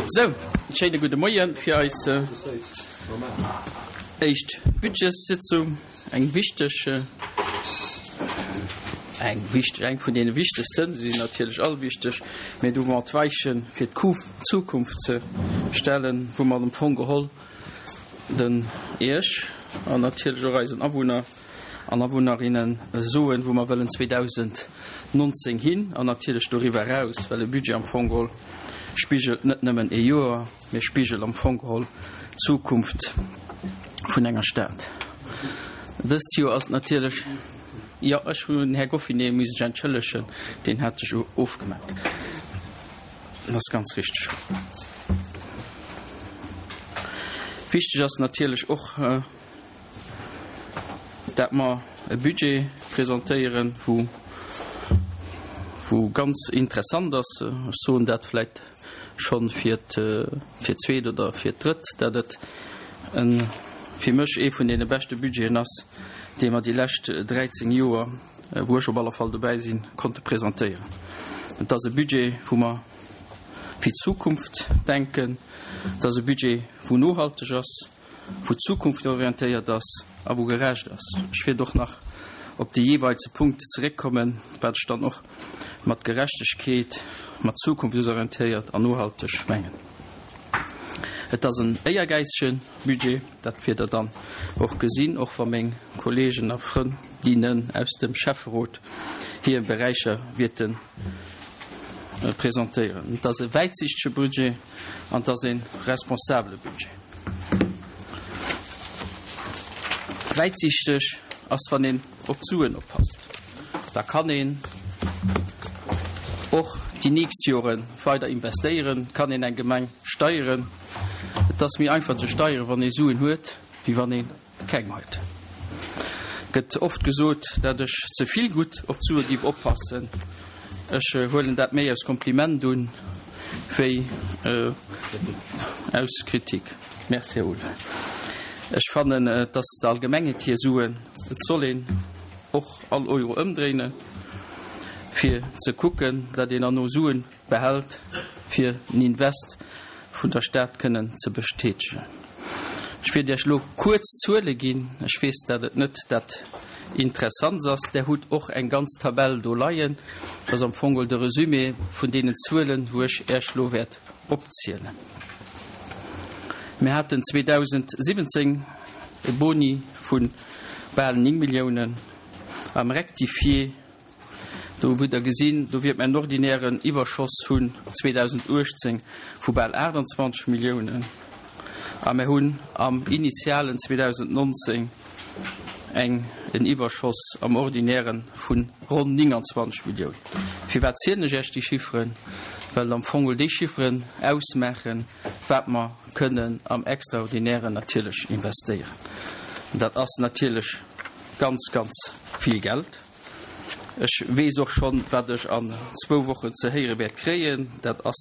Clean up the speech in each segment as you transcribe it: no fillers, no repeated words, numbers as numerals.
Sou, schéine gudde Moie fir eis éischt Budgetssitzung. Eng wichteg, eng wichteg, eng vun deene wichtegsten, se sinn natierlech all wichteg, mee do wou mer d'Weiche fir d'Zukunft ze stellen, wou mer am Fong geholl den Iech an natierlech och eisen Awunner an Awunnerinne soen, wou mer wëllen 2019 hin an natierlech doriwwer eraus, well e Budget am Fong geholl spigelt net nëmmen ee Joer, mee spigelt am Fong geholl d'Zukunft vun enger Stad. Dëst Joer ass et natierlech, jo, ech hunn den Här Goffinet muss ech entschëllegen, deen hat sech ofgemellt, dat ass ganz richteg. Wichteg ass natierlech och, dat mer e Budget presentéieren, wou, wou ganz interessant ass, ech soen dat vläicht schonn fir fir d'zweet oder fir d'drëtt, dat et e fir mech ee vun deene beschte Budgeten ass, dee mer déi lescht 13 Joer, wou ech op alle Fall dobäi sinn, konnte presentéieren. Et ass e Budget, wou mer fir d'Zukunft denken. Et ass e Budget, wou nohalteg ass. wou zukunftorientéiert ass a wou gerecht ass. Ech wäert och nach op déi jeeweilze Punkte zeréckkommen, wat ech dann och mat Gerechtegkeet, mat zukunftsorientéiert an nohalteg mengen. Et ass en éiergäizege Budget, dat wiert Der dann och gesinn, och wa meng Kolleegen a Frëndinnen aus dem Schäfferot hir Beräicher wäerte presentéieren. Et ass e wäitsichtege Budget. An et ass e responsabele Budget. Wäitsichteg ass, wann een op d'Suen oppasst. Da kann een och déi nächst Jore weider investéieren, kann een eng Gemeng steieren. Et ass méi einfach ze steieren, wann ee Suen huet, wéi wann ee Keng Heit. Gëtt oft gesot, dat ech ze vill gutt op d'Sue giff oppassen. Ech huelen dat méi aus Kompliment un, wéi aus Kritik. Merci, Här Uhl. Ech fannen, et ass der Allgemengheet hir Suen. Et soll een och all Euro ëmdréinen, fir ze kucken, dat een herno Suen behält, fir en Invest vun der Stad kënnen ze bestätegen. Ech wäert Iech elo kuerz Zuele ginn. Ech weess, dat et net dat Interessants ass. Der hutt och eng ganz Tabell do leien. Dat ass am Fong de Resumé vun deenen Zuelen, wou ech Iech elo wäert opzielen. Mir haten 2017 e Boni vu bal 9 Milliounen am Rectifié. Do hutt Der gesinn, do wiert mer en ordinären Iwwerschoss hunn 2018 vu bal 28 Milliounen a mer hunn am initialen 2019 eng en Iwwerschoss am ordinäre vu ronn 29 Milliounen. Firwat zielen ech Iech déi Chifferen? Well am Fong déi Chifferen ausmaachen, wat mer kënnen am Extraordinären natierlech investéieren. Dat ass natierlech ganz, ganz vill Geld. Ech weess och schonn, wat ech an zwou Wochen ze héiere wäert kréien. Dat ass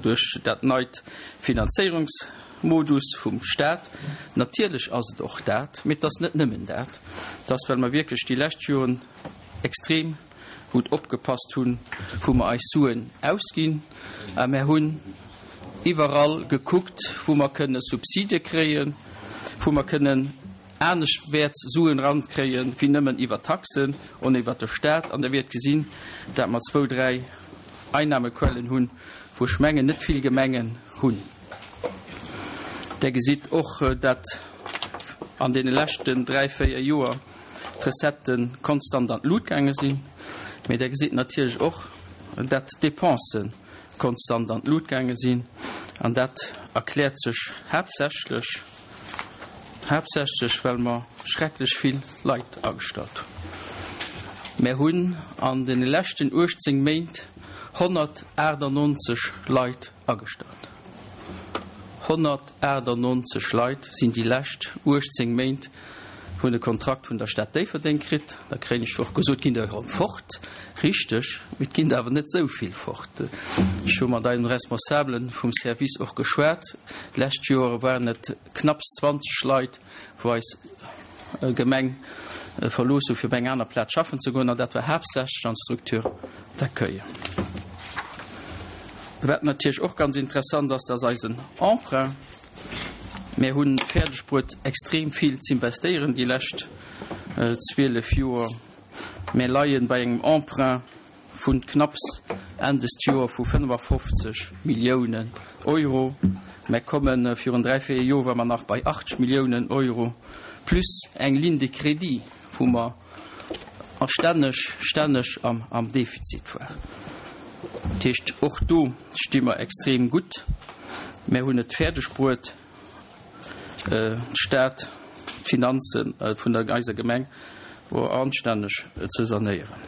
duerch dat neit Finanzéierungsmodus vum Stat. Natierlech ass et och dat, mee et ass net nëmmen dat. Et ass, well mer wierklech déi lescht Joren extrem gutt opgepasst hunn, wou mer eis Suen ausginn. A mer hunn iwwerall gekuckt, wou mer kënne Subside kréien, wou mer kënnen aneschtwäerts Suen erankréien, wéi nëmmen iwwer Taxen on iwwer de Staat. An Der wiert gesinn, dat mer zwou, dräi Einnahmequellen hunn, wou ech mengen, net vill Gemengen hunn. Der gesitt och, dat an deene leschten dräi, véier Joer d'Recettë konstant an d'Lut gaange sinn. Mee Der gesitt natierlech och, dat d'Dépensen konstant an d'Lut gaange sinn. An dat erkläert sech haaptsächlech, Haaptsächlech well mer schrecklech vill Leit agestallt hunn. Mär hunn an de leschten 18 Méint 198 Leit agestallt. 198 Leit sinn déi lescht 18 Méint hunn e Kontrakt vun der Stad Déifferdeng kritt. Da kréien ech och gesot, ginn der erëm fort. Richteg, mee et ginn der awer net esou vill fort. Ech hu mat eisem Responsabele vum Service och geschwat. D'lescht Joer waren et knapps 20 Leit, wou eis Gemeng verlooss hu fir op eng aner Plaz schaffen ze goen, an dat war haaptsächlech an d'Structure d'accueil. Wat natierlech och ganz interessant ass, dat ass eisen Emprunt. Mir hunn fäerdeg bruet extrem vill z'investéieren déi lescht 12 Joer. Mir leien bei engem Emprunt vun knapps Enn dest Joer vu 55 Milliounen Euro. Mär kommen, virun 3, 4 Joer ware mer nach bei 80 Milliounen Euro, plus eng Ligne de crédit, wou mer a stänneg, stänneg am, am Defizit waren. Dat heescht, och do sti mer extrem gutt. Mär hunn et fäerdeg bruet, d'Stad, d'Finanze vun der eiser Gemeng anstänneg ze sanéieren.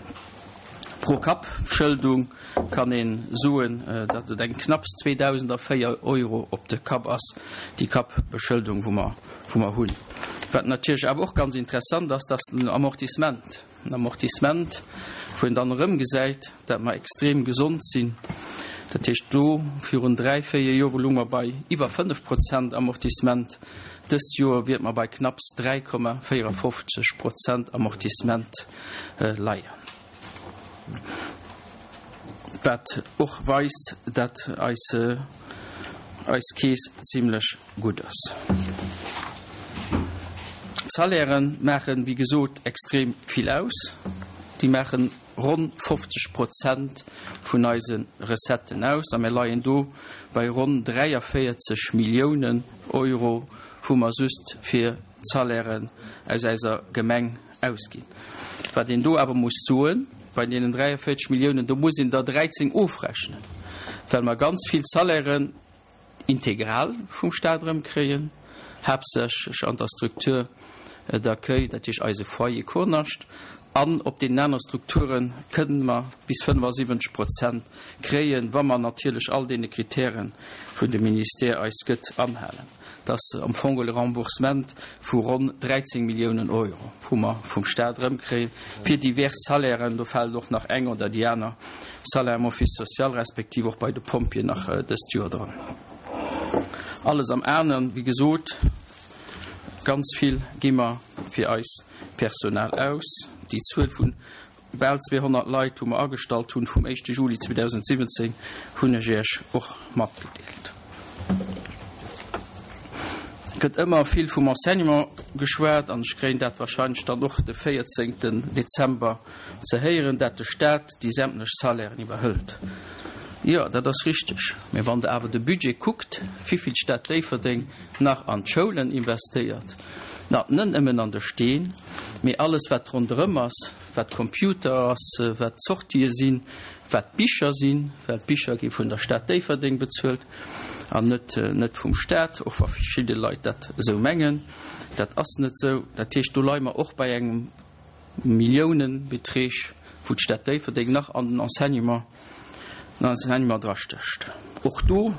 Pro-Kapp-Schëldung kann ee soen, datt et eng knapps 2.004 Euro op de Kapp ass, déi Kappbeschëldung, wou mer, wou mer hunn. Wat natierlech awer och ganz interessant ass, dat ass den Amortissement. En Amortissement, wou een dann erëmgesäit, dat mer extrem gesond sinn. Dat heescht, do virun dräi, véier Joer lounge mer bei iwwer 5 Prozent Amortissement. Dëst Joer wierte mer bei knapps 3,54 Prozent Amortissement leien. Wat och weist, dat eis, eis Keess zimlech gutt ass. D'Salairë maachen, wéi gesot, extrem vill aus. Déi maachen ronn 50 Prozent vun eise Recetten aus a mir leien do bei ronn 43 Milliounen Euro, wou mer just fir d'Salairen aus eiser Gemeng ausginn. Wat een do awer muss soen, bei deenen 43 Milliounen, do muss een der 13 ofrechnen, well mer ganz vill Salairen integral vum Staat erëmkréien, haaptsächlech an der Structure d'accueil, dat heescht eise Foyer Kurnascht, an op deenen anere Strukture kënnen mer bis 75 Prozent kréien, wa mer natierlech all deene Kritären, vun de Ministère eis gëtt, anhalen. Dat ass am Fong e Remboursement vu ronn 13 Milliounen Euro, wou mer vum Staat erëmkréien fir divers Salairen. Do fält och nach eng oder déi aner Salaire am Office social respektiv och bei de Pompjeeën nach dëst Joer dran. Alles am anen, wéi gesot, ganz vill gi mer fir eis Personal aus. Déi Zuel vun bal 200 Leit, wou mer agestallt hunn vum éischte Juli 2017, hunn ech Iech och matgedeelt. Et gëtt ëmmer vill vum Enseignement geschwat an ech kréien dat wahrscheinlech dann och de 14 Dezember ze héieren, dat de Staat déi sämtlech Salairen iwwerhëlt. Jo, dat ass richteg. Mä wann Der awer de Budget kuckt, wivill d'Stad Déifferdeng nach an d'Schoulen investéiert, na, net nëmmen an de Steen, mee alles wat ronderëm ass, wat Computer ass, wat d'Sortië sinn, wat d'Bicher sinn, well d'Bicher gi vun der Stad Déifferdeng bezuelt an net, net vum Staat, och wa verschidde Leit dat esou mengen. Dat ass net esou. Dat heescht, do leie mer och bei engem Milliounenbeträg, wou d'Stad Déifferdeng nach an den Enseignement, den Enseignement drastécht. Och do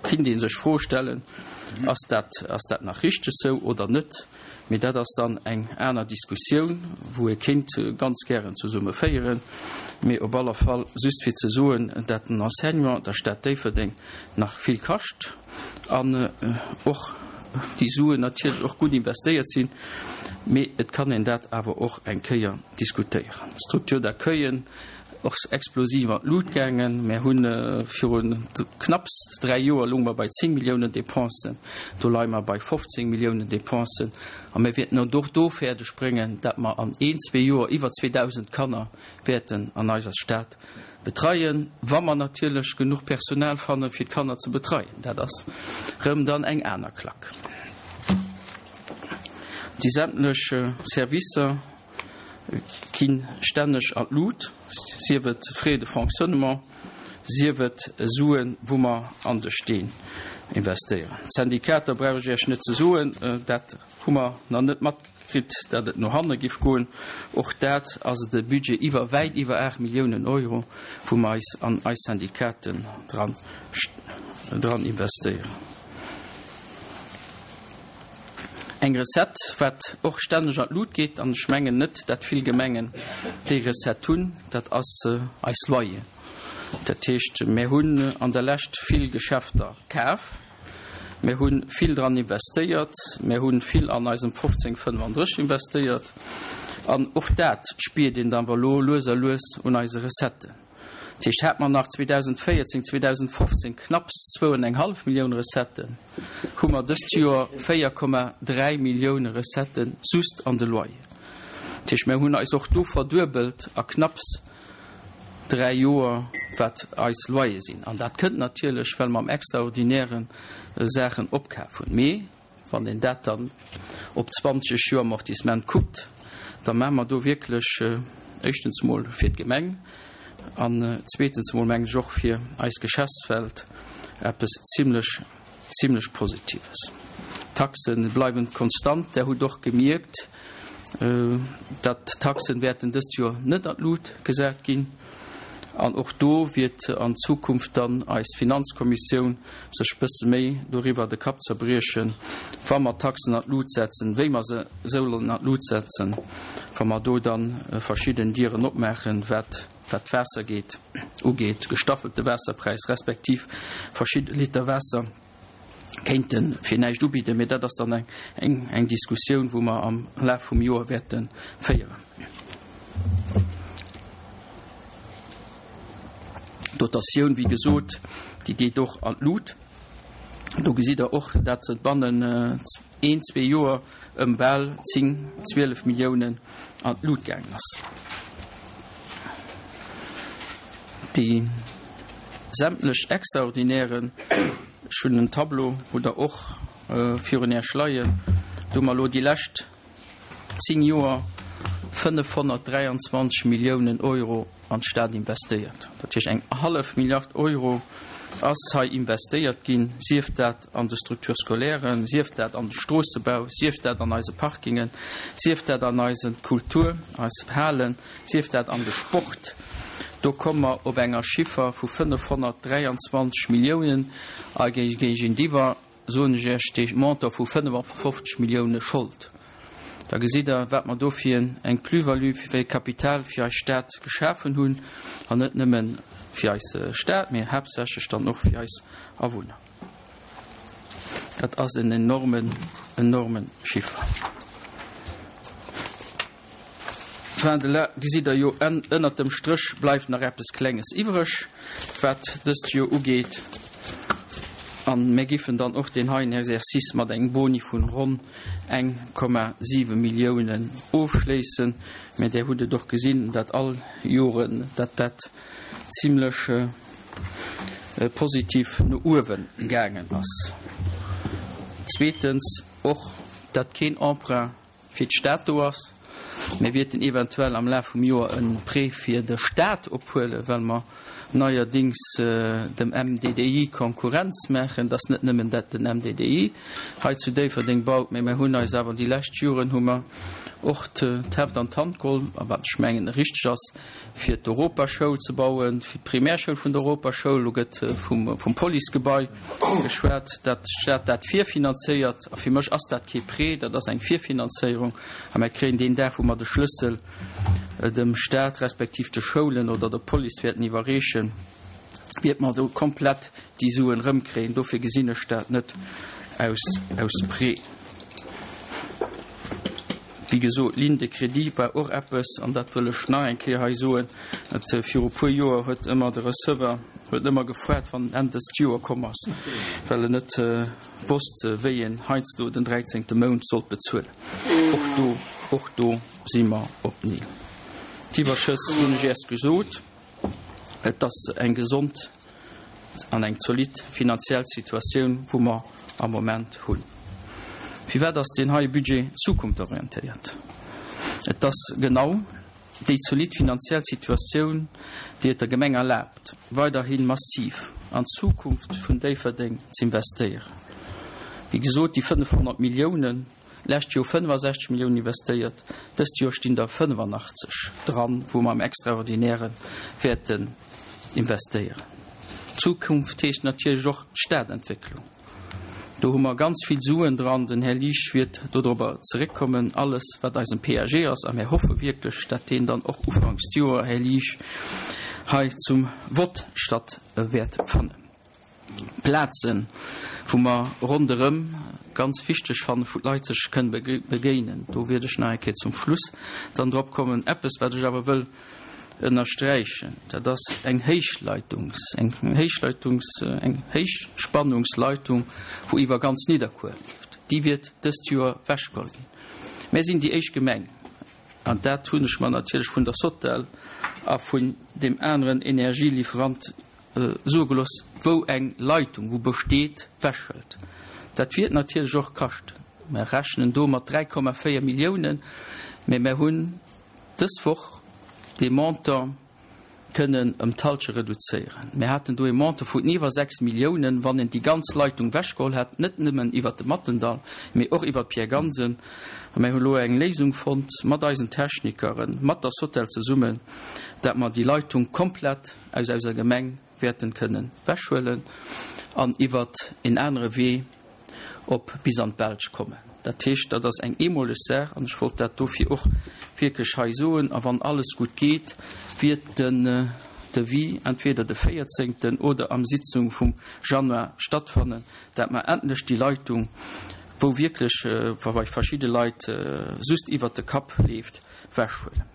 kinnt ee sech d'Fro stellen, Ass dat, ass dat nach richteg sou oder net? Mee dat ass dann eng aner Diskussioun, wou ee kéint ganz gären zesumme féieren. Mee op aller Fall just fir ze soen, dat den Enseignement der Stad Déifferdeng nach vill kascht. An och déi Suen natierlech och gutt investéiert sinn, mee et kann een dat awer och eng Kéier diskutéieren. D'Structure d'accueillen och explosiv an d'Lut gaangen. Mär hu viru knapps 3 Joer lounge mer bei 10 Milliounen Dépensen, do leie mer bei 15 Milliounen Dépensen. A mir wäerten et och do fäerdeg bréngen, dat mer an een, zwee Joer iwwer 2.000 Kanner wäerten an eiser Stad Betreien, wa mer natierlech genuch Personal fannen, fir d'Kanner ze betreien. Dat ass rëm dann eng aner Klack. Déi sämtlech Servicer gi stänneg an d'Lut, sief et Frais de fonctionnement, sief et Suen, wou mer an de Steen investéieren. D'Syndikater brauch ech Iech net ze soen, dat Hu mer nach net matkritt, dat et no hanne giff goen. Och dat ass et e Budget iwwer, wäit iwwer 8 Milliounen Euro, wou mer eis an eis Syndikaten dran, dran investéieren. Eng Recette, wat och stänneg an d'Lut geet, an ech mengen net, dat vill Gemengen déi Recette hunn, dat ass eis Loyeren. Dat heescht, mir hunn an der Lescht vill Geschäfter kaf. Mir hu vill dran investéiert, mir hu vill an eisem 1535 investéiert an och dat spiert een dann awer elo lues a lues un eise Recetten. Dat heescht, hate mer nach 2014, 2015 knapps zwou an eng hallef Millioun Recetten, hu mer dëst Joer 4,3 Millioune Recettë just an de Loyeren. Dat heescht, mer hunn eis och do verduebelt a knapps 3 Joer, wat eis Loyer sinn. An dat kënnt natierlech, well mer am Extraordinäre Saachen opkaf hunn. Mee wann een dat dann op 20 Joer Amortissement kuckt, da maache mer do wierklech éischtens emol fir d'Gemeng an zweetens emol, mengen ech, och fir eis Geschäftswelt eppes zimlech, zimlech Positives. D'Taxe bleiwen konstant. Der hutt och gemierkt, datt d'Taxen wäerten dëst Joer net an d'Lut gesat ginn. An och do wiert an Zukunft dann eis Finanzkommissioun sech bësse méi doriwwer de Kapp zerbriechen, wa mer d'Taxen an d'Lut setzen, wéi mer se sollen an d'Lut setzen, wa mer do dann verschidden Dieren opmaachen, wat wat d'Waasser geet ugeet, gestaffelte Waasserpräis respektiv verschidde Liter Waasser kéinte fir näischt ubidden. Mee dat ass dann eng eng eng Diskussioun, wou mer am Laf vum Joer wäerte féieren. D'Dotatioun, wéi gesot, déi geet och an d'Lut. Do gesitt Der och, dat se bannen een, zwee Joer ëm bal 10, 12 Milliounen an d'Lut gaangen ass. Déi sämtlech extraordinären, ech hunn en Tableau, hutt Der och virun Iech leien, do hu mer elo déi lescht 10 Joer 523 Milliounen Euro an d'Stad investéiert. Dat heescht, eng hallef Milliard Euro ass hei investéiert ginn, sief dat an de Structures scolaires, sief dat an de Stroossebau, sief dat an eise Parkingen, sief dat an eise Kultur, eis Halen, sief dat an de Sport. Do komme mer op enger Chiffer vu 523 Milliounen a géigentiwwer soen ech Iech, dee Montant vu 55 Millioune Schold, da gesitt Der, wat mer do fir eng Plus-value, fir e Kapital fir eis Stad geschafen hunn, an net nëmme fir eis Stad, mä haaptsächlech dann och fir eis Awunner. Dat ass en enormen, enorme Chiffer. Fin de la gesitt Der jo, ënnert dem Stréch bleift nach eppes Klenges iwwreg, wat dëst Joer ugeet. A mir giffen dann och deen heien Exercice mat engem Boni vun ronn 1,7 Milliounen ofschléissen. Mä Där hutt et och gesinn, dat all Joren, datt dat zimlech positiv no uewe gaangen ass. Zweetens och, datt keen Emprunt fir d'Stad do ass. Mir wierten eventuell am Laf vum Joer e Prêt fir de Staat ophuelen, well mer neierdings dem MDDI Konkurrenz maachen. Et ass net nëmmen, dat den MDDI hei zu Déifferdeng baut, mä mir hunn eis awer déi lescht Joren hu mer och d'Heft an d'Hand geholl, a wat ech mengen richteg ass, fir d'Europaschoul ze bauen, fir d'Primärschoul vun der Europaschoul. Elo gëtt vum Policegebai geschwat, dat d'Stad dat virfinanzéiert. A fir mech ass dat kee Prêt, dat ass eng Virfinanzéierung. A mer kréien deen Dag, wou mer de Schlëssel dem Stat respektiv de Schoulen oder der Police wäerten iwwerreechen, wäerte mer do komplett déi Suen erëmkréien. Dofir gesinn ech dat net aus aus Prêt. Wéi gesot, d'Ligne de crédit war och eppes, an dat wëll ech nach eng Kéier hei soen, et viru e puer Joer huet ëmmer de Receveur huet ëmmer gefoart, wann Enn dëst Joer komm ass, well en net wosst, wéi en heiansdo den dräizéngte Mount sollt bezuelen. Och do, och do si mer op Nil. D'Iwwerschëss hunn ech Iech gesot. Et ass eng gesond an eng zolidd finanziell Situatioun, wou mer am Moment hunn. Firwat ass deen heie Budget zukunftorientéiert? Et ass genau déi zolidd finanziell Situatioun, déi et der Gemeng erlaabt, weiderhi massiv an d'Zukunft vun Déifferdeng z'investéieren. Wéi gesot, déi 500 Milliounen, Lescht Joer 65 Milliounen investéiert, dëst Joer stinn der 85 dran, wou mer am Extraordinäre wäerten investéieren. Zukunft heescht natierlech och d'Stadentwécklung. Do hu mer ganz vill Suen dran. Den Här Liesch wiert dodrobber zeréckkommen. Alles, wat eisem PAG ass, a mir hoffe wierklech, dat deen dann och ufanks d'Joer, Här Liesch, hei zum Vott statt wäert fannen. Plazen, wou mer ronderëm ganz wichteg fannen, wou d'Leit sech kënne begéinen. Do wiert ech nach eng Kéier zum Schluss dann drop kommen. Eppes, wat ech awer wëll. Ënnersträichen, dat ass eng Héichleitungs, eng Héichleitungs, eng Héichspannungsleitung, wou iwwer ganz Nidderkuer leeft. Déi wiert dëst Joer wechgeholl ginn. Mär sinn déi éischt Gemeng, an dat hunn ech mer natierlech vun der Sotel a vun deem aneren Energielieferant soe gelooss, wou eng Leitung, wou besteet, wechhëlt. Dat wiert natierlech och kaschten. Mär rechnen do mat 3,4 Milliounen, mä mär hunn dës Woch dee Montant kënnen ëm d'Halsche reduzéieren. Mir haten do ee Montant vun iwwer 6 Milliounen, wann een déi ganz Leitung wechgeholl hätt, net nëmmen iwwert de Mattendall, mee och iwwert d'Pierre Gansen. A mir hu lo eng Léisung fonnt mat eisen Technikeren, mat der Sotel zesummen, dat mer déi Leitung komplett aus eiser Gemeng wäerten kënnen wechhuelen an iwwert en anere Wee op bis an d'Belsch kommen. Dat heescht, dat ass eng eemoleg Saach an ech wollt dat dofir och wierklech hei soen. A wann alles gutt geet, wiert den Devis entweder de véierzéngten oder am Sitzung vum Januar stattfannen, dat mer endlech déi Leitung, wou wierklech bei verschidde Leit just iwwert de Kapp leeft, wechhuelen.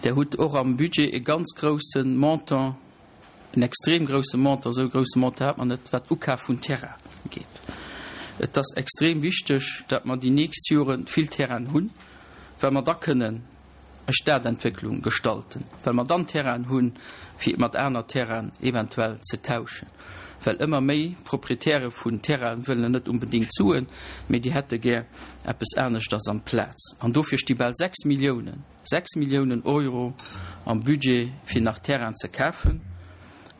Der hutt och am Budget e ganz grousse Montant, en extrem grousse Montant, esou e grousse Montant hat mer net, wat Ukaf vun Terrain ugeet. Et ass extrem wichteg, datt mer déi nächst Jore vill Terrainen hunn, well mer da kënnen e Stadentwécklung gestalten, well mer dann Terrainen hunn, fir mat aner Terrainen eventuell ze tauschen, well ëmmer méi Proprietäre vun Terrainen wëllen net unbedéngt Suen, mee déi hätte gär eppes aneschters amplaz. An dofir sti bal 6 Milliounen, 6 Milliounen Euro am Budget, fir nach Terrainen ze kafen.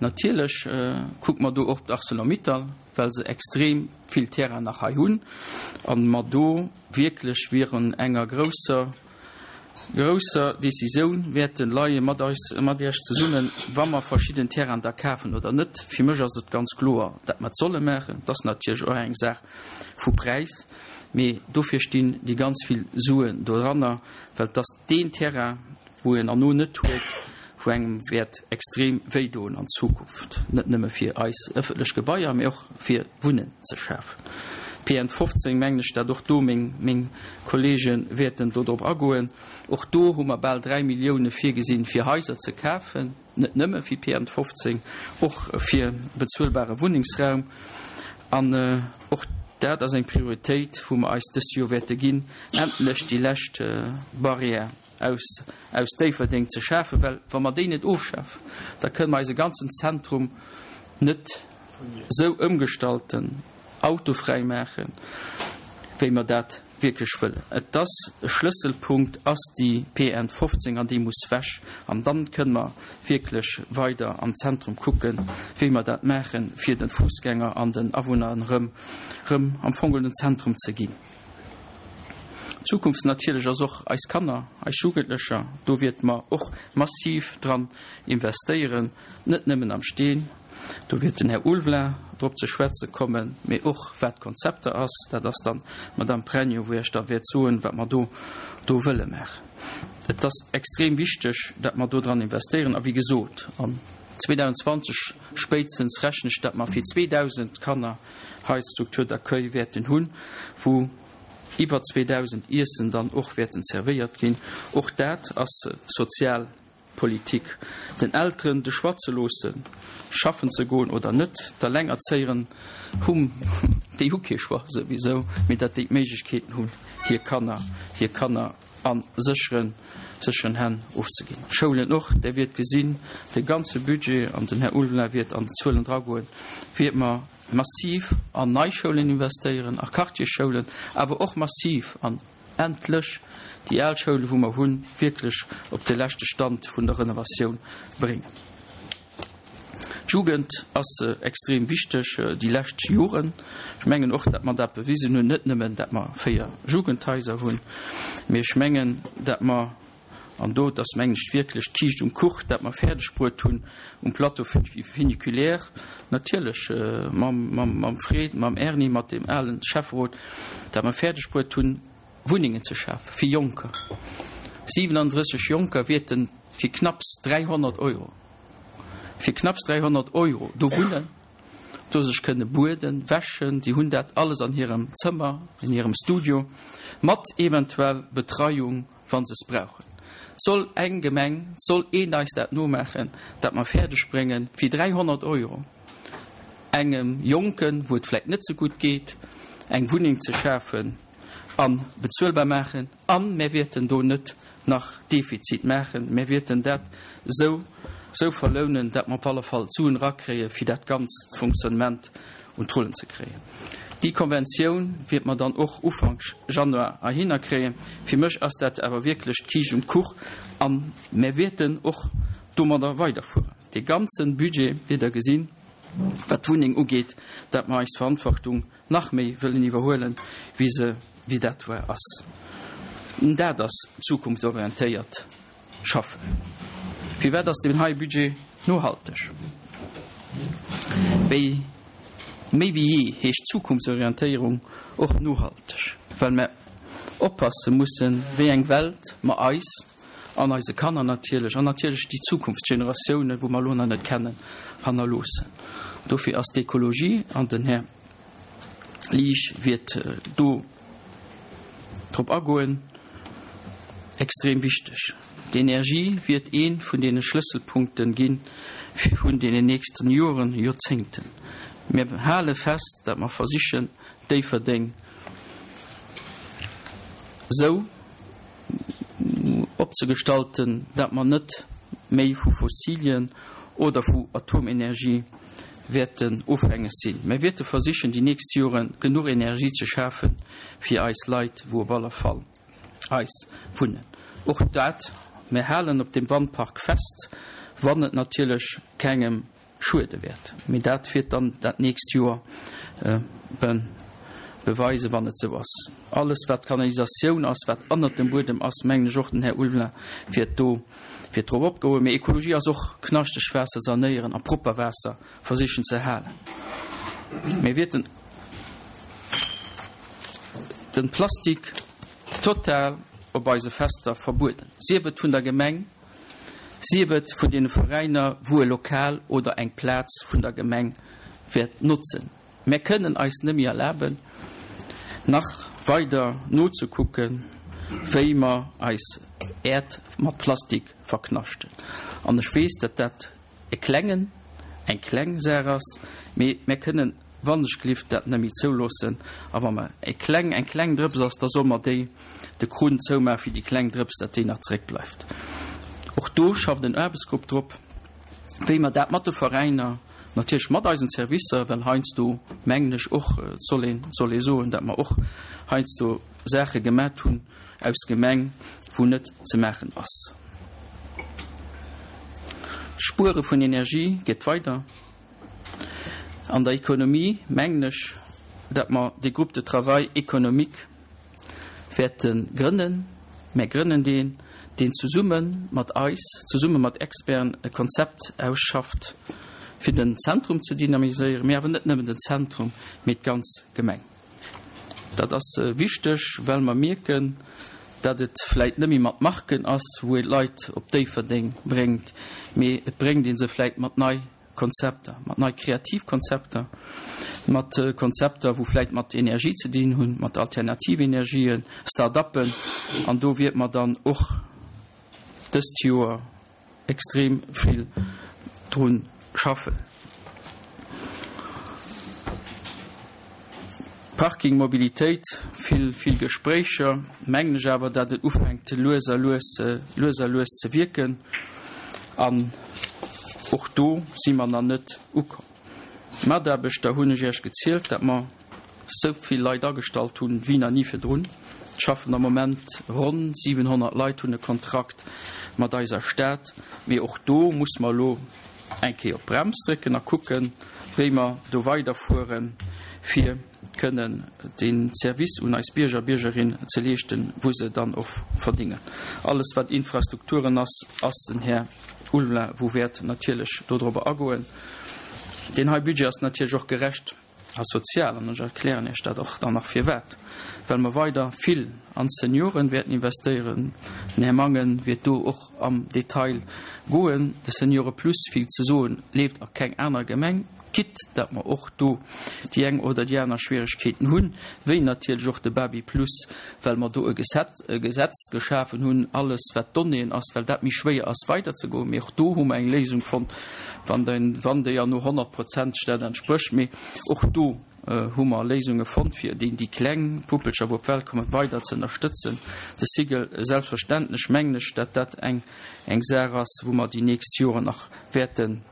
Natierlech kucke mer do och d'Arcelor-Mittal, well se extrem vill Terrainen nach hei hunn a mer do wierklech virun enger grousser, grousser Décisioun wäerte leie mat eis, mat Iech zesummen, wa mer verschidden Terrainen da kafen oder net. Fir mech ass et ganz kloer, dat mer et solle maachen. Et ass natierlech och eng Saach vu Präis, mee dofir stinn déi ganz vill Suen doranner, well et ass deen Terrain, wou een erno net huet, wou engem wäert extrem wéi doen an Zukunft, net nëmme fir eis ëffentlech Gebaier, mee och fir Wunnen ze schafen. PN 15, mengen ech, dat och do meng, meng Kollege wäerten do drop agoen. Och do hu mer bal 3 Millioune virgesinn, fir Haiser ze kafen, net nëmme fir PN 15, och fir bezuelbare Wunnengsraum. An och dat ass eng Prioritéit, wou mer eis dëst Joer wäerte ginn, endlech déi lescht Barrière aus aus Déifferdeng ze schafen, well wa mer déi net ofschafen, da kënne mer eise ganzen Zentrum net esou ëmgestalten, autofräi maachen, wéi mer dat wierklech wëllen. Et ass e Schlësselpunkt, ass déi PN 15, an déi muss wech. An dann kënne mer wierklech weider am Zentrum kucken, wéi mer dat maachen, fir de Fussgänger an den Awunner erëm erëm am Fong den Zentrum ze ginn. D'Zukunft natierlech ass och eis Kanner, eis Jugendlecher. Do wierte mer och massiv dran investéieren, net nëmmen am Steen, do wiert den Här Ulveling drop ze schwätze kommen, mee och wat d'Konzepter ass. Dat ass dann d'Madame Pregno, wou Iech da wäert soen, wat mer do do wëlle maachen. Et ass extrem wichteg, dat mer do dran investéieren. A wéi gesot, an 2020 spéitstens rechne ech, dat mer fir 2.000 Kanner hei d'Structure d'accueil wäerten hunn, wou iwwer 2.000 Iessen dann och wäerten zerwéiert ginn. Och dat ass Sozialpolitik, den Elteren de Choix ze loossen, schaffen ze goen oder net. D'Allengerzéieren hu, déi hu kee Choix souwisou, mee datt déi d'Méiglechkeeten hunn, hir Kanner, hir Kanner a sécheren, sécheren Hänn ofzeginn. D'Schoulen och, Där wiert gesinn, de ganze Budget, an den Här Ulveling wiert an déi Zuelen dragoen, wiert mer massiv an nei Schoulen investéieren, a Quartiersschoulen, awer och massiv an endlech déi al Schoulen, wou mer hunn, wierklech op de leschte Stand vun der Renovatioun bréngen. D'Jugend ass extrem wichteg déi lescht Joren. Ech mengen och, datt mer dat bewisen hunn, net nëmmen, datt mer 4 Jugendhaiser hunn, mee ech mengen, datt mer, an do, et ass mengen ech wierklech d'Kiischt um Kuch, dat mer fäerdeg bruet hunn um Plateau funiculaire, natierlech mam Fred, mam Erny, mat deem alen Schäfferot, dat mer fäerdeg bruet hunn, Wunnengen ze schafe fir Jonker. 37 Jonker wäerte fir knapps 300 Euro, fir knapps 300 Euro do wunnen, do sech kënne bueden, wäschen, si hunn dat alles an hirem Zëmmer, in hirem Studio, mat eventuell Betreiung, wa se es brauchen. Soll eng Gemeng, soll een eis dat nomaachen, dat mer fäerdeg bréngen, fir 300 Euro engem Jonken, wou et vläicht net sou gutt geet, eng Wunneng ze schafen a bezuelbar maachen? A mär wäerten do net nach Defizit maachen, mär wäerten dat esou esou verlounen, dat mer op alle Fall d'Suen erakréie fir dat ganzt Fonctionnement un d'Rullen ze kréien. Déi Konventioun wäerte mer dann och Ufank Januar heihinner kréien. Fir mech ass dat awer wierklech d'Kiischt um Kuch a mär wäerten och domadder weiderfueren. Dee ganze Budget wäert Der gesinn, wat d'Wunneng ugeet, dat mer eis Verantwortung nach méi wëllen iwwerhuelen, wéi se, wéi dat war, ass. Dat ass zukunftsorientéiert schaffen. Firwat ass deen hei Budget nohalteg? Wéi méi wéi jee heescht Zukunftsorientéierung och nohalteg, well mer oppasse mussen, wéi eng Welt mer eis an eise Kanner natierlech an natierlech déi Zukunftsgeneratiounen, wou mer elo nach net kennen, hannerloossen. Dofir ass d'Ekologie, an den Här Liesch wäert do drop agoen, extrem wichteg. D'Energie wäert ee vun deene Schlësselpunkte gi vun deenen nächsten Joren, Joerzéngten. Mir hale fest, datt mer versichen, Déifferdeng esou opzegestalten, dat mer net méi vu Fossilien oder vu Atomenergie wäerten ofhängeg sinn. Mer wäerte versichen, déi nächst Jore genuch Energie ze schafe fir eis Leit, wou op alle Fall eis wunnen. Och dat, mer halen op deem Wandpark fest, wann et natierlech kengem schuede wäert. Mee dat wäert dann dat nächst Joer beweisen, wann et esou ass. Alles, wat Kanalisatioun ass, wat ënnert dem Buedem ass, mengen ech, och den Här Ulveling wäert do wäert drop opgoen. Mee Ekologie ass och knaschteg Waasser sanéieren a propper Waasser versichen ze halen. Mir wäerten de Plastik total op eise Fester verbueden, sief et vun der Gemeng, sief et vun deene Veräiner, wou e Lokal oder eng Plaz vun der Gemeng wäert notzen. Mär kënnen eis nëmme erlaben, nach weider nozekucken, wéi mer eis Äerd mat Plastik verknaschten. An ech weess, datt dat e klengen, eng kleng Saach ass, mee mär kënnen wannechgelift dat net méi zouloossen. A wa mer e kleng, eng kleng Drëps ass, da solle mer déi de Krunn zoumaachen, fir déi kleng Drëps, datt déi nach zeréckbleift. Och do schafft en Aarbechtsgrupp drop, wéi mer dat mat de Veräiner, natierlech mat eisen Servicer, well heiansdo mengen ech och, et soll een, soll ee soen, datt mer och heiansdo Saache gemat hunn aus Gemeng, wou net ze maachen ass. D'Spuere vun Energie geet weider. An der Economie mengen ech, datt mer dee Groupe de travail économique wäerte grënnen. Mär grënnen deen, deen zesumme mat eis, zesumme mat Experten e Konzept ausschafft, fir den Zentrum ze dynamiséieren, mee awer net nëmmen den Zentrum, mee d'ganz Gemeng. Dat ass wichteg, well mer mierken, datt et vläit net méi mat Marken ass, wou ee d'Leit op Déifferdeng bréngt, mee et bréngt ee se vläit mat nei Konzepter, mat nei kreativ Konzepter, mat Konzepter, wou vläit mat Energie ze dinn hunn, mat alternativ Energien, Start-uppen. An do wiert mer dann och dëst Joer extrem vill drun schaffen. Parking, Mobilitéit, vill, vill Gespréicher, mengen ech awer, datt et ufänkt lues a lues, lues a lues ze wierken. An och do si mer nach net ukomm. D'Mataarbechter hunn ech Iech gezielt, datt mer esou vill Leit agestallt hunn, wéi nach ni virdrun. Et schaffen am Moment ronn 700 Leit hunn e Kontrakt mat eiser Stad. Mee och do muss mer elo eng Kéier op d'Brems drécken a kucken, wéi mer do weiderfueren, fir kënnen dee Service un eis Bierger a Biergerinne ze leeschten, wou se dann och verdingen. Alles, wat Infrastrukturen ass, ass den Här Ulveling, wou wäert natierlech dodrobber agoen. Deen hei Budget ass natierlech och gerecht a sozial, an ech erklären Iech dat och dann nach firwat, well mer weider vill. an d'Senioren wäerten investéieren. Den Här Mangen wäert do och am Detail goen. De Seniore Plus, fir ze soen, leeft a keng aner Gemeng, quitte dat mer och do déi eng oder déi aner Schwieregkeeten hunn, wéi natierlech och de Baby Plus, well mer do e Gesetz geschafen hunn, alles wat Donnéeën ass, well dat méi schwéier ass weiderzegoen. Mee och do hu mer eng Léisung fonnt, wann déi an no honnertprozenteg dat entsprécht. Mee och do hu mer Léisunge fonnt, fir déi déi kleng Puppelcher, wou op d'Welt kommen, weider ze ënnerstëtzen. De Cycle, selbstverständlech mengen ech, dat dat eng eng Saach ass, wou mer déi nächst Joren nach wäerten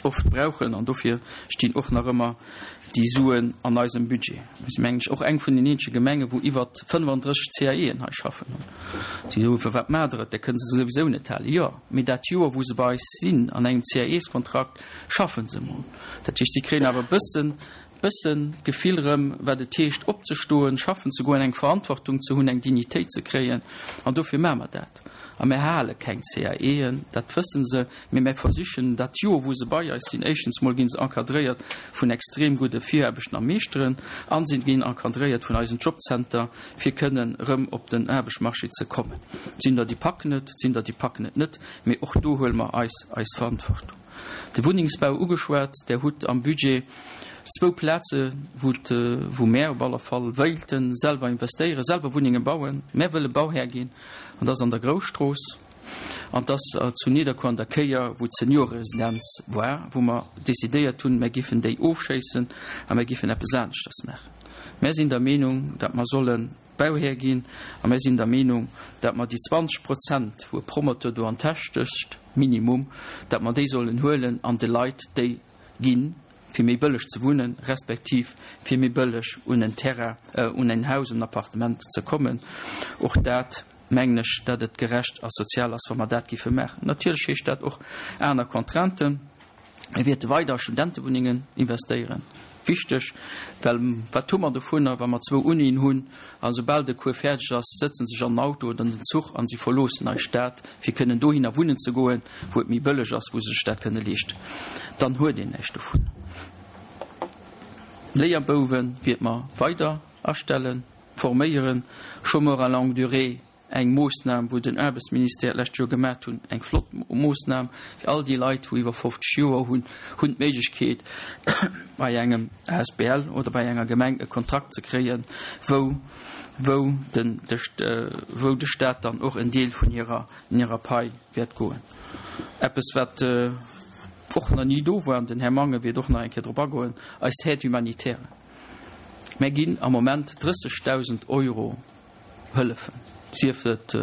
oft brauchen. An dofir stinn och nach ëmmer déi Suen an eisem Budget. Mir si mengen ech och eng vun den eenzege Gemengen, wou iwwer 35 CAEen hei schaffen. Si soen, Firwat maacht Der et? Der kënnt se souwisou net halen. Jo, mee dat Joer, wou se bei eis sinn an engem CAEskontrakt, schaffen se emol. Dat heescht, si kréien awer e bëssen, bëssen d'Gefill erëm, wat et heescht opzestoen, schaffen ze goen, eng Verantwortung ze hunn, eng Dignitéit ze kréien. An dofir maache mer dat. A mir hale keng CAEen, dat wësse se, mee mir versichen dat Joer, wou se bei eis sinn, éischtens mol gi se encadréiert vun extrem gudde Viraarbechten a Meeschteren a si ginn encadréiert vun eisen Jobcenter, fir kënnen erëm op den Aarbechtsmarché ze kommen. Et sinn der, déi packen et, et sinn der, déi packen et net, mee och do huele mer eis eis Verantwortung. De Wunnengsbau ugeschwat. Der hutt am Budget zwou Plaze wou mär op alle Fall wéilte selwer investéieren, selwer Wunnenge bauen. Mär wëlle Bauhär ginn an dat ass an der Grousstrooss an dat ass zu Nidderkuer an der Kéier, wou d'Senioreresidenz war, wou mer decidéiert hunn, mär géifen déi ofschéissen a mär géifen eppes aneschters maachen. Mär sinn der Meenung, datt mer sollen Bauhär ginn. A mir sinn der Meenung, datt mer déi 20 Prozent, wou e Promoteur do an d'Täsch stécht, minimum, datt mer déi sollen huelen an de Leit déi ginn, fir méi bëlleg ze wunnen, respektiv fir méi bëlleg un en Terrain, un en Haus, un en Appartement ze kommen. Och dat mengen ech, datt et gerecht a sozial ass, wa mer dat géife maachen. Natierlech heescht dat och aner Contrainten. Mir wäerte weider a Studentewunnengen investéieren. Wichteg, well wat hu mer dovunner, wa mer zwou Unien hunn a soubal de Cours fäerdeg ass, sëtzen sech an den Auto oder an den Zuch an si verloossen eis Stad, fir kënnen dohinner wunnen ze goen, wou et méi bëlleg ass, wou se sech dat kënne leeschten. Dann huet een näischt dovun. Léierbouwe wäerte mer weider astellen, forméieren, Chômeurs à longue durée Eng Moossnam, wou den Aarbechtsministère d'lescht Joer gemat hunn, eng flott Moossnam fir all déi Leit, wou iwwer 50 Joer hunn, hunn d'Méiglechkeet bei engem asbl oder bei enger Gemeng e Kontrakt ze kréien, wou, wou den, de, wou de Stat dann och en Deel vun hirer, hirer Pai wäert goen. Eppes, wat och nach ni do war, an den Här Mangen wäert och nach eng Kéier drop agoen, eis Aide humanitaire. Mär ginn am Moment 30.000 Euro hëllefen, sief et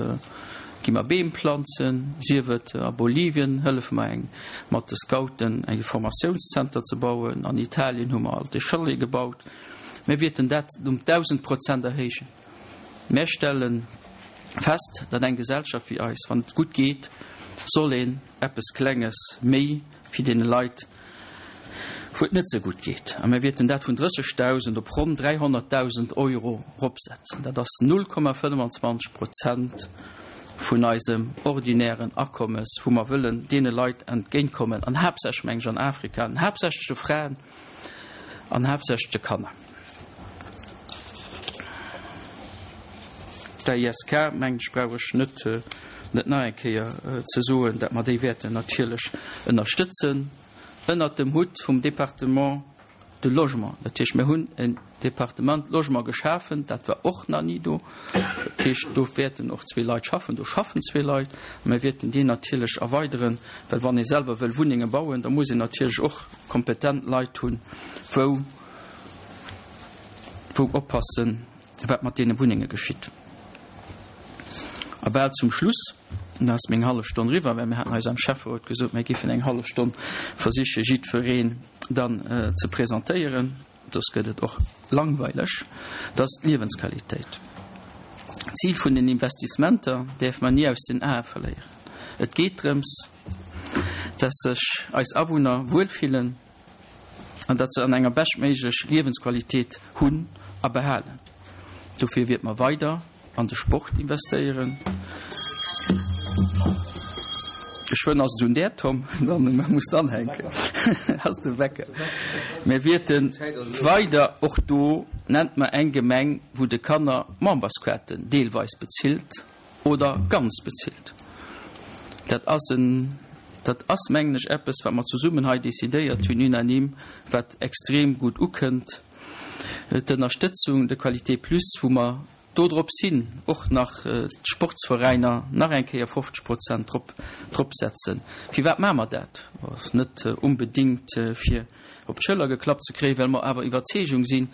gi mer Beem planzen, sief et a Bolivien hëllefe mer eng mat de Scouten eng Formatiounszenter ze bauen, an Italien hu mer alt e Chalet gebaut. Mir wierten dat um 1.000 Prozent erhéijen. Mär stelle fest, datt eng Gesellschaft wéi eis, wann et gutt geet, soll een eppes Klenges méi fir deene Leit, wou et net sou gutt geet, a mir wierten dat vun 30.000 op ronn 300.000 Euro eropsetzen. Dat ass 0,25 Prozent vun eisem ordinären Akommes, wou mer wëllen deene Leit entgéintkommen, an haaptsächlech, meng ech, an Afrika, an haaptsächlech de Fraen an haaptsächlech de Kanner. D'AISK, mengen ech, brauch ech net net nach eng Kéier ze soen, dat mer déi wäerten natierlech ënnerstëtzen ënnert dem Hutt vum Département de Logement. Dat heescht, mir hunn en Département Logement geschafen, dat war och nach ni do. Dat heescht, do wäerten och zwee Leit schaffen, do schaffen zwee Leit. A mir wäerten deen natierlech erweideren, well wann ee selwer wëll Wunnenge bauen, da muss een natierlech och kompetent Leit hunn, wou wou oppassen, wat mat deene Wunnenge geschitt. A bal zum Schluss, da ass meng hallef Stonn eriwwer, well mir haten eis am Schäfferot gesot, mir géifen eng hallef Stonn versiche jiddwereen dann ze presentéieren, soss gëtt et och langweileg, dat ass d'Liewensqualitéit. D'Zil vun den Investissementer däerf mer ni aus den Ae verléieren. Et geet drëms, dass sech eis Awunner wuelfillen, an datt se an enger beschtméiglech Liewensqualitéit hunn a behalen. Dofir wiert mer weider an de Sport investéieren. Geschwënn ass et un där, Tom, dann muss de anhänken. Ass de Wecker. Mir wierten weider och do. Nennt mer eng Gemeng, wou de Kanner d'Membersquarten deelweis bezilt oder ganz bezilt. Dat ass en, dat ass, mengen ech, eppes, wat mer zesummen hei decidéiert hunn, unanime, wat extrem gutt ukënnt. D'Ënnerstëtzung de Qualité plus, wou mer dodrops hin och nach d'Sportsveräiner nach eng Kéier 50 Prozent drop, drop setzen. Firwat maache mer dat? Ass net onbedéngt fir op d'Schëller geklappt ze kréien, well mer awer Iwwerzeegung sinn,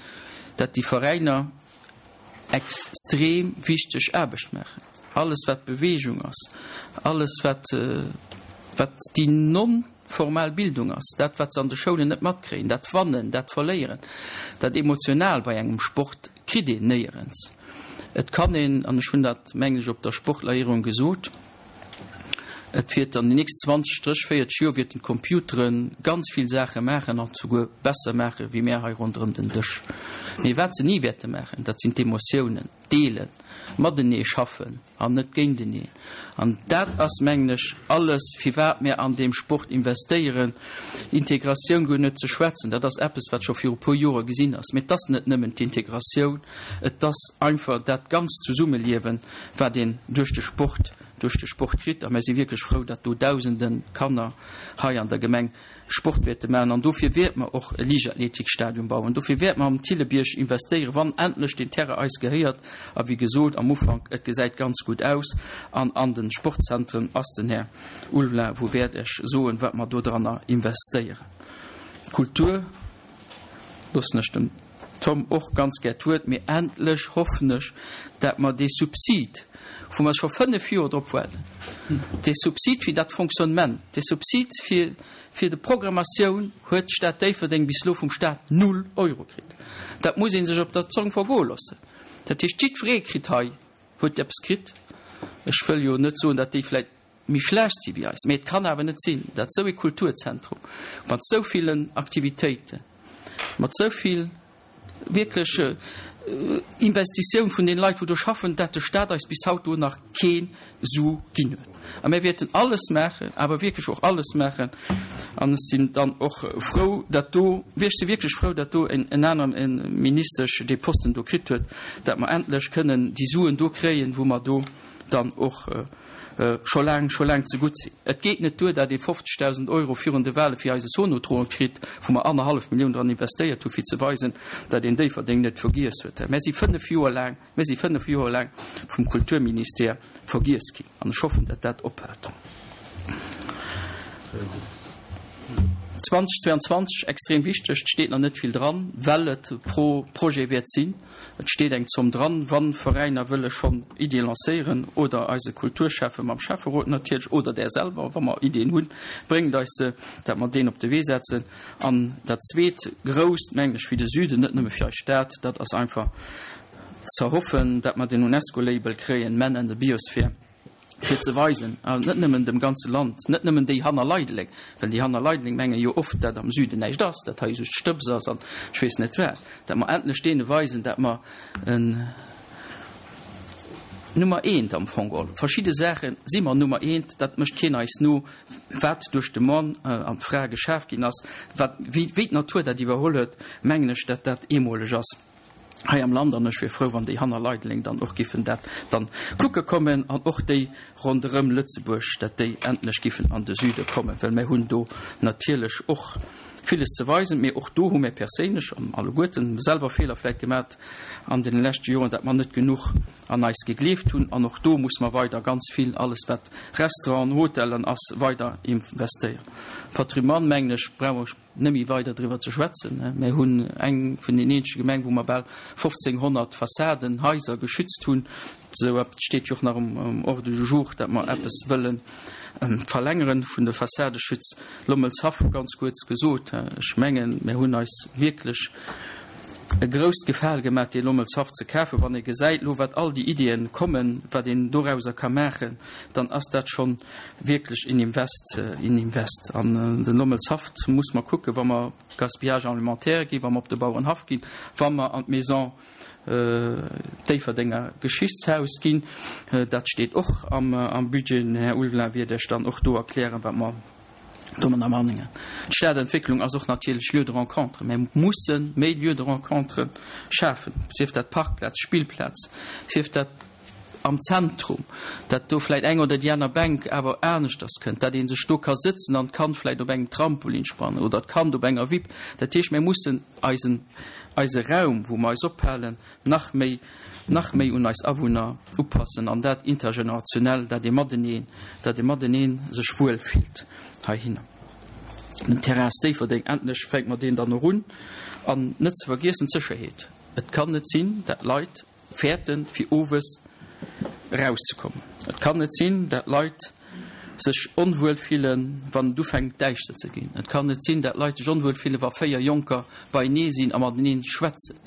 dat déi Veräiner extrem wichteg Aarbecht maachen. Alles wat Beweegung ass, alles wat, wat déi non formal Bildung ass, dat wat se an de Schoulen net matkréien, dat Wannen, dat Verléieren, dat emotional bei engem Sport kritt een néierens. Et kann een, an ech hunn dat mengen ech op der Sportlerehrung gesot, et wiert an den nächst 20, 30, 40 Joer wierten d'Computeren ganz vill Saache maachen an souguer besser maache wéi mär hei ronderëm den Dësch. Mee wat se ni wäerte maachen, dat sinn d'Emotiounen, d'Deelen, matenee schaffen an net géinteneen. An dat ass, mengen ech, alles, firwat mir an deem Sport investéieren. Integratioun guer net ze schwätzen, dat ass eppes, wat scho viru puer Jore gesinn ass. Mee et ass net nëmmen d'Integratioun, et ass einfach dat ganzt Zesummeliewen, wat een duerch de Sport, duerch de Sport kritt. A mir si wierklech frou, datt do Dausende Kanner hei an der Gemeng Sport wäerte maachen. An dofir wäerte mer och e Liichtathletikstadion bauen. Dofir wäerte mer am Thillebierg investéieren, wann endlech deen Terrain eis gehéiert. A wéi gesot am Ufank, et gesäit ganz gutt aus. An an de Sportzentren ass den Här Ulveling, wou wäert Iech soen, wat mer dodranner investéieren. Kultur loossen ech dem Tom och ganz gär d'Wuert, mee endlech hoffen ech, dat mer dee Subsid, wou mer scho 5 Joer drop waarden, dee Subsid fir dat Fonctionnement, dee Subsid fir, fir de Programmatioun, huet d'Stad Déifferdeng bis elo vum Stat null Euro kritt. Dat muss ee sech op der Zong vergoe loossen. Dat heescht, jiddweree kritt hei, huet eppes kritt. Ech wëll jo net soen, dat déi vläicht méi schlecht si wéi eis, mee et kann awer net sinn, dat esou ee Kulturzentrum mat esou villen Aktivitéiten, mat esou vill wierklech Investitioun vun den Leit, wou do schaffen, dat de Stat eis bis haut do nach kee Su ginn huet. A mir wäerten alles maachen, awer wierklech och alles maachen, an ech sinn dann och frou, dat do, ech si wierklech frou, dat do en aner Ministesch dee Posten do kritt huet, dat mer endlech kënnen déi Suen do kréien, wou mer do dann och scho laang, scho laang zegutt sinn. Et geet net duer, dat ee 50.000 Euro virun de Wahle fir eise Sonotron kritt, wou mer annerhallef Millioun dran investéiert hu fir ze weisen, dat een Déifferdeng net vergiess huet. Mär si fënnf Joer laang, mär si fënnf Joer laang vum Kulturministère vergiess ginn an ech hoffen, dat dat ophält. 2022, extrem wichteg, et steet nach net vill dran, well et pro Projet wäert sinn. Et steet eng Zomm dran, wann Veräiner wëlle schonn Iddie lancéieren oder eise Kulturschäffe mam Schäfferot natierlech oder där selwer, wa mer Iddien hunn, bréngt eis se, dat mer deen op de Wee setzen. An dat zweet grousst, mengen ech, fir de Süden, net nëmme fir eis Stad, dat ass einfach ze hoffen, dat mer den UNESCO-Label kréien, Man and the Biosphere. fir ze weisen, an net nëmmen dem ganze Land, net nëmmen déi hanner Leideleng, well déi hanner Leideleng menge jo oft, dat am Süden näischt ass, dat hei just Stëbs ass an ech weess net wat, dat mer endlech deene weisen, dat mer en Nummer eent am Fong geholl, verschidde Saache si mer Nummer eent, dat mécht keen eis no, wat duerch de Mann an d'Fra geschaf ginn ass, wat, wéi, wéi d'Natur dat iwwerholl huet, mengen ech, dat dat eemoleg ass. hei am Land an ech wier frou wann déi hanner Leideleng dann och giffen dat dann kucke kommen an och déi ronderëm Lëtzebuerg, dat déi endlech giffen an de Süde kommen, well mär hunn do natierlech och villes ze weisen. Mee och do hu mär perséinlech an alleguerten selwer Feeler vläit gemat an deene leschte Joren, dat mer net genuch an eis gegleeft hunn an och do muss mer weider ganz vill, alles wat Restauranten, Hotellen ass, weider investéieren. Patrimoine, mengen ech, brauch ech Net méi weider driwwer ze schwätzen. Mir hunn eng vun den eenzege Gemeng, wou mer bal 1.500 Fassaden, Haiser geschützt hunn. Esou eppes steet jo och nach um Ordre du jour, dat mer eppes wëlle verlängere vun de Fassadeschutz. Lommelshaff, ganz kuerz gesot, ech mengen, mir hunn eis wierklech e grousst Gefale gemaach, dee Lommelshaff ze kafen. Wann ee gesäit elo, wat all déi Iddien kommen, wat een dorauser ka maachen, dann ass dat schonn wierklech een Invest, een Invest. An den Lommelshaff muss mer kucken, wa mer op Gaspillage alimentaire ginn, wa mer op de Bauerenhaff ginn, wa mer an d'Maison Déifferdenger Geschichtshaus ginn. Dat steet och am Budget. Den Här Ulveling wäert Iech dann och do erklären, wat mer. Domadder Manningen. D'Stadentwécklung ass och natierlech Lieu de rencontre. Mir musse méi Lieux de rencontre schafen, sief dat Parkplaz, Spillplaz, sief dat am Zentrum, dat do vläicht eng oder déi aner Bänk awer aneschters kënnt, dat ee sech do ka sëtzen an d'Kand vläicht op engem Trampolin spannen oder d'Kand op enger Wipp. Dat heescht, mir mussen eisen, eise Raum, wou mer eis ophalen, nach méi, nach méi un eis Awunner upassen an dat intergenerationell, dat ee mateneen, dat ee mateneen sech wuel fillt heihinner. Den Terrain Déifferdeng, endlech fänke mer deen dann och un. An net ze vergiessen d'Sécherheet. Et kann net sinn, dat Leit fäerten, fir owes erauszekommen. Et kann net sinn, dat Leit sech onwuel fillen, wann et ufänkt däischter ze ginn. Et kann net sinn, dat Leit sech onwuel fillen, wa 4 Jonker beienee sinn a matenee schwätzen.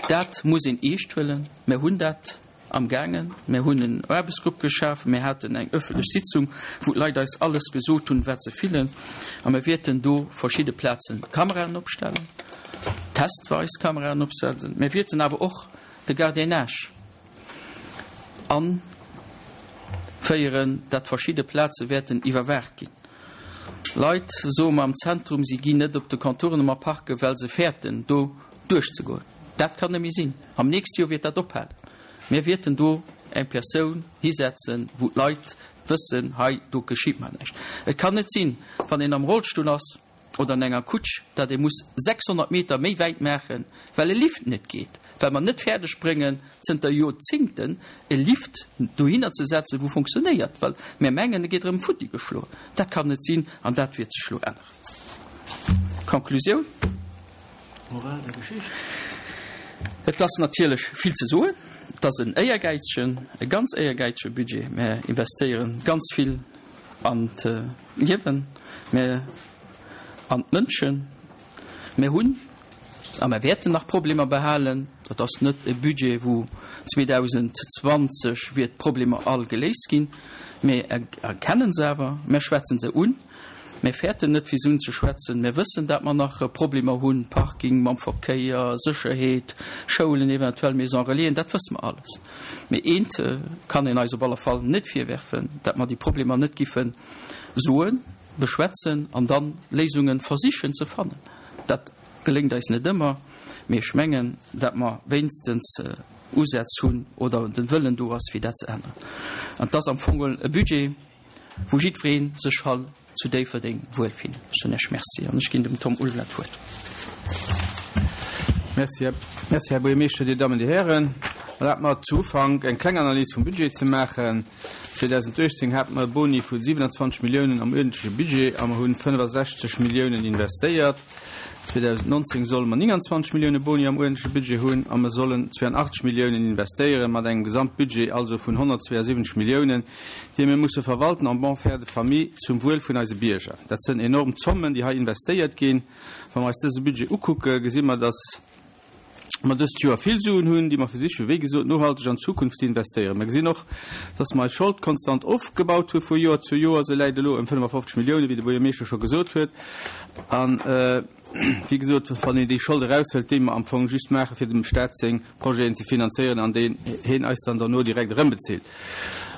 Dat muss een eescht huelen. Mir hunn dat am gaangen. Mir hunn en Aarbechtsgrupp geschaf. Mir haten eng ëffentlech Sitzung, wou d'Leit eis alles gesot hunn, wat se fillen. A mir wäerten do verschidde Plazen Kameraen opstellen, testweis Kameraen opsetzen. Mir wäerten awer och de Gardiennage Anféieren, dat verschidde Plaze wäerten iwwerwaacht ginn. Leit soe mer am Zentrum, si ginn net op de Contournement parken, well se fäerten, do duerchzegoen. Dat kann net méi sinn. Am nächste Joer wäert dat ophalen. Mir wäerten do eng Persoun hisetzen, wou d'Leit wëssen, hei, do geschitt mer näischt. Et kann net sinn, wann een am Rollstull ass, oder an enger Kutsch, datt ee muss 600 Meter méi wäit maachen, well e Lift net geet, well mer net fäerdeg bréngen, zënter Joerzéngten e Lift dohinner ze setzen, wou funktionéiert, well mer mengen, e gétt erëm futti geschloen. Dat kann net sinn an dat wäert sech elo änneren. Conclusioun. Moral der Geschicht. Et ass natierlech vill ze soen. Et ass en éiergäizegen, e ganz éiergäizege Budget. Mer investéieren ganz vill an d'Liewen, mä an d'Mënschen. Mir hunn a mer wäerten nach Problemer behalen. Dat ass net e Budget, wou 2020 wier d'Problemer all geléist ginn. Mir erkennen se awer, mir schwätzen se un. Mir fäerten net, fir se unzeschwätzen. Mir wëssen, dat mer nach Problemer hunn, Parking, mam Verkéier, Sécherheet, Schoulen, eventuell Maison relaisen, dat wësse mer alles. Mee eent kann een eis op alle Fall net virwerfen, dat mer déi Problemer net giffe soen, beschwätzen an da Léisunge versichen ze fannen. Dat geléngt eis net ëmmer, mee ech mengen, dat mer wéinstens Usätz hunn oder de Wëllen do ass, fir dat ze änneren. An et ass am Fong geholl e Budget, wou jiddweree sech hall zu Déifferdeng wuel fillen. Ech soen Iech Merci an ech ginn dem Tom Ulveler d'Wuert. Merci, Här Buergermeeschter, Dir Dammen, Dir Hären. Erlaabt mer zu Ufank eng kleng Analys vum Budget ze maachen. 2018 hate mer e Boni vu 27 Milliounen am uerdentleche Budget a mer hunn 65 Milliounen investéiert. 2019 solle mer 29 Millioune Boni am uerdentleche Budget hunn a mer sollen 82 Milliounen investéieren, mat engem Gesamtbudget also vun 172 Milliounen, déi mir musse verwalten en bon père de famille zum Wuel vun eise Bierger. Dat sënn enorm Zommen, déi hei investéiert ginn. Wa mer eis dëse Budget ukucke, gesi mer, dass mer dëst Joer vill Suen hunn, déi mer versichen, wéi gesot, nohalteg an d'Zukunft ze investéieren. Mer gesinn och, dass mer eis Schold konstant ofgebaut hu vu Joer zu Joer. Se läit elo ëm 55 Milliounen, wéi de Buergermeeschter scho gesot huet. An, wéi gesot, wann een déi Schold eraushëlt, déi mer am Fong just maachen, fir dem Stat seng Projeten ze finanzéieren an déi heen eis dann derno direkt erëmbezilt.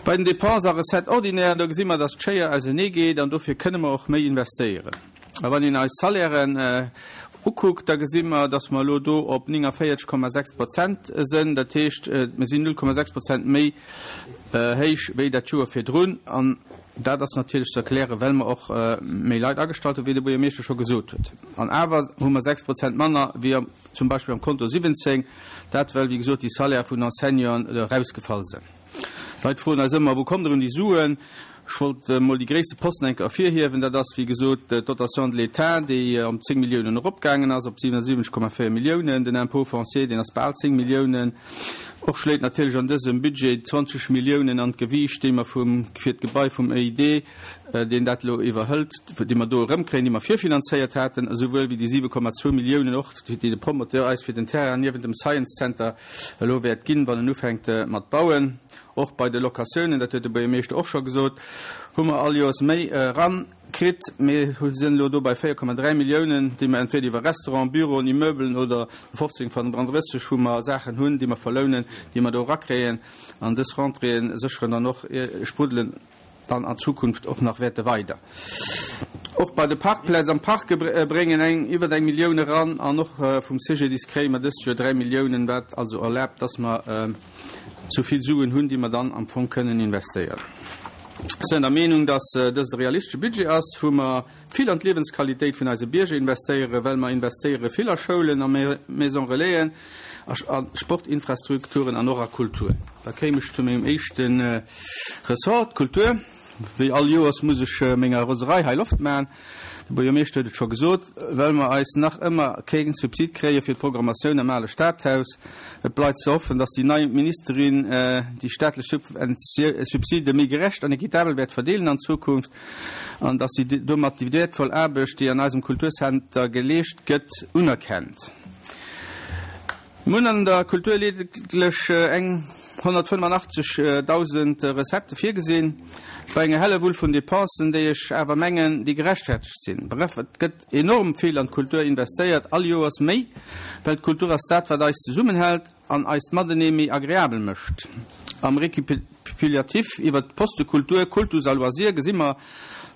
Bei den Dépenses a Recettes ordinaires, do gesi mer, dass d'Schéier ausenee geet an dofir kënne mer och méi investéieren. A wann een eis Salairen ukuckt, da gesi mer, dass mer elo do op 49,6 Prozent sënn. Dat heescht, mir sinn 0,6 Prozent méi héich wéi dat Joer virdrun. An dat ass natierlech ze erklären, well mer och méi Leit agestallt hunn, wéi de Buergermeeschter scho gesot huet. An awer hu mer 6 Prozent manner wéi am zum Beispill am Konto 17, dat well wéi gesot déi Salaire vun Enseignanten erausgefall sënn. D'Leit froen eis ëmmer, wou kommt der un déi Suen? Ech wollt emol déi gréisste Posten eng Kéier ervirhiewen, dat ass wéi gesot d'Dotation de l'État, déi ëm 10 Milliounen eropgaangen ass op 77,4 Milliounen, den Impôt foncier, deen ass bal 10 Milliounen. Och schléit natierlech an dësem Budget 20 Milliounen an d'Gewiicht, déi mer vum, fir d'Gebai vum EID, deen dat elo iwwerhëlt, déi mer do erëmkréien, déi mer virfinanzéiert haten, esouwuel wéi déi 7,2 Milliounen och, déi de Promoteur eis fir den Terrain niewent dem Science Center elo wäert ginn, wann en ufänkt mat bauen. Och bei de Locatiounen, dat huet de Buergermeeschter och scho gesot, hu mer all Joers méi erakritt. Mir sinn elo do bei 4,3 Milliounen, déi mer entweder iwwer Restauranten, Büroen, Immeubelen oder 15, 35, wou mer Saachen hunn, déi mer verlounen, déi mer do erakréien. An dës Rentréeë sécheren dann och, spruddelen. dann an Zukunft och nach wäerte weider. Och bei de Parkplätz am Park bréngen eng iwwer eng Millioun eran an och vum CGDIS kréie mer dëst Joer 3 Milliounen, wat also erlaabt, dass mer esou vill Suen hunn, déi mer dann am Fong kënnen investéieren. Ech sinn der Meenung, dass dëst e realistesche Budget ass, wou mer vill an d'Liewensqualitéit vun eise Bierger investéieren, well mer investéiere vill a Schoulen, a Maison Relaisen, a Sportinfrastrukturen an och a Kultur. Da kéim ech zu mengem éischte Ressort, d'Kultur. Wéi all Joers muss ech menger Roserei hei Loft maachen. De Buergermeeschter huet et scho gesot, well mer eis nach ëmmer kee Subsid kréie fir d'Programmatioun am ale Stadhaus. Et bleift ze hoffen, datt déi nei Ministerin déi staatlech Subside méi gerecht an equitabel wäert verdeelen an Zukunft an datt si domat déi wäertvoll Aarbecht, déi an eisem Kulturcenter geleescht gëtt, unerkennt. Mir hunn an der Kultur ledeglech eng 185.000 Recettë virgesinn, bei enger Hellewull vun Dépensen, déi ech awer mengen, déi gerechtfertegt sinn. Bref, et gëtt enorm vill an d'Kultur investéiert, all Joers méi, well d'Kultur ass dat, wat eis zesummenhält an eist Matenee méi agreabel mécht. Am Récapitulatif iwwert d'Poste Kultur, Kultus a Loisirs gesi mer,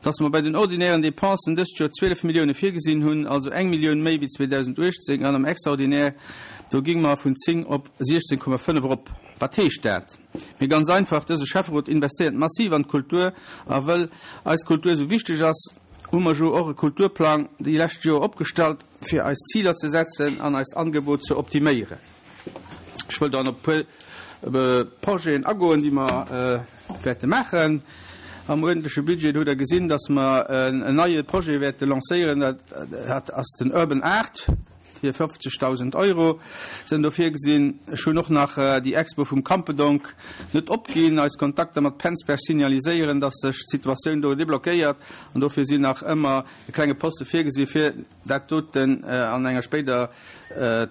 dass mer bei den ordinären Dépensen dëst Joer 12 Millioune virgesinn hunn, also eng Millioun méi wéi 2018, an am Extraordinaire, do géinge mer vun 10 op 16,5 erop. Wat heescht dat? Mee ganz einfach, dëse Schäfferot investéiert massiv an d'Kultur, a wëll eis Kultur esou wichteg ass, hu mer jo och e Kulturplang déi lescht Joer opgestallt, fir eis Ziler ze setzen an eist Angebot ze optiméieren. Ech wëll dann op e puer Projeten agoen, déi mer wäerte maachen am uerdentleche Budget. Do hutt Der gesinn, dass mer en neie Projet wäerte lancéieren, dat ass den Urban Art. Fir 50.000 Euro sinn do virgesinn. Ech hunn och nach déi Expo vum Campedonk net opginn. Eis Kontakter mat Penzberg signaliséieren, dass sech d'Situatioun do deblockéiert an dofir sinn nach ëmmer e klenge Poste virgesi fir dat doten an enger spéider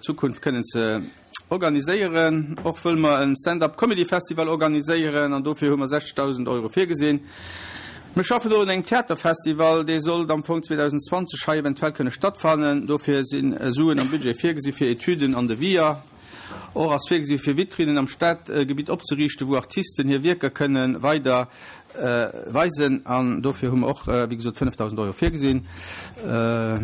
Zukunft kënnen ze organiséieren. Och wëlle mer e Stand-up Comedy Festival organiséieren an dofir hu mer 60.000 Euro virgesinn. Mir schaffen och un engem Theaterfestival, dee sollt am Fong 2020 hei eventuell kënne stattfannen. Dofir si Suen am Budget virgesi fir Etüden an Deviser. Och ass virgesi fir Vitrinnen am Stadgebitt opzeriichten, wou Artisten hir Wierker kënne weider weisen. An dofir hu mer och, wéi gesot, 5.000 Euro virgesinn.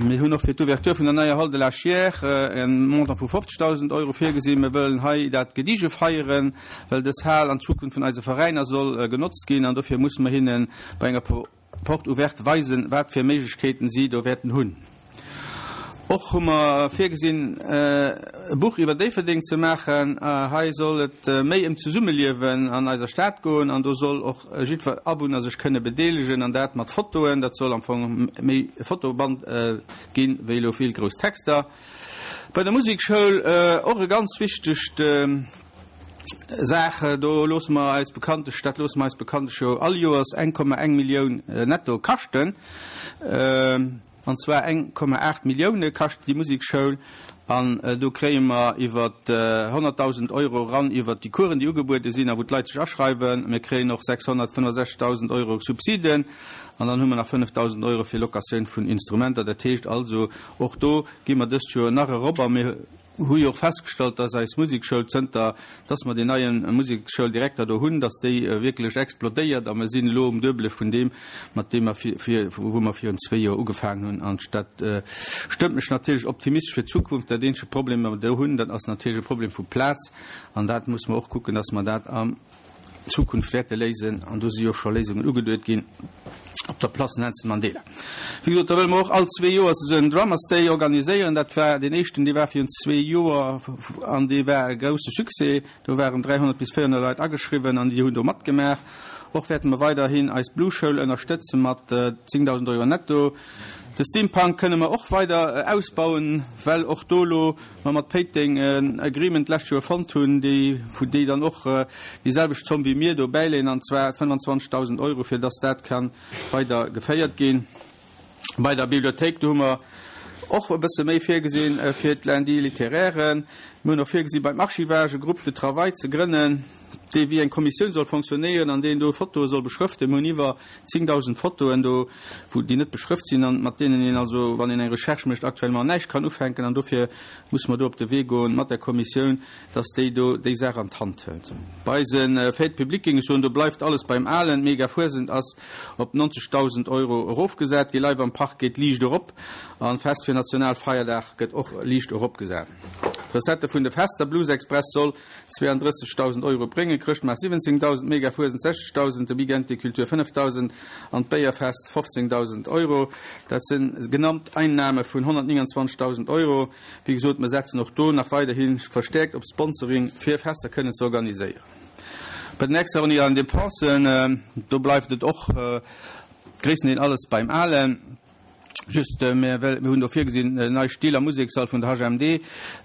Mir hunn och fir d'Ouverture vun der neier Hall de la Chiers e Montant vu 50.000 Euro virgesinn. Mir wëllen hei dat gedige feieren, well dës Hal an Zukunft vun eise Veräiner soll genotzt ginn. An dofir musse mer hinne bei enger Porte ouverte weisen, wat fir Méiglechkeeten si do wäerten hunn. Och hu mer virgesinn, e Buch iwwer Déifferdeng ze maachen. Hei soll et méi ëm d'Zesummeliewen an eiser Stad goen an do soll och jiddwer Awunner sech kënne bedeelegen an dat mat Fotoen. Dat soll am Fong méi e Fotoband ginn, wéi elo vill grouss Texter. Bei der Musekschoul, och e ganz wichtegt Saach, do loosse mer eis bekanntlech, dat loosse mer eis bekanntlech jo all Joers 1,1 Millioun netto kaschten. An zwar 1,8 Millioune kascht déi Musekschoul an do kréie mer iwwer 100.000 Euro eran iwwer déi Coursen, déi ugebuede sinn a wou d'Leit sech aschreiwen. Mir kréien och 665.000 Euro Subsiden an dann hu mer nach 5.000 Euro fir Locatioun vun Instrumenter. Dat heescht also, och do gi mer dëst Joer nach erop a mir hu jo och festgestallt, dass eis Musekschoul, zënter dass mer deen neie Museksschouldirekter do hunn, dass déi wierklech explodéiert a mer sinn elo um Duebele vun deem, mat deem mer vir, wou mer virun zwee Joer ugefaangen hunn. An dat stëmmt mech natierlech optimistesch fir d'Zukunft. Dat eenzege Problem, dee mer do hunn, dat ass natierlech e Problem vu Plaz an dat muss mer och kucken, dass mer dat am Zukunft wäerte léisen, an do si jo scho Léisungen ugeduet ginn op der Place Nelson Mandela. Wéi gesot, da wëlle mer och all zwee Joers esou en Drummers Day organiséieren. Dat war deen éischten, dee war virun zwee Joer an dee war e grousse Succès. Do waren 300 bis 400 Leit ageschriwwen an déi hunn do matgemaach. Och wäerte mer weiderhin eis Blueschoul ënnerstëtze mat 10.000 Euro netto. De Steampunk kënne mer och weider ausbauen, well och do elo mer mat Péiteng en Agreement d'lescht Joer fonnt hunn, déi, wou déi dann och déi selwecht Zomm wéi mir do bäileeën, an zwar 25.000 Euro, fir dass dat ka weider geféiert ginn. Bei der Bibliothéik, do hu mer och e bësse méi virgesinn fir d'Lundis littéraires. Mir hunn och virgesi beim Archivage e Groupe de travail ze grënnen. dee wéi eng Kommissioun soll fonctionnéieren an deen do Fotoe soll beschrëften. Mir hunn iwwer 10.000 Fotoen do, wou déi net beschrëft sinn an mat deenen een also, wann een eng Recherche mécht, actuellement näischt kann ufänken. An dofir musse mer do op de Wee goen mat der Kommissioun, dass déi do déi Saach an d'Hand hëlt. Bei eise Fêtes publiques géing ech soen, do bleift alles beim Alen. D'Mega-Fuesent ass op 90.000 Euro erofgesat gi. Live am Park geet liicht erop an d'Fest fir Nationalfeierdag gëtt och liicht eropgesat. D'Recette vun de Fester, Blues Express soll 32.000 Euro bréngen, Chrëschtmaart 17.000, Mega-Fuesent 60.000, de Weekend des Cultures 5.000 an d'Béierfest 15.000 Euro. Dat si genannt Einnahme vun 129.000 Euro. Wéi gesot, mer setzen och do nach weiderhi verstäerkt op Sponsoring, fir Fester kënnen ze organiséieren. Bei den extraordinären Dépensen, do bleift et och gréisstendeel alles beim Alen. Just, mir hunn do virgesinn, nei Still am Musekssall vun der HMD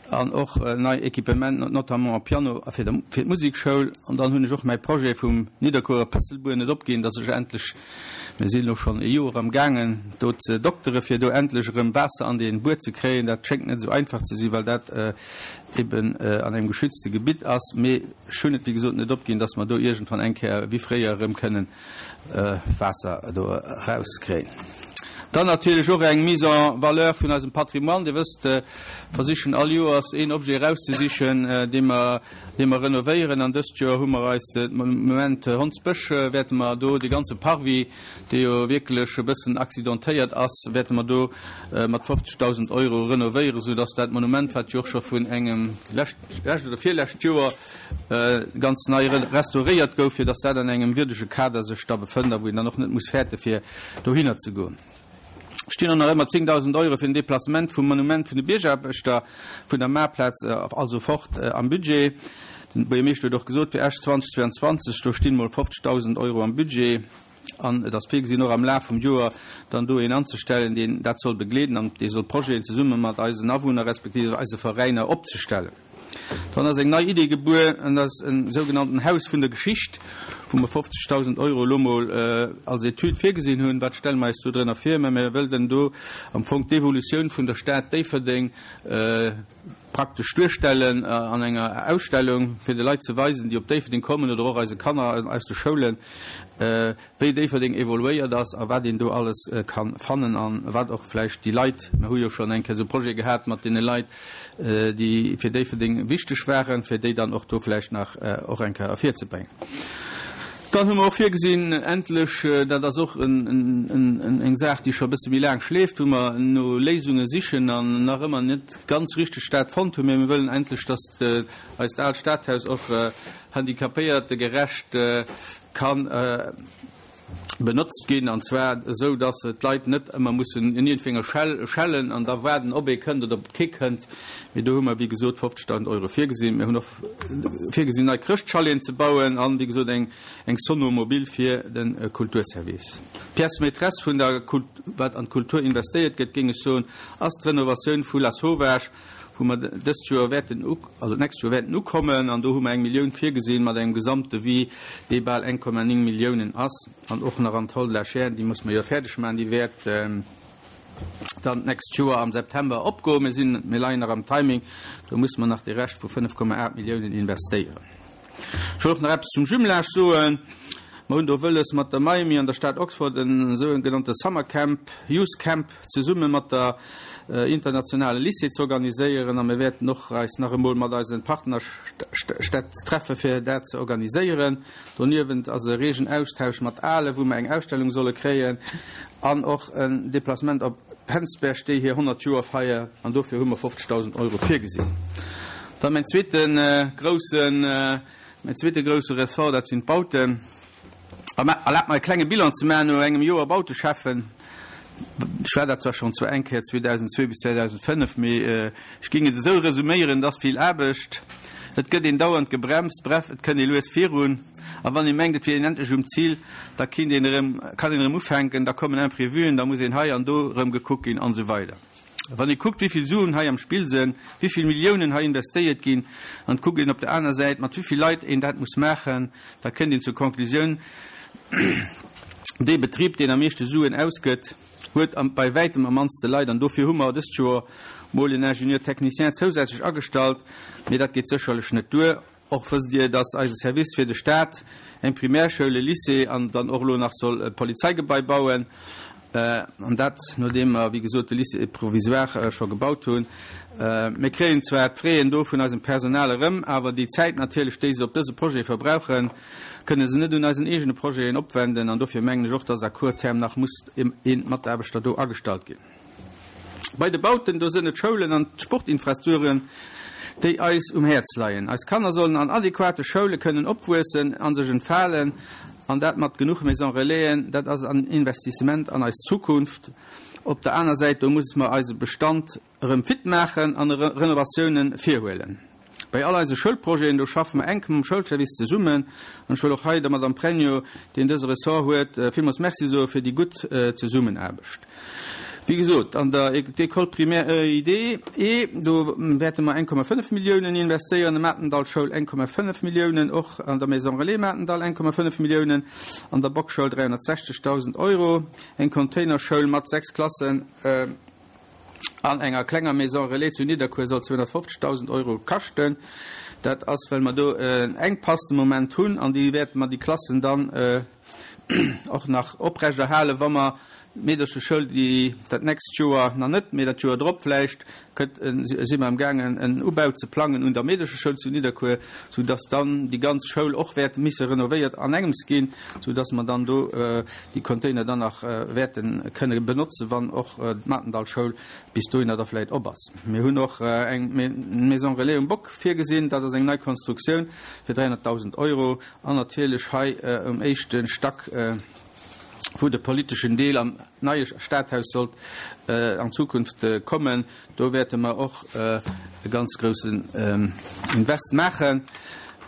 an och nei Equipement, notamment e Piano fir d'Musekschoul. An dann hunn ech och mäi Projet vum Nidderkuerer Pësselbuer net opginn, dass ech endlech, Mir sinn elo schonn e Joer am gaangen do ze doktere fir do endlech erëm Waasser an dee Buer ze kréien. Dat schéngt net esou einfach ze sinn, well dat eben an engem geschützte Gebitt ass. Mee ech hunn et wéi gesot net opginn, datt mer do iergendwann eng Kéier wéi fréier erëm kënnen Waasser do erauskréien. Dann natierlech och eng Mise en valeur vun eisem Patrimoine. Dir wësst, versichen all Joers een Objet erauszesichen, dee mer dee mer renovéieren an dëst Joer hu mer eis de Moment Hondsbësch wäerte mer do dee ganze Parvis, dee jo wierklech e bëssen accidentéiert ass, wäerte mer do mat 50.000 Euro renovéieren, sou dass dat Monument, wat jo och scho vun engem lescht lescht oder virlescht Joer ganz nei restauréiert gouf, fir dass dat an engem wierdege Kader sech da befënnt a wou een dann och net muss fäerte fir dohinner ze goen. Stinn och nach ëmmer 10.000 Euro fir den Deplacement vum Monument vun de Biergaarbechter vun der Maarplaz also fort am Budget. Den Buergermeeschter huet och gesot, fir Esch 2022, do stinn mol 50.000 Euro am Budget an et ass virgesinn och am Laf vum Joer dann do een anzestellen, deen dat soll begleeden an dee soll Projeten zesumme mat eisen Awunner respektive eise Veräiner opzestellen. Dann ass eng nei Idee gebuer, an dat ass en sougenannten Haus vun der Geschicht, wou mer 50.000 Euro elo mol als Etüd virgesinn hunn. Wat stelle mer eis do drënner vir? Mä mir wëllen do am Fong d'Evolutioun vun der Stad Déifferdeng praktesch duerstellen an enger Ausstellung, fir de Leit ze weisen, déi op Déifferdeng kommen oder och eise Kanner aus de Schoulen, wéi Déifferdeng evoluéiert ass a wat een do alles ka fannen a wat och vläicht déi Leit, mer hu jo schonn eng Kéier esou Projete gehat mat deene Leit, déi fir Déifferdeng wichteg waren, fir déi dann och do vläicht nach och eng Kéier ervirzebréngen. Dann hu mer och virgesinn, endlech, dat ass och eng Saach, déi scho e bësse méi laang schleeft, wou mer no Léisunge sichen an nach ëmmer net ganz richteg dat fonnt hunn, mä mir wëllen endlech, dass eist aalt Stadhaus och handicapéiertegerecht kann benotzt ginn, an zwar esou, dass d'Leit net ëmmer mussen un iergendwenger Schell schellen an da waarden, ob ee kënnt oder ob kee kënnt. Mee do hu mer, wéi gesot, 50.000 Euro virgesinn. Mir hunn och virgesinn, nei Chrëschtchaleten ze bauen an, wéi gesot, eng eng Sono-Mobile fir de Kulturservice. D'Pièce maîtresse vun der, wat an d'Kultur investéiert gëtt, géing ech soen, ass d'Renovatioun vu Lasauvage, wou mer dëst Joer wäerten, also d'nächst Joer wäerten ukommen, an do hu mer eng Millioun virgesinn, mat engem Gesamtdevis, dee bal 1,9 Milliounen ass, an och nach an d'Hall de la Chaîne, déi musse mer jo fäerdeg maachen, déi wäert dann d'nächst Joer am September opgoen. Mir sinn, mir leien nach am Timing, do musse mer nach de Rescht vu 5,8 Milliounen investéieren. Ech wëll och nach eppes zum Jumelage soen. Mer hunn do wëlles, mat der Miami an der Stad Oxford en sougenannte Summer Camp, Youth Camp, zesumme mat der internationale Lycée ze organiséieren. A mir wäerten och eis nach emol mat eise Partnerstädt treffe fir dat ze organiséieren. Doniewent ass e reegen Austausch mat Ahlen, wou mer eng Ausstellung solle kréien, an och en Déplacement op Penzberg, déi hir 100 Joer feiern, an dofir hu mer 50.000 Euro virgesinn. Dann mäin zweete groussen, mäin zweete grousse Ressort, dat sinn d'Bauten. Erlaabt mer e klenge Bilan ze maachen no engem Joer Bauteschäffen. Ech war dat zwar schonn zwar eng Kéier 2002 bis 2005, mee ech géing et esou resuméieren, Et ass vill Aarbecht, et gëtt een dauernd gebremst, bref, et kënnt ee lues virun. A wann ee mengt, et wier een endlech um Zil, da kinnt een erëm, kann een erëm ufänken, da kommen Imprévuen, da muss een hei an do erëm gekuckt ginn an esou weider. Wann ee kuckt, wéi vill Suen hei am Spill sënn, wéi vill Milliounen hei investéiert ginn, an et kuckt een op der aner Säit, mat wéi vill Leit een dat muss maachen, da kënnt een zur Konklusioun, Dee Betrib, deen am meeschte Suen ausgëtt, huet bei wäitem am mannste Leit. An dofir hu mer dëst Joer mol en Ingénieur technicien zousätzlech agestallt, mee dat geet sécherlech net duer. Och wësst Dir, dass eise Service fir de Staat eng Primärschoul, e Lycée an dann och elo nach soll e Polizeigebai bauen. An dat nodeem mer, wéi gesot, de Lycée provisoire scho gebaut hunn. Mir kréien zwar d'Fraien do vun eisem Personal erëm, awer déi Zäit natierlech, déi se op dëse Projet verbrauchen, kënne se net un eisen eegene Projeten opwenden. An dofir mengen ech och, dass à court terme nach muss ee Mataarbechter do agestallt ginn. Bei de Bauten, do sënn et d'Schoulen an d'Sportinfrastrukturen, déi eis um Häerz leien. Eis Kanner sollen an adequate Schoule kënnen opwuessen a sech entfalen, an dat mat genuch Maison Relaisen. Dat ass an Investissement an eis Zukunft. Op der aner Säit, do muss mer eise Bestand erëm fit maachen an Renovatiounen virhuelen. Bei all eise Schoulprojeten, do schaffe mer enk mam Schoulservice zesummen. An ech wëll och hei der Madame Pregno, deen dëse Ressort huet, villmools Merci soe fir déi gutt Zesummenaarbecht. Wéi gesot, an der École primaire EID, E, do wäerte mer 1,5 Milliounen investéieren, an der Matendallschoul 1,5 Milliounen, och an der Maison relais Matendall 1,5 Milliounen, an der Bockschoul 360.000 Euro, eng Containerschoul mat 6 Klassen, An enger klenger Maison relais zu Nidderkuer soll 250.000 Euro kaschten. Dat ass, well mer do en Enkpass de Moment hunn an déi wäerte mer déi Klassen dann och nach oprechterhalen, wa mer d'Meedercheschoul, déi dat nächst Joer nach net, mee dat Joer drop vläicht kënnt, si mer amgaangen en Ubau ze plangen un der Meedercheschoul zu Nidderkuer, soudass dann déi ganz Schoul och wäert misse renovéiert an engems ginn, soudass mer dann do déi Container dann nach wäerte kënne benotzen, wann och d'Matendallschoul bis dohinner da vläicht op ass. Mir hunn och eng Maison relais um Bock virgesinn, dat ass eng nei Konstruktioun fir 300.000 Euro an natierlech hei um éischte Stack, wou de politeschen Deel am neie Stadhaus sollt an Zukunft kommen, do wäerte mer och e ganz groussen Invest maachen.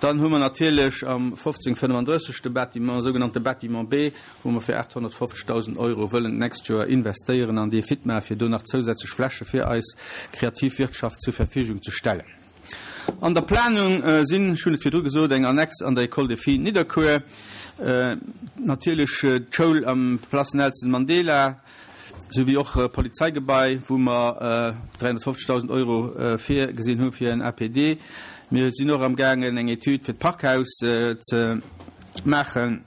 Dann hu mer natierlech am 1535 de Bâtiment, sougenannte Bâtiment B, wou mer fir 850.000 Euro wëllen d'nächst Joer investéieren an dee fit maachen, fir do nach zousätzlech Fläche fir eis kreativ Wirtschaft zur Verfügung ze stellen. An der Planung sinn, ech hunn et virdru gesot, eng Annex an der École des Filles Nidderkuer, natierlech d'Schoul am Place Nelson Mandela, sou wéi och Polizeigebai, wou mer 350.000 Euro virgesinn hu fir en APD. Mir sinn och amgaangen, eng Etüd fir d'Parkhaus ze maachen,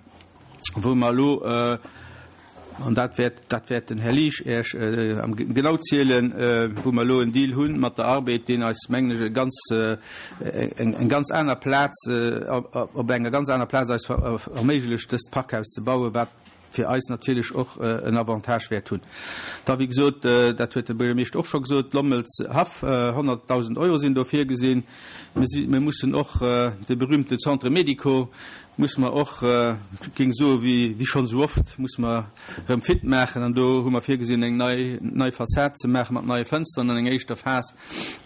wou mer elo, an dat wäert, dat wäert den Här Liesch Iech genau zielen, wou mer elo en Deal hu mat der Arbed, deen eis, mengen ech, e ganz, eng ganz aner Plaz, op enger ganz aner Plaz eis erméiglecht, dëst Parkhaus ze bauen, wat fir eis natierlech och en Avantage wäert hunn. Da, wéi gesot, dat huet de Buergermeeschter och scho gesot, Lommels Haff, 100.000 Euro sinn do virgesinn. Mir si, mir mussen och de berühmte Centre médico musse mer och, ech géing soe wéi, wéi schonn esou oft, musse mer erëm fit maachen. An do hu mer virgesinn, eng nei, nei Fassad ze maache mat neie Fënsteren an enger éischter Phas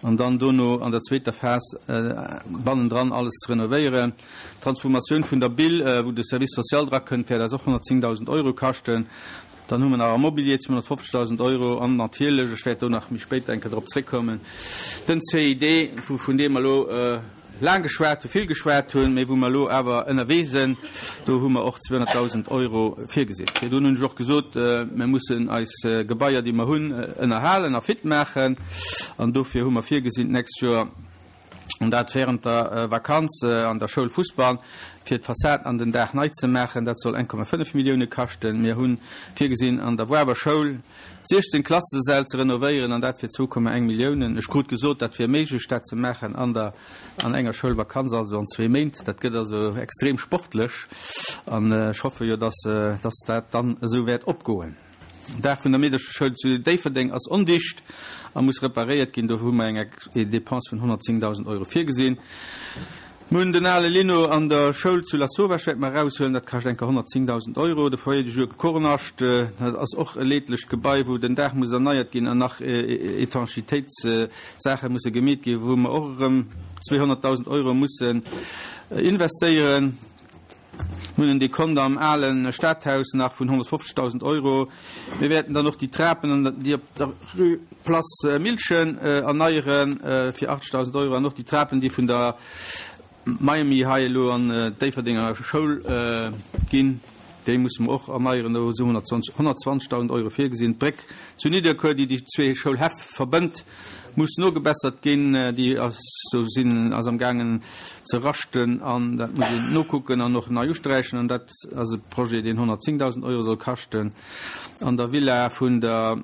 an dann dono an der zweeter Phas bannendran alles ze renovéieren. D'Transformatioun vun der Bill, wou de Service social drakënnt, wäert eis och 110.000 Euro kaschten. Dann hu mer nach am Mobilier 250.000 Euro an natierlech, ech wäert do nach méi spéit eng Kéier drop zréckkommen, den CID, vun deem mer elo laang geschwat hunn, vill geschwat hunn, mee wou mer elo awer ënnerwee sinn. Do hu mer och 200.000 Euro virgesinn. Virdrun hunn ech och gesot, mir mussen eis Gebaier, déi mer hunn, ënnerhalen a fit maachen. An dofir hu mer virgesinn, d'nächst Joer, an dat während der Vakanz an der Schoul Fussball, fir d'Fassad an den Daach nei ze maachen. Dat soll 1,5 Millioune kaschten. Mir hu virgesinn, an der Woarwer Schoul 16 Klassesäll ze renovéieren, an dat fir 2,1 Milliounen. Ech krut gesot, dat wier méiglech, dat ze maachen an der, an enger Schoulvakanz, also an zwee Méint. Dat gëtt also extrem sportlech, an ech hoffe jo, dass, dass dat dann esou wäert opgoen. Den Daach vun der Meedercheschoul zu Déifferdeng ass ondicht a muss reparéiert ginn. Do hu mer eng Dépense vun 110.000 Euro virgesinn. Mir hunn den ale Lino an der Schoul zu Lasauvage wäerte mer eraushuelen. Dat kascht enker 110.000 Euro. De Foyer de jour Kornascht, dat ass och e leedlecht Gebai, wou den Daach muss erneiert ginn an nach Étanchitéitssaache musse gemeet ginn, wou mer och erëm 200.000 Euro mussen investéieren. Mir hunn en Dekont am ale Stadhaus nach vun 150.000 Euro. Mir wäerten dann och déi Trapen, déi op der Rue Place Milchen erneiere fir 80.000 Euro an och déi Trapen, déi vun der Miami hei elo an d'Déifferdenger Schoul ginn. Déi musse mer och erneieren. Do si 120.000 Euro virgesinn. D'Bréck zu Nidderkuer, déi déi zwee Schoulhäff verbënnt, muss nogebessert ginn. Déi ass sou sinn ass am gaangen ze raschten an dat muss een nokucken an och nei usträichen. An dat ass e Projet, deen 110.000 Euro soll kaschten. An der Villa vun der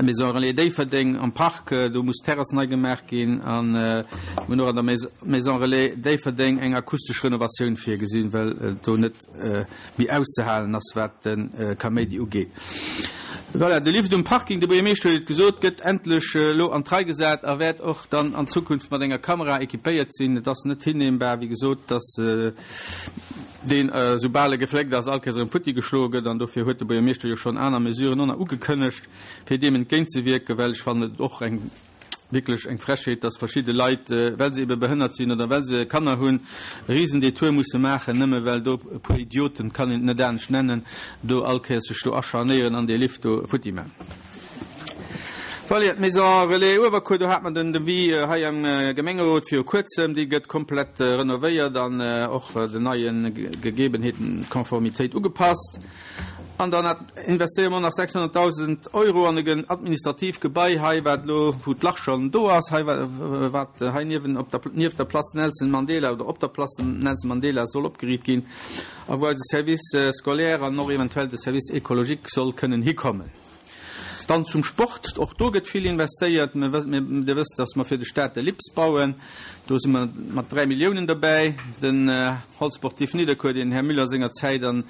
Maison Relais Déifferdeng am Park, do muss d'Terrass nei gemaach ginn a mir hunn och an der Maison Relais Déifferdeng eng akustesch Renovatioun virgesinn, well et do net méi auszehalen ass, wat de Kaméidi ugeet. Voilà, de Lift um Parking, de Buergermeeschter huet et gesot, gëtt endlech elo an d'Rei gesat a wäert och dann an Zukunft mat enger Kamera équipéiert sinn. Et ass net hinnehmbar, wéi gesot, dass deen, soubal e gefléckt ass, all Kéiers erëm futti geschloe gëtt. An dofir huet de Buergermeeschter jo schonn aner Mesuren och nach ugekënnegt, fir deem entgéintzewierken, well ech fannen et och eng, wierklech eng Frechheet, dass verschidde Leit, well se ebe behënnert sinn oder well se Kanner hunn, e Risendetour musse maachen, nëmme well do e puer Idioten, et kann een et net anescht nennen, do all Kéiers sech do acharnéieren an dee Lift do futti maachen. Voilà, d'Maison Relais Uewerkuer, do hat mer den Devis hei am Gemengerot viru kuerzem. Déi gëtt komplett renovéiert an och den neie Gegebenheeten, Konformitéit ugepasst. An dann investéiere mer och nach 600.000 Euro an e administratiivt Gebai hei, wat elo, wou d'Lach schonn do ass, hei, wat hei niewen op der, nieft der Place Nelson Mandela oder op der Place Nelson Mandela soll opgeriicht ginn a wou eise Service scolaire an och eventuell de Service écologique soll kënnen hikommen. Dann zum Sport, Och do gëtt vill investéiert. Dir wësst, dass mer fir de Stade de Lips bauen. Do si mer mat 3 Milliounen dobäi. Den Hall sportif Nidderkuer, deen den Här Müller senger Zäit an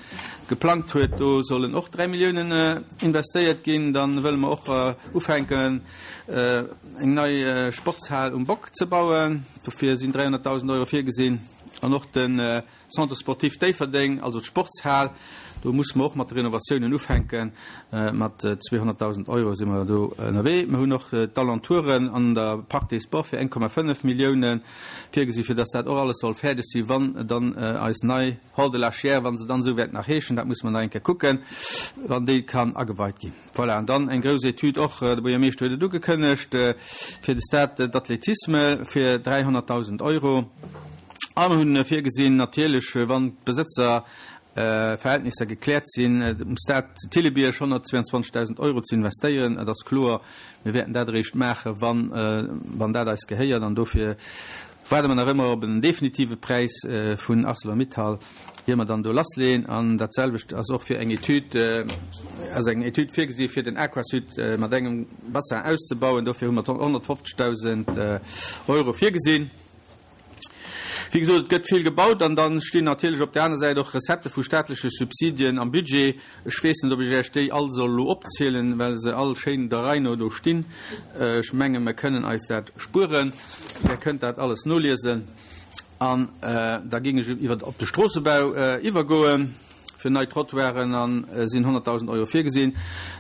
geplangt huet, do sollen och 3 Milliounen investéiert ginn. Dann wëlle mer och ufänken, eng nei Sportshal um Bock ze bauen. Dofir sinn 300.000 Euro virgesinn. An och de Centre sportif Déifferdeng, also d'Sportshal, do musse mer och mat de Renovatiounen ufänken. Mat 200.000 Euro si mer do ënnerwee. Mer hunn och d'Alentouren an der Parc des Sports fir 1,5 Millioune virgesi fir datt dat och alles soll fäerdeg si wann dann eis nei Hall de la Chiers, wa se dann esou wäert nach heeschen, dat musse mer nach eng Kéier kucken, wann déi kann ageweit ginn. Voilà, an dann eng grouss Etüd och, de Buergermeeschter huet et ugekënnegt, fir de Stade d'athlétisme fir 300.000 Euro. A mer hunn virgesinn, natierlech, wann d'Besëtzerverhältnisser gekläert sinn, um Stade Thillebierg 122.000 Euro ze investéieren. Et ass kloer, mir wäerten dat eréischt maachen, wann dat eis gehéiert. An dofir waarde mer nach ëmmer op en definitive Präis vun Arcelor-Mittal, ier mer dann do lassleeën. An dat selwecht ass och fir eng Etüd, ass eng Etüd virgesi fir den Aquasud mat engem Bassin auszebauen. Dofir hu mer 150.000 Euro virgesinn. Wéi gesot, et gëtt vill gebaut an da stinn natierlech op där aner Säit och Recettë vu staatleche Subsidien am Budget. Ech weess net, ob ech Iech déi all soll elo opzielen, well se all schéin der Rei no do stinn. Ech menge mer kënnen eis dat spueren. Där kënnt dat alles noliesen. An da géing ech iwwer op de Stroossebau iwwergoen. Fir nei Trottoiren a sinn 100.000 Euro virgesinn.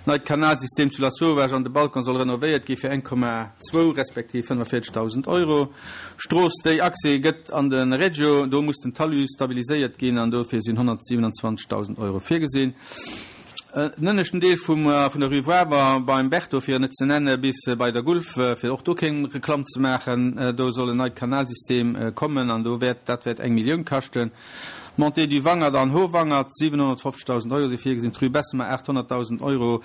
Neit Kanalsystem zu Lasauvage an de Balcon soll renovéiert gi fir 1,2 respektiv 45.000 Euro. Strooss déi Accès gëtt an de Regio, do muss den Talus stabiliséiert ginn an dofir sinn 127.000 Euro virgesinn. Den ënneschten Deel vum vun der Rue Wawer beim Berto fir en net ze nenne bis bei der Gulf, fir och do keng Reklamm ze maachen, do soll en neit Kanalsystem kommen an do wäert dat wäert eng Millioun kaschten. Montée du Wangert an Howangert, 750.000 Euro si virgesinn, d'Rue Bessemer, 800.000 Euro,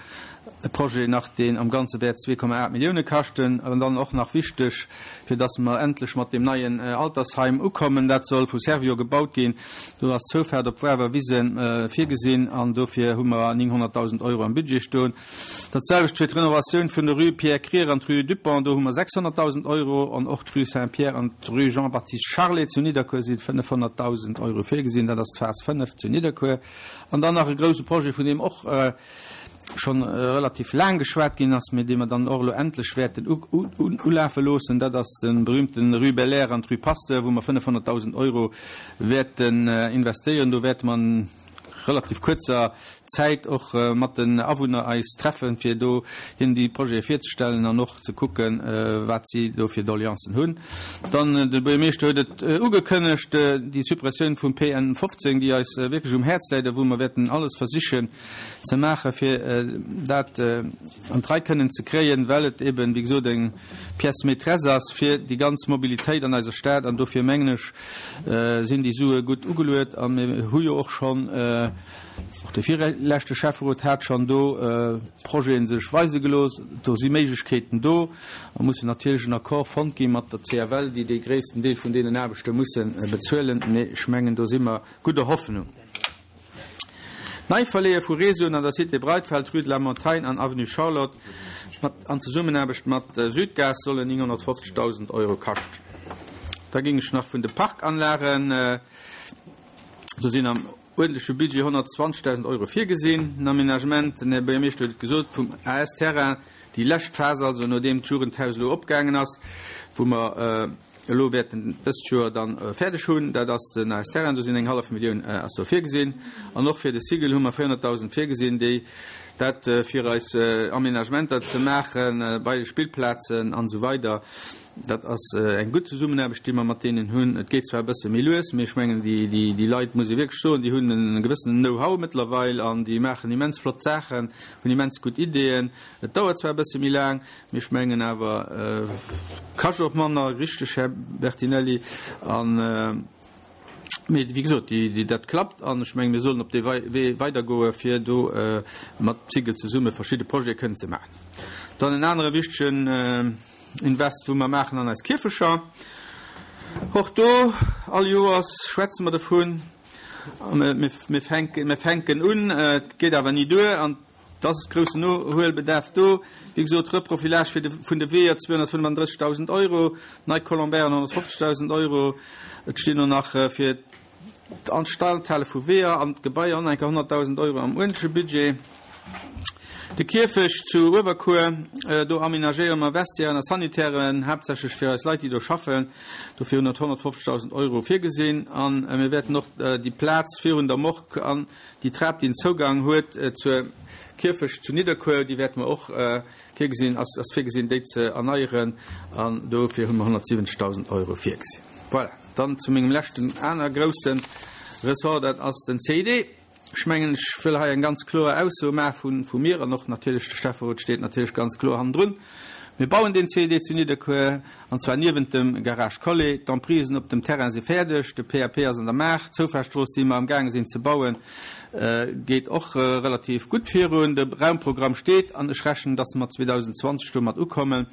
e Projet nach, deen am Ganze wäert 2,8 Millioune kaschten. An dann och nach wichteg, fir dass mer endlech mat deem neien Altersheim ukommen, dat soll vu Servior gebaut ginn, do ass d'Zoufaart op d'Wawer Wise virgesinn an dofir hu mer 900.000 Euro am Budget stoen. Dat selwecht fir d'Renovatioun vun der Rue Pierre Krier an d'Rue Dupont, do hu mer 600.000 Euro. An och d'Rue Saint-Pierre an d'Rue Jean-Baptiste Charlet zu Nidderkuer si 500.000 Euro virgesinn. Dat ass d'Phas 5 zu Nidderkuer. An dann nach e grouse Projet, vun deem och scho relativ laang geschwat ginn ass, mee dee mer dann och elo endlech wäerten ulafe loossen, dat ass de berühmten Rue Belair an d'Rue Pasteur, wou mer 500.000 Euro wäerten investéieren. Do wäerte mer an relativ kuerzer Zäit och mat den Awunner eis treffen, fir do hinnen déi Projete virzestellen an och ze kucken, wat si do fir Doleancen hunn. Dann, de Buergermeeschter huet et ugekënnegt, déi Suppressioun vum PN 15, déi eis wierklech um Häerz läit a wou mer wäerten alles versichen ze maachen, fir dat an d'Rei kënnen ze kréien, well et eben, wéi gesot, eng Pièce maîtresse ass fir déi ganz Mobilitéit an eiser Stad. An dofir mengen ech, sinn déi Sue gutt ugeluet a mir hu jo och schonn. Och de virleschte Schäfferot hat schonn do Projete sech weise gelooss. Do si Méiglechkeeten do a mussen natierlech en Accord fonnt gi mat der CFL, déi dee gréissten Deel vun deenen Aarbechte musse bezuelen. Mee ech mengen, do si mer gudder Hoffnung. D'Neiverleeë vu Réseauen an der Cité Breitfeld, Rue de la Montagne an Avenue Charlotte mat an Zesummenaarbecht mat Südgas sollen 950.000 Euro kaschten. Da géing ech nach vun de Parkanlagen, do sinn am uerdentleche Budget 120.000 Euro virgesinn, den Aménagement, den Här Buergermeeschter huet et gesot, vum AS-Terrain, déi lescht Phas also, nodeem d'Jugendhaus elo opgaangen ass, wou mer elo wäerten dëst Joer dann fäerdeg hunn, dat ass den AS-Terrain, do sinn eng hallef Millioun ass do virgesinn. An och fir de Sigel hu mer 400.000 virgesinn, déi dat fir eis Aménagementer ze maache bei de Spillplazen an esou weider. Dat ass eng gutt Zesummenaarbecht, déi mer mat deenen hunn. Et geet zwar e bësse méi lues, mee ech mengen, déi Leit, muss ee wierklech soen, déi hunn e gewëssenen Know-how mëttlerweil an déi maachen immens flott Saachen, hunn immens gutt Ideeën. Et dauert zwar e bësse méi laang, mee ech mengen awer, kascht och manner, richteg, Här Bertinelli? An, mee wéi gesot, déi, dat klappt an ech mengen, mir sollen op dee Wee weidergoe fir do mat Sigel zesumme verschidde Projete kënnen ze maachen. Dann en anere wichtegen. Invest wou mer maachen an eis Kierfecher. Och do, all Joers schwätze mer dovun, mir fänken, mir fänken un, et geet awer ni duer an et ass groussen Nohuelbedarf do. Wéi gesot, Reprofilage fir de, vun de Weeër 235.000 Euro, nei Colombairen 150.000 Euro, et stinn och nach fir D'Instandhale vu Weeër an Gebaier an enker 100.000 Euro am uerdentleche Budget. De Kierfecht zu Uewerkuer, do amenagéiere mer Vestiairen a Sanitären, haaptsächlech fir eis Leit, déi do schaffen. Dofir hunn et 150.000 Euro virgesinn. A mir wäerten och déi Plaz virun der Morgue an déi Trap, déi en Zougang huet zur Kierfecht zu Nidderkuer, déi wäerte mer och virgesinn, ass virgesinn, déi ze erneieren. An dofir hu mer 170.000 Euro virgesinn. Voilà. Dann zu mengem leschten aner grousse Ressort, dat ass den CID. Ech mengen, ech wëll hei eng ganz kloer Ausso maache vu mir an och natierlech de Schäfferot steet natierlech ganz kloer hannendrun. Mir bauen deen CID zu Nidderkuer, an zwar niewent dem Garage Collet. D'Emprisen op dem Terrain si fäerdeg, de PAP ass an der Maach, d'Zoufahrtstrooss, déi mer amgaange sinn ze bauen, geet och relativ gutt virun. De Raumprogramm steet an ech rechnen, dass mer 2020 domat ukommen.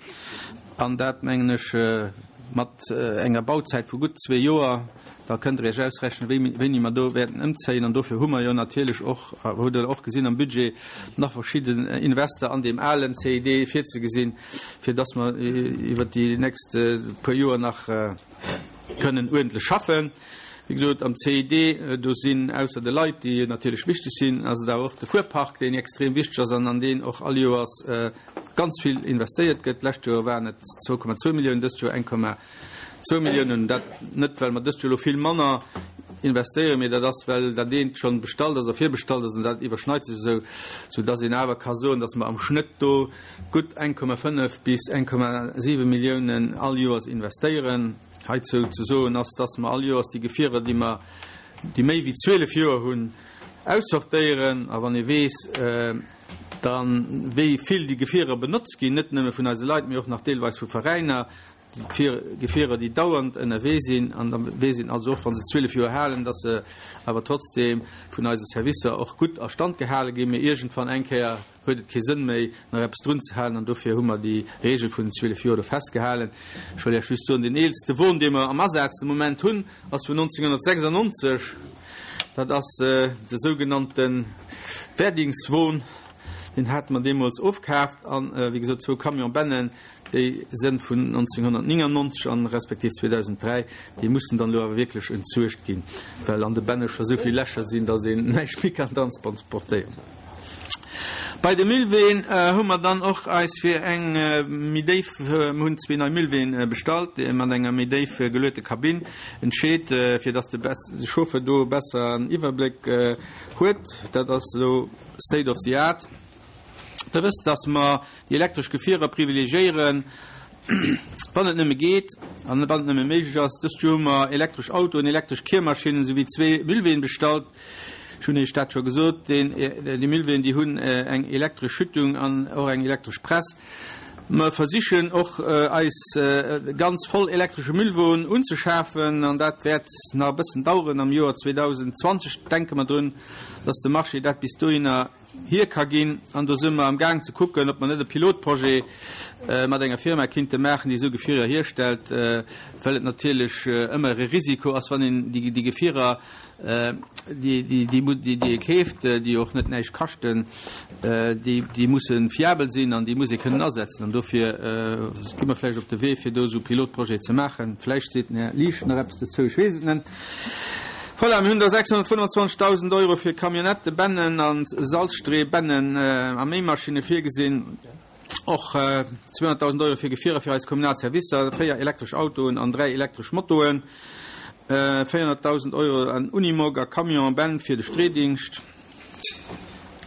An dat, mengen ech, mat enger Bauzäit vu gutt zwee Joer. Da kënnt Der Iech ausrechnen, wéini mer do wäerten ëmzéien. An dofir hu mer jo natierlech och, hutt Der och gesinn am Budget, nach verschidden Invester an deem alen CID virzegesinn, fir dass mer iwwert déi nächst puer Joer nach kënnen uerdentlech schaffen. Wéi gesot, am CID, do sinn ausser de Leit, déi natierlech wichteg sinn, ass et awer och de Fuerpark, deen extrem wichteg ass an an deen och all Joers ganz vill investéiert gëtt. D'lescht Joer waren et 2,2 Milliounen, dëst Joer 1,2 Milliounen. Dat net, well mer dëst Joer elo vill manner investéieren, mee dat ass, well dat eent schonn bestallt ass a virbestallt ass an dat iwwerschneit sech esou, soudass een awer ka soen, dass mer am Schnëtt do gutt 1,5 bis 1,7 Milliounen all Joers investéieren. Heizou ze soen ass, dass mer all Joers déi Gefierer, déi mer, déi méi wéi 12 Joer hunn, aussortéieren. A wann ee weess, Dann, wéi vill déi Gefierer benotzt ginn, net nëmme vun eise Leit, mee och nach deelweis vu Veräiner, déi Gefierer, déi dauernd ënnerwee sinn, an da weess een also och, wa se 12 Joer halen, dass se awer trotzdeem vun eise Servicer och gutt a Stand gehale ginn. Mee iergendwann eng Kéier huet et kee Sënn méi, nach eppes drunzehalen, an dofir hu mer déi Regel vun den 12 Joer do festgehalen. Ech wëll Iech just soen, deen eelste Won, dee mer am Asaz de Moment hunn, ass vun 1996. Dat ass de sougenannte Werdingswon. Deen hate mer deemools ofkaaft. An, wéi gesot, zwou Camion-Bennen, déi sënn vun 1999 an respektiv 2003. Déi mussen dann elo awer wierklech entsuergt ginn, well an de Benne scho sou vill Lächer sinn, datt een näischt méi kann transportéieren. Bei de Müllween hu mer dann och eis fir eng méi déif, mir hunn zwee nei Müllween bestallt, mat enger méi déif geluete Kabinn entscheet, fir dass de Chauffeur do besser en Iwwerbléck huet. Dat ass elo state of the art. Der wësst, dass mer déi elektresch Gefierer privilegiéieren, wann et nëmme geet an wann et nëmme méiglech ass. Dëst Joer hu mer elektresch Autoen, elektresch Kiermaschinnen souwéi zwee Müllween bestallt. Ech hunn Iech dat scho gesot, deen, déi Müllween, déi hunn eng elektresch Schüttung an och eng elektresch Press. Mer versichen och eis ganz voll elektresche Müllwon unzeschafen an dat wäert nach e bëssen daueren. Am Joer 2020 denke mer drun, dass de Marché dat bis dohinner hier ka ginn. An do si mer am Gaang ze kucken, ob mer net e Pilotprojet mat enger Firma kinnte maachen, déi esou Gefierer hierstellt, well et natierlech ëmmer e Risiko ass, wann een déi Gefierer déi ee keeft, déi och net näischt kaschten, déi musse fiabel sinn an déi muss ee kënnen asetzen. An dofir gi mer vläicht op de Wee, fir do esou Pilotprojete ze maachen. Vläicht seet den Här Liesch nach eppes dozou, ech weess et net. Voilà, mir hunn da 625.000 Euro fir Camionnettebennen a Salzstreebennen a Méimaschinne virgesinn. Och 200.000 Euro fir Gefierer fir eis kommunal Servicer, 4 elektresch Autoen an 3 elektresch Motoen, 400.000 Euro an Unimog a Camion Ben fir de Streedingscht.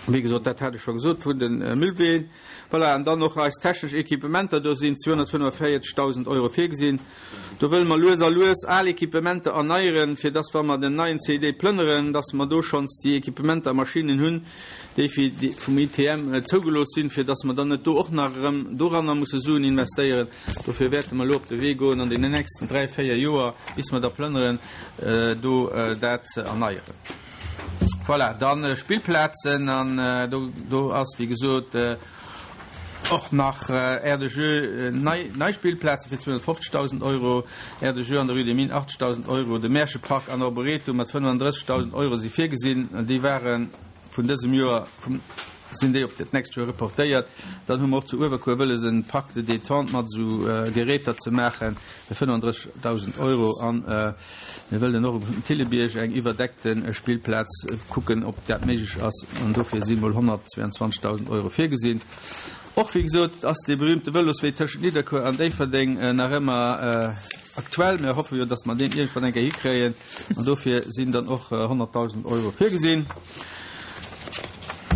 Wéi gesot, dat hat ech scho gesot, vun de Müllween. Voilà, an dann och eis technesch Equipementer, do sinn 245.000 Euro virgesinn. Do wëlle mer lues a lues al Equipementer erneieren, fir dass, wa mer den neien CID plënneren, dass mer do schonns déi Equipementer a Maschinnen hunn, déi fir déi vum ITM zougelooss sinn, fir dass mer dann net do och nach erëm doranner musse Suen investéieren. Dofir wäerte mer elo op de Wee goen an deenen nächsten dräi, véier Joer, bis mer da plënneren, do dat ze erneieren. Voilà, dann Spillplazen, an do, do ass, wéi gesot, Och nach Aire de jeux, nei, nei Spillplaze fir 250.000 Euro, Aire de jeux an der Rue des Mines 80.000 Euro, de Märchepark an Arboretum mat 35.000 Euro si virgesinn. Déi ware vun dësem Joer, vum, sinn déi op dat nächst Joer reportéiert. Dann hu mer och zu Uewerkuer wëlles en Parc de détente mat esou Geräter ze maachen fir 35.000 Euro an Mir wëllen och um Thillebierg eng iwwerdeckte Spillplaz kucken, ob dat méiglech ass, an dofir si mol 122.000 Euro virgesinn. Och, wéi gesot, ass dee berühmte Vëloswee tëschent Nidderkuer an Déifferdeng nach ëmmer aktuell. Mir hoffe jo, datt mer deen iergendwann eng Kéier hikréien, an dofir sinn dann och 100.000 Euro virgesinn.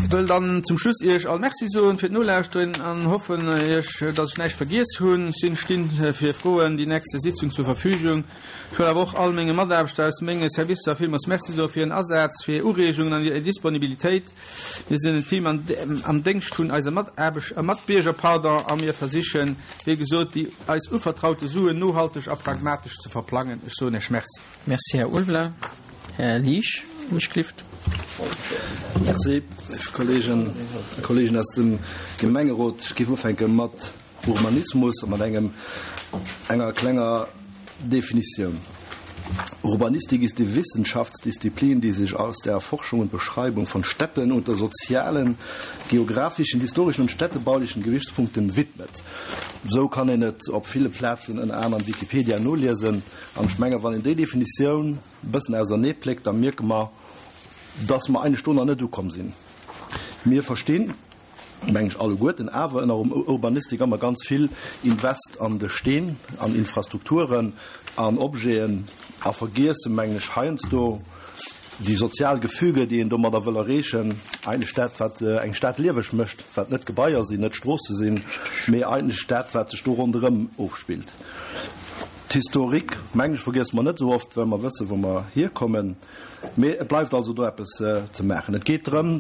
Ech wëll dann zum Schluss Iech all Merci soen fir d'Nolauschteren an hoffen Iech, datt ech näischt vergiess hunn. Ech sinn stinn fir Froen déi nächste Sitzung zur Verfügung. Ech wëll awer och all menge Mataarbechter aus menge Servicer villmools Merci soe fir hiren Asaz, fir hir Ureegungen an hir Disponibilitéit. Mir sinn en Team am Déngscht vun eise Mataarbesch Matbierger, pardon, a mir versichen, wéi gesot, déi eis uvertraute Suen nohalteg a pragmatesch ze verplangen. Ech soen Iech Merci. Merci, Här Ulveler. Här Liesch, mech clift. Merci, léif Kolleegen a Kolleegen aus dem Gemengerot. Ech géif ufänke mat Urbanismus a mat engem, enger klenger Definitioun. Urbanistik ist die Wissenschaftsdisziplin, die sich aus der Erforschung und Beschreibung von Städten unter sozialen, geografischen, historischen und städtebaulichen Gewichtspunkten widmet. Esou kann een et op ville Plazen, ënner anerem Wikipedia, noliesen. An ech menge wann een déi Definitioun e bëssen ausernee pléckt, da mierke mer, dass mer eigentlech do nach net ukomm sinn. Mir verstinn, meng ech, alleguerten awer ënner Urbanistik ëmmer ganz vill Invest an de Steen, an Infrastrukturen, an Objeten a vergiessen, mengen ech, heiansdo déi sozial Gefüge, déi een domadder wëll erreechen, eigentlech dat, wat eng Stad lieweg mécht, wat net Gebaier sinn, net Stroosse sinn, mee eigentlech dat, wat sech do ronderëm ofspillt. D'Historik, mengen ech, vergiesse mer net esou oft, well mer wëssen, wou mer hierkommen. Mee et bleift also do eppes ze maachen. Et geet drëm,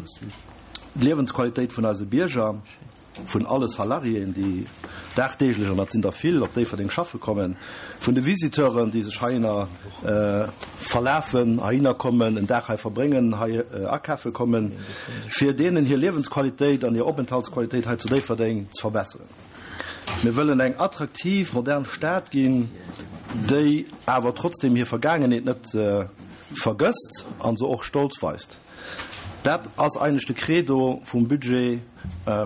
d'Liewensqualitéit vun eise Bierger, vun alle Salariéen, déi dagdeeglech, an dat sinn der vill, op Déifferdeng schaffe kommen, vun de Visiteuren, déi sech heihinner verlafen, heihinner kommen, en Dag hei verbréngen, hei akafe kommen, fir deenen hir Liewensqualitéit an hir Openthaltsqualitéit hei zu Déifferdeng ze verbesseren. Mir wëllen eng attraktiv, modern Stad ginn, déi awer trotzdeem hir Vergaangenheet net vergësst a se och stolz weist. Dat ass eigentlech de Credo vum Budget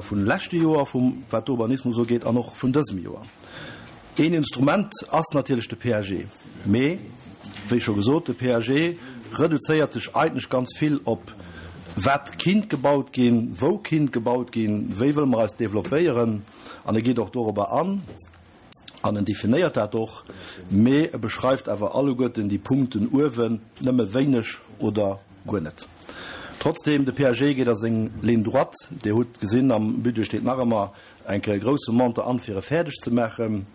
vun leschte Joer, vum wat d'Urbanismus ugeet, an och vun dësem Joer. Een Instrument ass natierlech de PAG. Mee, wéi scho gesot, de PAG reduzéiert sech eigentlech ganz vill op, wat kinnt gebaut ginn, wou kinnt gebaut ginn, wéi wëlle mer eis developpéieren. An e geet och dorobber an an en definéiert dat och, mee e beschreift awer alleguerten déi Punkten uewen nëmme wéineg oder guer net. Trotzdem, de PAG geet a seng Ligne droite. Dir hutt gesinn, am Budget steet nach ëmmer eng Kéier e grousse Montant an, fir e fäerdeg ze maachen.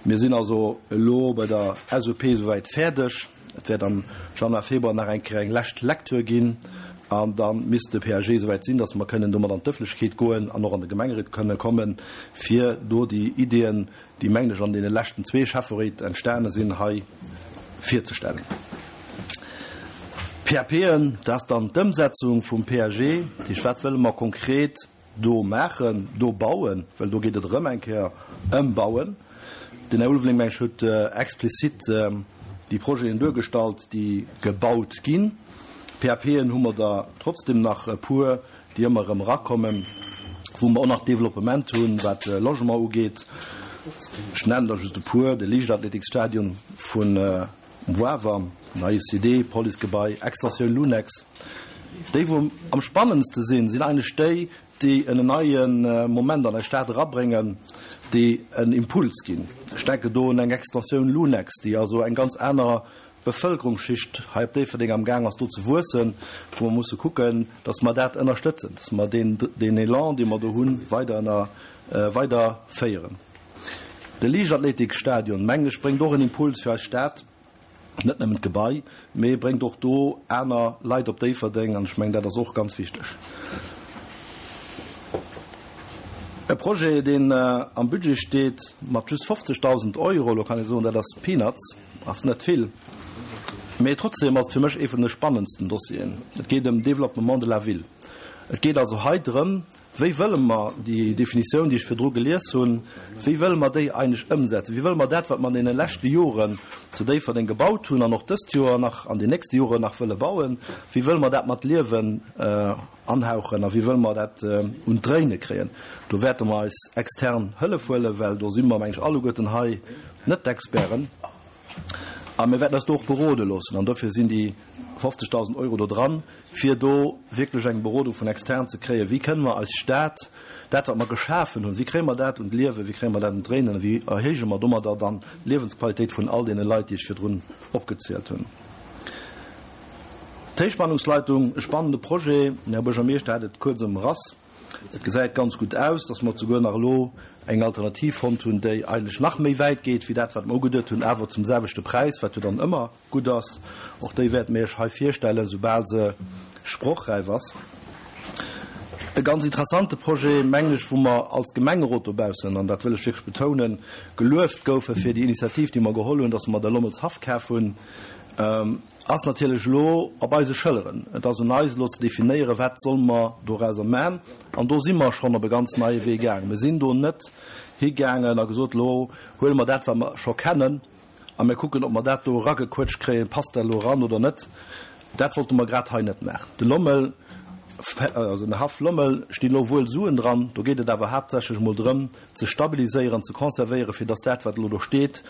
Mir sinn also elo bei der SOP esouwäit fäerdeg. Et wäert am Januar, Februar nach eng Kéier eng lescht Lecture ginn. An da misst de PAG esouwäit sinn, dass mer kënnen domat an d'Ëfflechkeet goen an och an de Gemengerot kënnen kommen, fir do déi Ideeën, déi, mengen ech, an deene leschten zwee Schäfferéit entstane sinn, hei virzestellen. PAPen, dat ass dann d'Ëmsetzung vum PAG. Dat heescht, wat wëlle mer konkret do maachen, do bauen, well do geet et erëm eng Kéier ëm Bauen. Den Här Ulveling, meng ech, huet explizit déi Projeten duergestallt, déi gebaut ginn. PAPen hu mer der trotzdem nach e puer, déi ëmmer erëm erakommen, wou mer och nach Développement hunn, wat Logement ugeet. Ech nennen der just e puer, de Liichtathletiksstadion vun Wawer, neie CD, Policegebai, Extensioun Lunex. Déi wou am spannendste sinn, sinn eigentlech déi, déi en neie Moment an eis Stad erabréngen, déi en Impuls ginn. Ech denken do un eng Extensioun Lunex, déi also eng ganz aner Bevëlkerungsschicht hei op Déifferdeng am Gaang ass do ze wuessen, wou mer musse kucken, datt mer dat ënnerstëtzen, datt mer deen, deen Elan, dee mer do hunn, weider ënner, weider féieren. De Liichtathletikstadion, mengen ech, bréngt och en Impuls fir eis Stad, net nëmmen d'Gebai, mee bréngt och do aner Leit op Déifferdeng an ech mengen, dat ass och ganz wichteg. E Projet, deen am Budget steet mat just 50.000 Euro, elo kann ee soen, dat ass Peanuts, ass net vill, mee trotzdem ass et fir mech ee vun de spannendsten Dossieren. Et geet ëm Développement de la ville. Et geet also hei drëm, Wéi wëlle mer déi Definitioun, déi ech virdru gelies hunn, wéi wëlle mer déi eigentlech ëmsetzen? Wéi wëlle mer dat, wat mer an deene leschte Joren zu Déifferdeng gebaut hunn an och dëst Joer nach, an den nächste Joren nach wëlle bauen, wéi wëlle mer dat mat Liewen anhauchen a wéi wëlle mer dat un d'Dréine kréien? Do wäerte mer eis extern Hëllef huelen, well do si mer, meng ech, alleguerten hei net d'Experten. A mir wäerten eis do och berode loossen. An dofir sinn déi 50.000 Euro do dran, fir do wierklech eng Berodung vun extern ze kréien, Wéi kënnen mer eis Stad, dat wat mer geschafen hunn, wéi kréie mer dat un d'Liewen, wéi kréie mer dat un d'Dréinen a wéi erhéije mer domadder dann d'Liewensqualitéit vun all deene Leit, déi ech virdrun opgezielt hunn. D'Héichspannungsleitung, e spannende Projet, den Här Buergermeeschter hat et kuerz ëmrass. Et gesäit ganz gutt aus, dass mer souguer nach elo eng Alternativ fonnt hunn, déi eigentlech nach méi wäit geet wéi dat, wat mer ugeduet hunn, awer zum selwechte Präis, wat jo dann ëmmer gutt ass. Och déi wäerte mir Iech hei virstellen, soubal se sprochräif ass. E ganz interessante Projet, mengen ech, wou mer als Gemengerot dobaussen, an dat wëll ech wierklech betounen, gelueft goufe fir déi Initiativ, déi mer geholl hunn, dass mer de Lommels Haff kaf hunn. Ass natierlech elo op eise Schëlleren. Et ass un eis elo ze definéieren, wat solle mer dorauser man. An do si mer schonn op e ganz neie Wee gaangen. Mir sinn do net higaangen a gesot, elo huele mer dat, wat mer scho kennen, a mir kucken, ob mer dat do eragequëtscht kréien, passt dat elo eran oder net. Dat wollte mer grad hei net maachen. De Lommel, also den Haff Lommel, stinn elo wuel Suen dran. Do geet et awer haaptsächlech emol drëm, ze stabiliséieren, ze conservéieren, fir dass dat, wat elo do steet,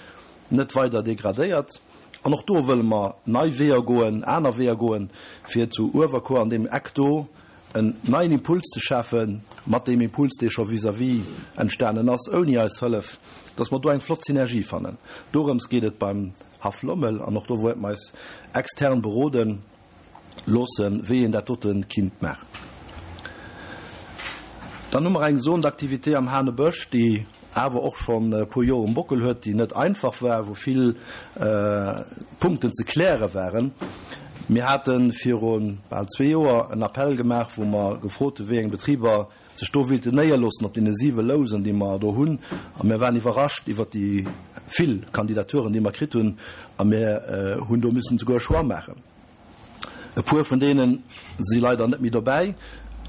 net weider degradéiert. An och do wëlle mer nei Weeër goen, aner Weeër goen, fir zu Uewerkuer an deem Eck do en neien Impuls ze schafen, mat deem Impuls, dee scho vis-à-vis entstanen ass, ouni eis Hëllef, dass mer do eng flott Synergie fannen. Dorëms geet et beim Haff Lommel an och do wäerte mer eis extern beroden. Loossen, wéi een dat dote kinnt maachen. Dann hu mer eng Zone d'activité am Hanebësch, déi awer och schonn e puer Joer um Bockel huet, déi net einfach war, wou vill Punkten ze kläre waren. Mir hate viru bal zwee Joer en Appell gemaach, wou mer gefrot hu wéi eng Betriber sech do wéilten néierloossen op deene siwe Lousen, déi mer do hunn. A mir waren iwwerrascht iwwert déi vill Kandidaturen, déi mer kritt hunn. A mir hunn do missen souguer e Choix maachen. E puer vun deene si leider net méi dobäi,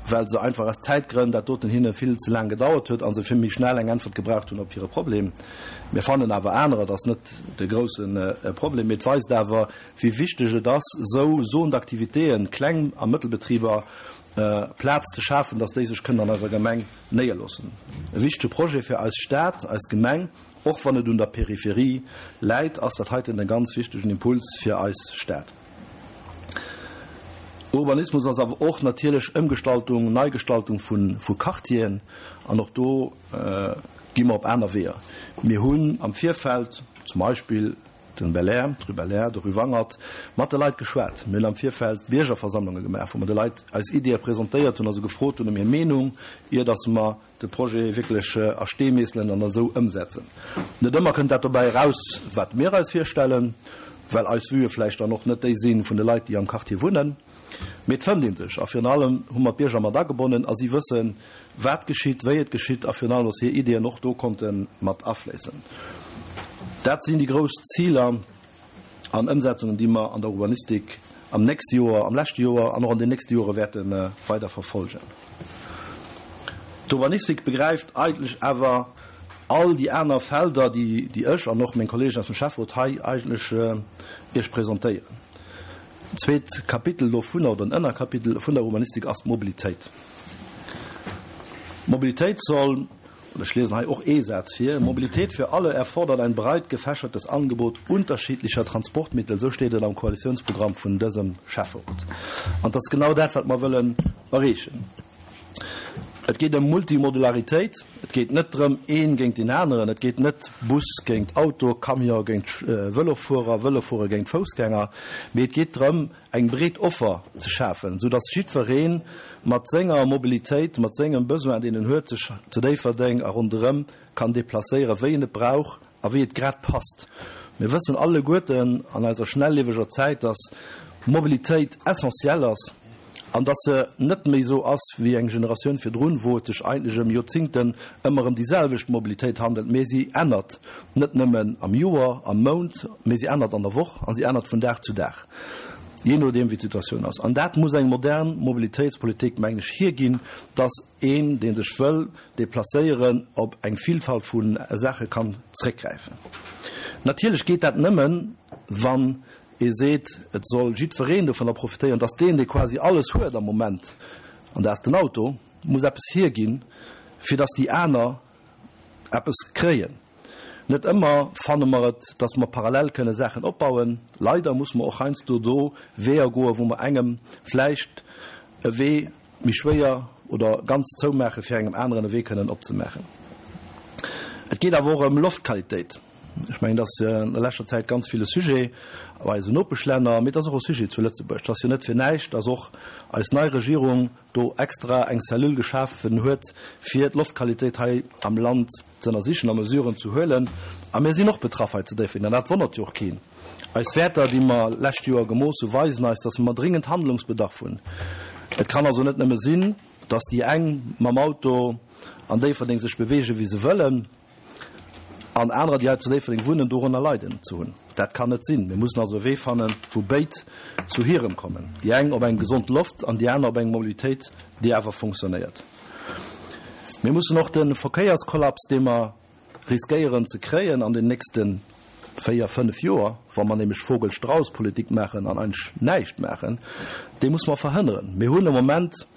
well se einfach aus Zäitgrënn dat doten hinne vill ze laang gedauert huet a se vill méi schnell eng Äntwert gebraucht hunn op hire Problem. Mir fannen awer anerer, dat ass net de grousse Problem, mee et weist awer, wéi wichteg et ass, esou Zone d'activitéen, Kleng a Mëttelbetriber, Plaz ze schafen, dass déi sech kënnen an eiser Gemeng néierloossen. E wichtege Projet fir eis Stad, eis Gemeng. Och wann et un der Peripherie läit, ass dat heiten e ganz wichtegen Impuls fir eis Stad. Urbanismus ass awer och natierlech Ëmgestaltung, Neigestaltung vu Quartieren. An och do gi mer op aner Weeër. Mir hunn am Virfeld zum Beispill den Belair, d'Rue Belair, de Rue Wangert, mat de Leit geschwat. Mir hunn am Virfeld Biergerversammlunge gemaach, wou mer de Leit eis Ideeë presentéiert hunn a se gefrot hunn ëm hir Meenung, ier datt mer de Projet wierklech a Stee meesselen an esou ëmsetzen. Net ëmmer kënnt dat dobäi eraus, wat mir eis virstellen, well eis Vuë vläicht dann och net déi si vun de Leit, déi am Quartier wunnen. Mee et fënnt ee sech a virun allem hu mer d'Bierger mat agebonnen a si wëssen, wat geschitt, wéi et geschitt a virun allem, dass hir Ideeën och do konnte mat afléissen. Dat sinn déi grouss Ziler an Ëmsetzungen, déi mer an der Urbanistik am nächste Joer, am leschte Joer an och an den nächste Jore wäerte weider verfolgen. D'Urbanistik begräift eigentlech awer all déi aner Felder, déi ech an och meng Kollegen aus dem Schäfferot hei eigentlech Iech presentéieren. Zweet Kapitel dovunner oder en Ënnerkapitel vun der Urbanistik ass d'Mobilitéit. D'Mobilitéit soll, und ech liesen hei och ee Saz vir, Mobilität für alle erfordert ein breit gefächertes Angebot unterschiedlicher Transportmittel, esou steet et am Koalitionsprogramm vun dësem Schäfferot. An et ass genau dat, wat mer wëllen erreechen. Et geet ëm Multimodularitéit. Et geet net drëm, een géint deen aneren. Et geet net Bus géint Auto, Camion géint Vëlofuerer, Vëlofuerer géint Foussgänger, mee et geet drëm, eng breet Offer ze schafen, soudass jiddweree mat senger Mobilitéit, mat sengem Besoin, deen en huet, sech zu Déifferdeng a ronderëm kann deplacéieren, wéi en et brauch a wéi et grad passt. Mir wëssen alleguerten an eiser schnellieweger Zäit, dass Mobilitéit essentiell ass an dass se net méi esou ass wéi eng Generatioun virdrun, wou et sech eigentlech ëm Joerzingten ëmmer ëm déi selwecht Mobilitéit handelt, mee si ännert net nëmmen am Joer, am Mount, mee si ännert an der Woch a si ännert vun Dag zu Dag, jee nodeem wéi d'Situatioun ass. An dat muss eng modern Mobilitéitspolitik, mengen ech, hierginn, dass een, dee sech wëll deplacéieren, op eng Vielfalt vu Saache kann zréckgräifen. Natierlech geet dat nëmmen, wann ee seet, et soll jiddwereen dovunner profitéieren, dass deen, dee quasi alles huet am Moment, an dat ass den Auto, muss eppes hierginn, fir dass déi aner eppes kréien. Net ëmmer fanne mer et, dass mer parallel kënne Saachen opbauen. Leider muss mer och heiansdo do Weeër goen, wou mer engem vläicht e Wee méi schwéier oder ganz zoumaache fir engem aneren e Wee kënnen opzemaachen. Et geet awer och ëm Loftqualitéit. Ech mengen, dat ass an der leschter Zäit ganz vill e Sujet bei eisen Nopeschlänner, mee et ass och e Sujet zu Lëtzebuerg. Et ass jo net fir näischt, dass och eis nei Regierung do extra eng Cellule geschafen huet, fir d'Loftqualitéit hei am Land ze ënnersichen a Mesuren ze huelen. A mir sinn och betraff hei zu Déifferdeng, an dat wonnert jo och keen. Eis Wäerter, déi mer lescht Joer gemooss hu, weisen eis, dass mer dringend Handlungsbedarf hunn. Et kann also net nëmme sinn, dass déi eng mam Auto an Déifferdeng sech beweegen, wéi se wëllen, an anerer, déi hei zu Déifferdeng wunnen, dorënner leiden ze hunn. Dat kann net sinn. Mir mussen also e Wee fannen, wou béid zu hirem kommen, déi eng op eng gesond Loft an déi aner op eng Mobilitéit, déi awer funktionéiert. Mir mussen och de Verkéierskollaps, dee mer riskéieren ze kréien an den nächste véier, fënnef Joer, wa mer nämlech Vogel-Strauss-Politik maachen an eigentlech näischt maachen, dee musse mer verhënneren. Mir hunn am Moment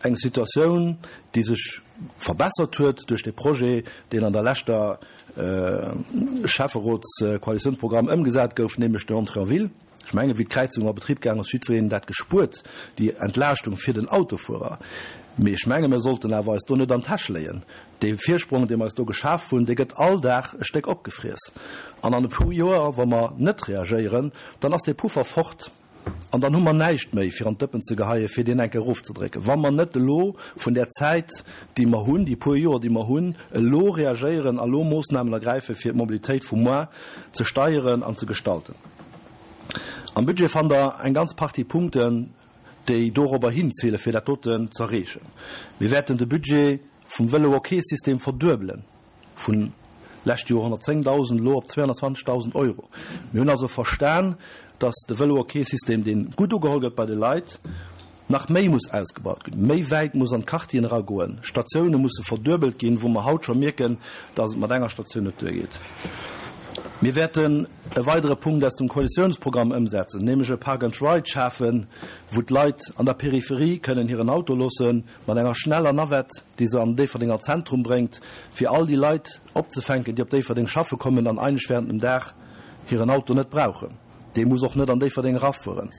eng Situatioun, déi sech verbessert huet duerch de Projet, deen an der leschter Schäfferotskoalitionsprogramm ëmgesat gouf, nämlech den Entrée en ville. Ech mengen, wéi d'Kräizung a Betrib gaang ass, jiddwereen dat gespuert, déi Entlaaschtung fir den Autofuerer. Mee ech menge mir sollten awer eis do net an d'Täsch léien. Dee Virsprong, dee mer eis do geschaf hunn, dee gëtt all Dag e Stéck opgefriess. An an e puer Joer, wa mer net reagéieren, dann ass dee Puffer fort an dann hu mer näischt méi fir an d'Dëppen ze geheien, fir deen enke erofzedrécken. Wa mer net elo vun där Zäit, déi mer hunn, déi puer Joer, déi mer hunn, elo reagéieren a lo Moossnamen ergräifen, fir d'Mobilitéit vu muar ze steieren an ze gestalten. Am Budget fannt Der eng ganz Partie Punkten, déi dorobber hinzilen, fir dat doten z'erreechen. Mir wäerten de Budget vum Vëlo-OK-System verduebelen, vun lescht Joer 110.000 elo op 220.000 Euro. Mir hunn also verstan, dass de Vëlo-OK-System, dee gutt ugeholl gëtt bei de Leit, nach méi muss ausgebaut ginn, méi wäit muss an d'Quartieren eragoen, Statioune musse verduebelt ginn, wou mer haut scho mierken, dass et mat enger Statioun net duergeet. Mir wäerten e weidere Punkt aus dem Koalitiounsprogramm ëmsetzen, nämlech e Park and Ride schafen, wou d'Leit an der Peripherie kënnen hiren Auto loossen, mat enger schneller Navette, déi se an den Déifferdenger Zentrum bréngt, fir all déi Leit opzefänken, déi op Déifferdeng schaffe kommen an eigentlech während dem Dag hiren Auto net brauchen. Dee muss och net an Déifferdeng erafueren.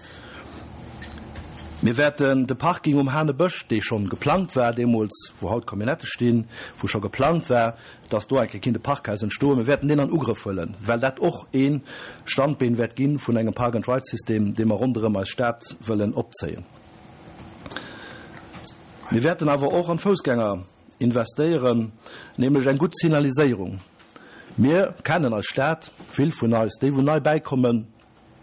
Mir wäerten de Parking um Hanebësch, dee schonn geplangt war deemools, wou haut d'Camionnette stinn, wou scho geplangt war, dass do eng Kéier kinnt e Parkhaus entstoen, mir wäerten deen an Ugrëff huelen, well dat och ee Standbeen wäert gi vun engem Park-and-Ride-System, dee mer ronderëm eis Stad wëllen opzéien. Mir wäerten awer och an d'Foussgänger investéieren, nämlech eng gutt Signaliséierung. Mir kennen eis Stad, vill vun eis, déi wou nei bäikommen.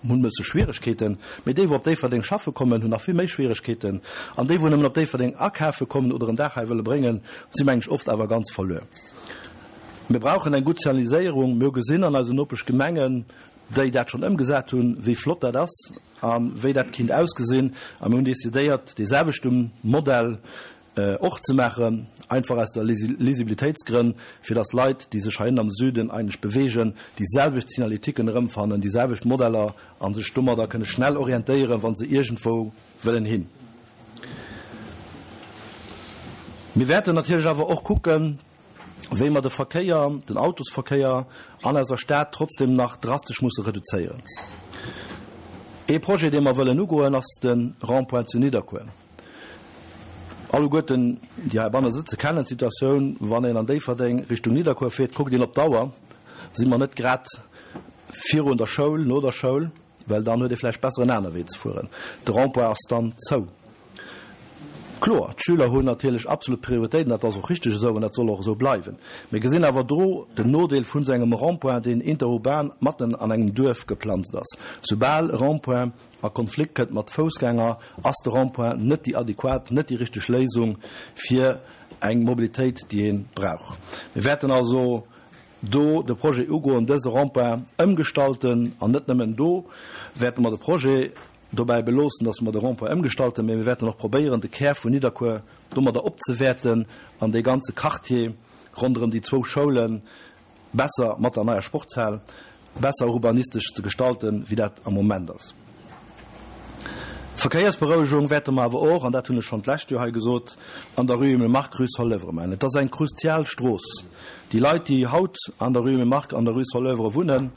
hunn e bësse Schwieregkeeten, mee déi wou op Déifferdeng schaffe kommen, hunn nach vill méi Schwieregkeeten. An déi wou nëmmen op Déifferdeng akafe kommen oder en Dag hei wëlle bréngen, si meng ech oft awer ganz verluer. Mir brauchen eng gutt Signaliséierung. Mir hu gesinn an eisen Nopeschgemengen, déi dat schonn ëmgesat hunn, wéi flott dat ass a wéi dat kinnt ausgesinn. A mir hunn decidéiert, dee selwechte Modell och ze maachen, einfach aus der Lisibilitéitsgrënn, fir dass Leit, déi sech heihinne am Süden eigentlech bewegen, déi selwecht Signaletiken erëmfannen, déi selwecht Modeller a sech domadder kënne schnell orientéieren, wa se iergendwou wëllen hin. Mir wäerten natierlech awer och kucken, wéi mer de Verkéier, den Autosverkéier an eiser Stad trotzdem nach drastesch musse reduzéieren. Ee Projet, dee mer wëllen ugoen, ass de Rond-point zu Nidderkuer. Alleguerten, déi heibanne sëtze kennen d'Situatioun, wann een an Déifferdeng Richtung Nidderkuer fiert, kuckt een op d'Auer, si mer net grad virun der Schoul, no der Schoul, well dann huet ee vläicht besser en aner Wee ze fueren. De Rond-point ass dann zou. Kloer, d'Schüler hunn natierlech absolut Prioritéit an dat ass och richteg esou an dat soll och esou bleiwen. Mir gesinn awer do den Nodeel vun esou engem Rond-point, deen interurban matten an engem Duerf geplanzt ass. Soubal e Rond-point a Konflikt kënnt mat Foussgänger, ass de Rond-point net déi adequat, net déi richteg Léisung fir eng Mobilitéit, déi ee brauch. Mir wäerten also do de Projet ugoen, dëse Rond-point ëmgestalten. An net nëmmen do wäerte mer de Projet dobäi beloossen, dass mer de Rond-point ëmgestalten, mä mir wäerten och probéieren, de Kär vun Nidderkuer domadder opzewäerten an dee ganze Quartier ronderëm déi zwou Schoule besser mat der neier Sportshal besser urbanistesch ze gestalten, wéi dat am Moment ass. D'Verkéiersberouegung wäerte mer awer och, an dat hunn ech schonn d'lescht Joer hei gesot, an der rue Emile Mark, rue Soleuvre maachen. Et ass eng kruzial Strooss. Déi Leit, déi haut an der rue Emile Mark an der rue Soleuvre wunnen,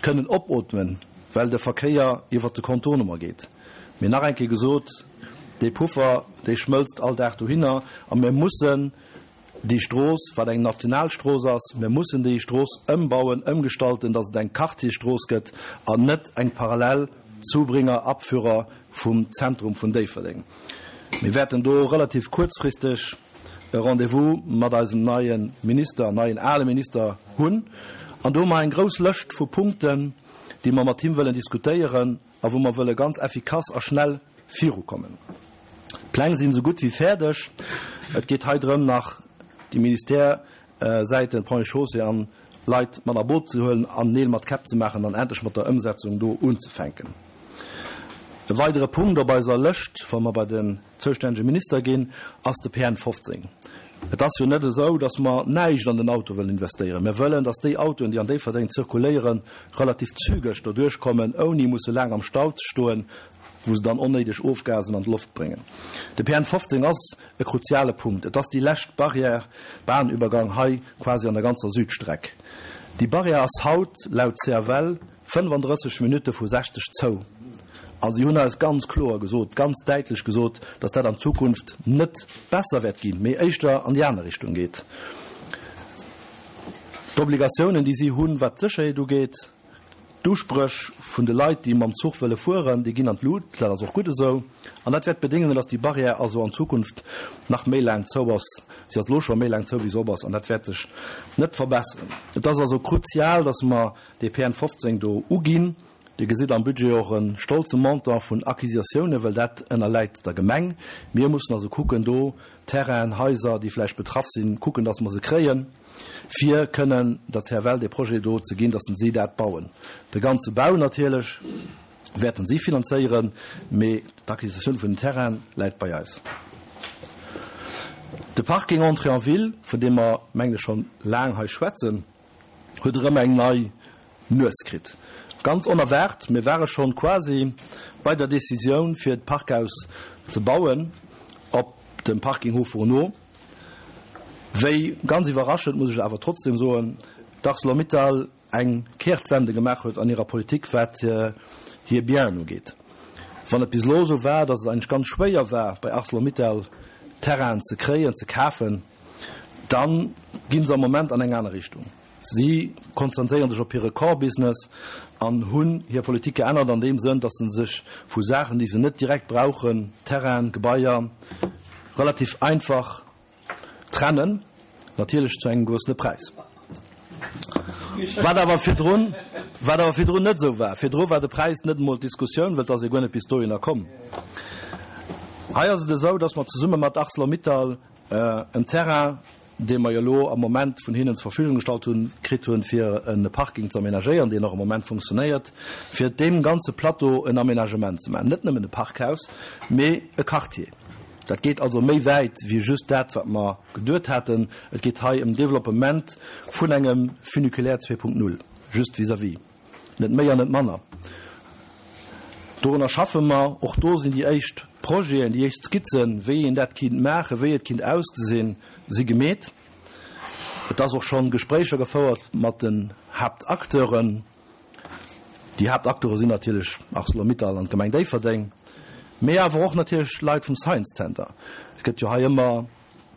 kënnen opootmen, well de Verkéier iwwert de Contournement geet. Mee nach eng Kéier gesot, dee Puffer, dee schmëlzt all Dag dohinner a mir mussen déi Strooss, wat eng national Strooss ass, mir mussen déi Strooss ëmbauen, ëmgestalten, datt et eng Quartiersstrooss gëtt an net eng parallel Zubringer, Abführer vum Zentrum vun Déifferdeng. Mir wäerten do relativ kuerzfristeg e Rendez-vous mat eisem neie Minister, neien ale Minister hunn an do hu mer eng grouss Lëscht vu Punkten, déi mer mat him wëllen diskutéieren a wou mer wëlle ganz effikass a schnell virukommen. D'Pläng sinn esou gutt wéi fäerdeg. Et geet hei drëm, nach déi Ministèresäiten, Ponts et Chaussées an Leit mat a Boot ze huelen an Neel mat Käpp ze maachen an endlech mat der Ëmsetzung do unzefänken. E weidere Punkt op eiser Lëscht, wa mer bei den zoustännege Minister ginn, ass de PN 15. Et ass jo net esou, datt mer näischt an den Auto wëllen investéieren. Mir wëllen, datt déi Autoen, déi an Déifferdeng zirkuléieren, relativ zügeg doduerch kommen, ouni musse laang am Stau ze stoen, wou se dann onnéideg Ofgasen an d'Loft bréngen. De PN 15 ass e kruziale Punkt. Et ass déi lescht Barrière, Bahnübergang hei quasi an der ganzer Südstreck. Déi Barrière ass haut laut CFL 35 Minutte vu 60 zou. A si hunn eis ganz kloer gesot, ganz däitlech gesot, dass dat an Zukunft net besser wäert ginn, mee éischter an déi aner Richtung geet. D'Obligatiounen, déi si hunn, wat d'Sécherheet ugeet, d'Uspréch vun de Leit, déi mam Zuch wëlle fueren, déi ginn an d'Lut. Dat ass och gutt esou. An dat wäert bedéngen, dass déi Barrière also an Zukunft nach méi laang zou ass. Si ass elo scho méi laang zou, wéi se op ass, an dat wäert sech net verbesseren. Et ass also kruzial, dass mer dee PN 15 do uginn. Dir gesitt am Budget och e stolze Montant vun Acquisitiounen, well dat ënnerläit der Gemeng. Mir mussen also kucken, do Terrainen, Haiser, déi vläicht betraff sinn, kucken, dass mer se kréien, fir kënnen der CFL dee Projet do ze ginn, dass si dat bauen. De ganze Bau natierlech wäerten si finanzéieren, mee d'Acquisitioun vun den Terraine läit bei eis. De Parking Entrée en ville, vun deem mer, mengen ech, schonn laang hei schwätzen, huet erëm eng nei Nues kritt. Ganz onerwaart, mir ware schonn quasi bei der Decisioun fir d'Parkhaus ze bauen op dem Parking Haut Fourneau, wéi, ganz iwwerraschend muss ech awer trotzdem soen, d'Arcelor-Mittal eng Kehrtwende gemaach huet an hirer Politik wat hir Bienen ugeet. Wann et bis elo esou war, datt et eigentlech ganz schwéier war bei Arcelor-Mittal Terrainen ze kréien, ze kafen, Da gi se am Moment an eng aner Richtung. Si konzentréiere sech op hire Core-Business an hunn hir Politik geännert an deem Sënn, datt se sech vu Saachen, déi se net direkt brauchen, Terrainen, Gebaier, relativ einfach trennen, natierlech zu engem gewëssene Präis. Wat awer virdrun, wat awer virdrun net esou war. Virdru war de Präis net emol d'Diskussioun, well et ass jo guer net bis dohinner komm. Hei ass et esou, dass mer zesumme mat Arcelor-Mittal en Terrain, dee mer jo elo am Moment vun hinnen zur Verfügung gestallt hunn, kritt hunn, fir e Parking ze aménagéieren, deen och am Moment funktionéiert, fir deem ganze Plateau en Aménagement ze maachen. Net nëmmen e Parkhaus, mee e Quartier. Dat geet also méi wäit wéi just dat, wat mer geduet haten. Et geet hei ëm Développement vun engem Funiculaire 2.0, just vis-à-vis. Net méi an net manner. Dorunner schaffe mer. Och do sinn déi éischt Projeten, déi éischt Skizzen, wéi een dat kinnt maachen, wéi et kinnt ausgesinn, si gemeet. Et ass och schonn Gespréicher gefouert mat den Haaptakteuren. Déi Haaptakteure sinn natierlech Arcelor-Mittal an d'Gemeng Déifferdeng, mee awer och natierlech Leit vum Science Center. Et gëtt jo hei ëmmer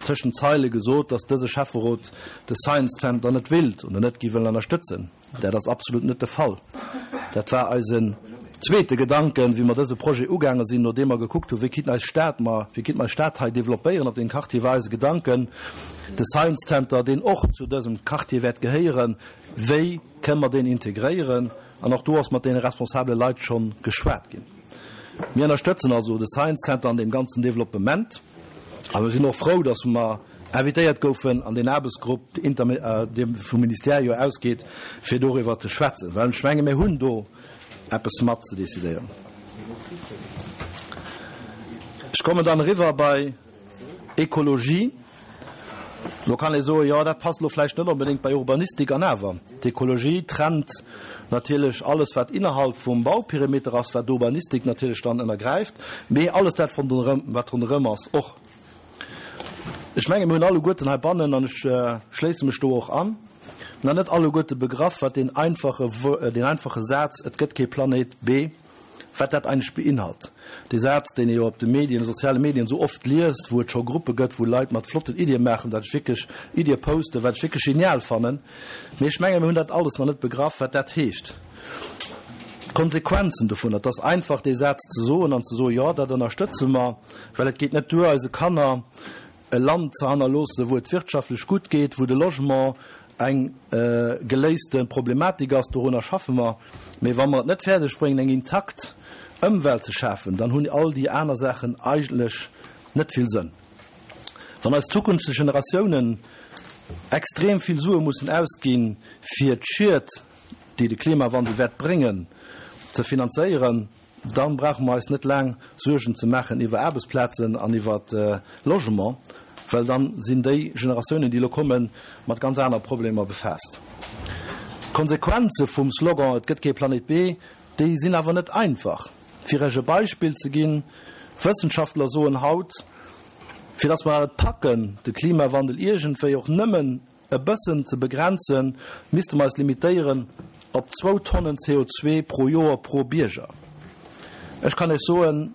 tëschent Zeile gesot, dass dëse Schäfferot de Science Center net willt oder net géif wëllen ënnerstëtzen. Dat ass absolut net de Fall. Dat war eisen zweete Gedanken, wéi mer dëse Projet ugaange sinn, nodeem mer gekuckt hunn, wéi kinnt eis Stad mer, wéi kinnt mer eis Stad hei developpéieren op deem Quartier, war eise Gedanken, de Science Center, deen och zu dësem Quartier wäert gehéieren, wéi kënne mer deen integréieren? An och do ass mat deene responsabele Leit schonn geschwat ginn. Mir ënnerstëtzen also de Science Center an deem ganzen Developpement. A mir sinn och frou, dass mer invitéiert goufen an deen Aarbechtsgrupp, dee vum Ministère jo ausgeet, fir doriwwer ze schwätzen, well ech menge mir hunn do eppes mat ze decidéieren. Ech kommen dann eriwwer bei Ekologie. Lo kann ee soen, jo, dat passt elo vläicht net onbedéngt bei Urbanistik. An awer, d'Ekologie trennt natierlech alles, wat innerhalb vum Bauperimeter ass, wat d'Urbanistik natierlech dann ënnergräift, mee alles dat, wat ronderëm ass, och. Ech menge mir hunn alleguerten heibannen, an ech schléisse mech do och an, nach net alleguerte begraff, wat deen einfache, deen einfache Saz Et gëtt kee Planéit B wat dat eigentlech beinhalt. Dee Saz, deen ee jo op de Medien, de soziale Medien esou oft liest, wou et scho Gruppe gëtt, wou Leit mat flotten Iddie maachen, wat ech wierklech, Iddie posten, wat ech wierklech genial fannen. Mee ech menge mir hunn dat alles nach net begraff, wat dat heescht. D'Konsequenzen dovunner, et ass einfach dee Saz ze soen an ze soen, jo, dat ënnerstëtze mer, well et geet net duer, eise Kanner e Land ze hannerloossen, wou et wirtschaftlech gutt geet, wou de Logement eng geléiste Problematik ass, dorunner schaffe mer. Mee wa mer et net fäerdeg bréngen, eng intakt Ëmwelt ze schafen, dann hunn all déi aner Saachen eigentlech net vill Sënn. Wann eis zukünfteg Generatiounen extrem vill Sue mussen ausginn, fir d'Schied, déi de Klimawandel wäert bréngen, ze finanzéieren, Dann brauche mer eis net laang Suergen ze maachen iwwer Aarbechtsplazen an iwwer Logement, well dann sinn déi Generatiounen, déi elo kommen, mat ganz anere Problemer befaasst. D'Konsequenze vum Slogan Et gëtt kee Planet B, déi sinn awer net einfach. Fir Iech e Beispill ze ginn, Wëssenschaftler soen haut, fir dass mer et packen, de Klimawandel iergendwéi och nëmmen e bëssen ze begrenzen, misste mer eis limitéieren op zwou Tonnen CO2 pro Joer pro Bierger. Ech kann Iech soen,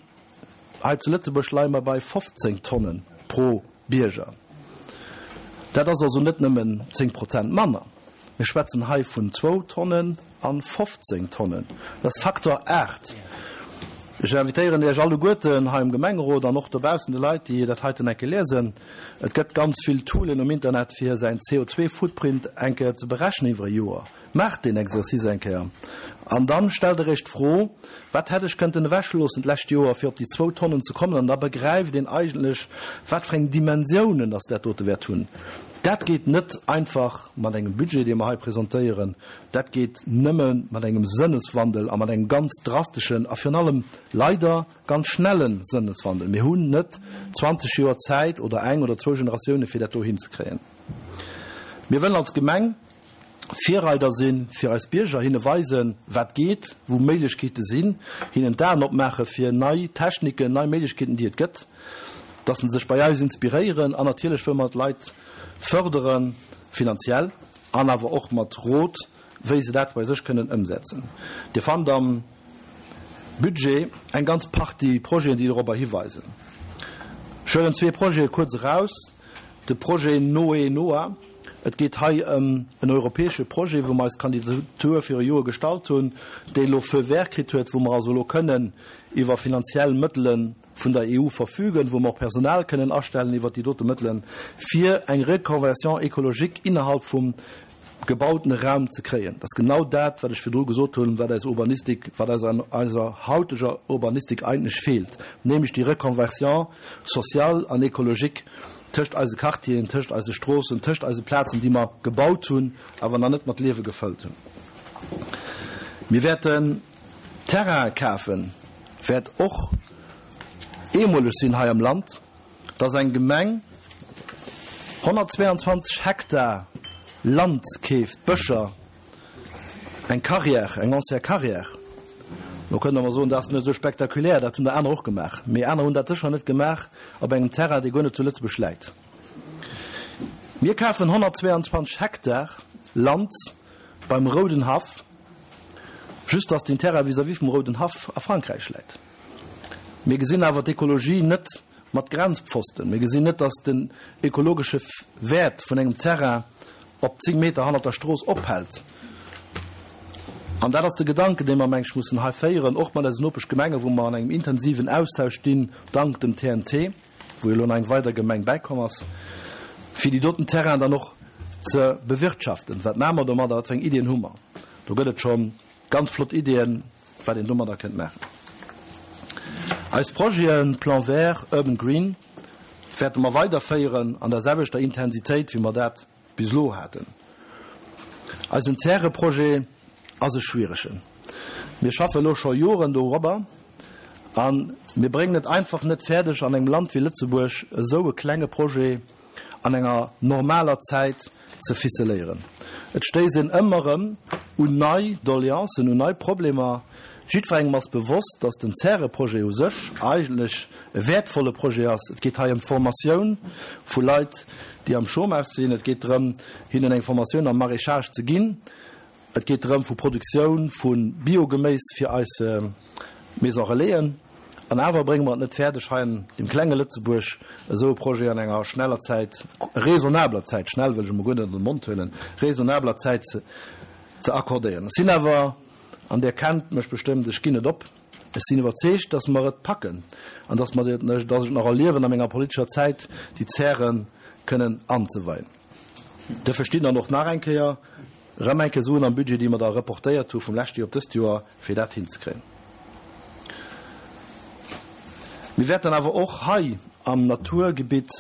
hei zu Lëtzebuerg leie mer bei 15 Tonnen pro Bierger. Dat ass also net nëmmen 10 Prozent manner. Mir schwätzen hei vun zwou Tonnen a 15 Tonnen. Dat ass Faktor 8. Ech invitéieren Iech alleguerten hei am Gemengerot an och dobaussen de Leit, déi dat heiten eng Kéier liesen, Et gëtt ganz vill Toolen um Internet, fir säin CO2-Footprint eng Kéier ze berechnen iwwer e Joer. Maacht deen Exercice eng Kéier an dann stellt Der Iech d'Fro, Wat hätt ech kënnten ewechloossen d'lescht Joer, fir op déi zwou Tonnen ze kommen? An da begräift een eigentlech, wat fir eng Dimensiounen dass dat dote wäert hunn. Dat geet net einfach mat engem Budget, dee mer hei presentéieren. Dat geet nëmme mat engem Sënneswandel a mat engem ganz drasteschen a virun allem leider ganz schnelle Sënneswandel. Mir hunn net 20 Joer Zäit oder eng oder zwou Generatiounen, fir dat do hinzekréien. Mir wëllen als Gemeng Virreider sinn fir eis Bierger, hinne weisen, wat geet, wou Méiglechkeete sinn, hinnen d'Aen opmaache fir nei Techniken, nei Méiglechkeeten, déi et gëtt, dass se sech bei eis inspiréieren. An natierlech wëlle mer d'Leit fërderen, finanziell an awer och mat Rot, wéi se dat bei sech kënnen ëmsetzen. Dir fannt am Budget eng ganz Partie Projeten, déi dorobber hiweisen. Ech huelen zwee Projete kuerz eraus, de Projet Noé Noah, Et geet hei ëm en europäesche Projet, wou mer eis Kandidatur viru Joe gestallt hunn, dee elo Feu vert kritt huet, wou mer also elo kënnen iwwer finanziell Mëttele vun der EU verfügen, wou mer och Personal kënnen astellen iwwert déi dote Mëttelen, fir eng Reconversion écologique innerhalb vum. gebautene Raum ze kréien. Dat ass genau dat, wat ech virdru gesot hunn, wat eis Urbanistik, wat eis an eiser hauteger Urbanistik eigentlech feelt, nämlech déi Reconversion sociale an écologique tëscht eise Quartieren, tëscht eise Stroossen, tëscht eise Plazen, déi mer gebaut hunn, awer nach net mat Liewe gefëllt hunn. Mir wäerten Terraine kafen, wäert och eemoleg sinn hei am Land. dass eng Gemeng 122 Hektar Land keeft, Bëscher, eng Carrière, eng ancienne Carrière. Lo kënnt Der mer soen, dat ass net esou spektakulär, dat hunn der aner och gemaach. Mee aner hunn dat sécher net gemaach op engem Terrain, dee guer net zu Lëtzebuerg läit. Mir kafen 122 Hektar Land beim Rouden Haff, just dass deen Terrain vis-à-vis vum Rouden Haff a Frankräich läit. Mir gesinn awer d'Ekologie net mat Grenzpfosten. Mir gesinn net, dass den ökologesche Wäert vun engem Terrain op 10 Meter hannert der Strooss ophält. An dat ass de Gedanken, dee mer, meng ech, mussen hei féieren, och mat eisen Nopeschgemengen, wou mer an engem intensiven Austausch stinn, dank dem TNT, wou jo elo nach eng weider Gemeng bäikomm ass, fir déi doten Terrainen dann och ze bewirtschaften. Wat maache mer domadder? Wat fir eng Iddien hu mer? Do gëtt et scho ganz flott Iddien. wat een domadder kënnt maachen. Eis Projeten Plan Vert, Urban Green wäerte mer weiderféieren an der selwechter Intensitéit wéi mer dat bis elo haten. Eisen Zäreprojet ass e schwieregen. Mir schaffe elo scho Joren dorobber a mir bréngen et einfach net fäerdeg an engem Land wéi Lëtzebuerg esou e klenge Projet an enger normaler Zäit ze ficeléieren. Et stéisst een ëmmer erëm un nei Doleancen, un nei Problemer. Jiddwerengem ass bewosst, dass den Zäre-Projet u sech eigentlech e wäertvolle Projet ass. Et geet hei ëm d'Formatioun vu Leit, déi am Chômage sinn. Et geet drëm, hinnen eng Formatioun am Maraîchage ze ginn. Et geet drëm vu Produktioun vu Biogeméis fir eis Maison Relaisen. An awer brénge mer et net fäerdeg, hei an deem klenge Lëtzebuerg esou e Projet an enger schneller Zäit, raisonnabeler Zäit, schnell wëll ech emol guer net an de Mond huelen, raisonnabeler Zäit ze accordéieren. Ech sinn awer, an Dir kennt mech bestëmmt, ech ginn net op, ech sinn iwwerzeegt, dass mer et packen an dass mer, dass ech et nach erliewen a menger politescher Zäit, déi Zäre kënnen anzeweien. Duerfir stinn dann och nach eng Kéier Rëm eng Kéier Suen am Budget, déi mer da reportéiert hu vum leschte Joer op dëst Joer, fir dat hinzekréien. Mir wäerten awer och hei am Naturgebitt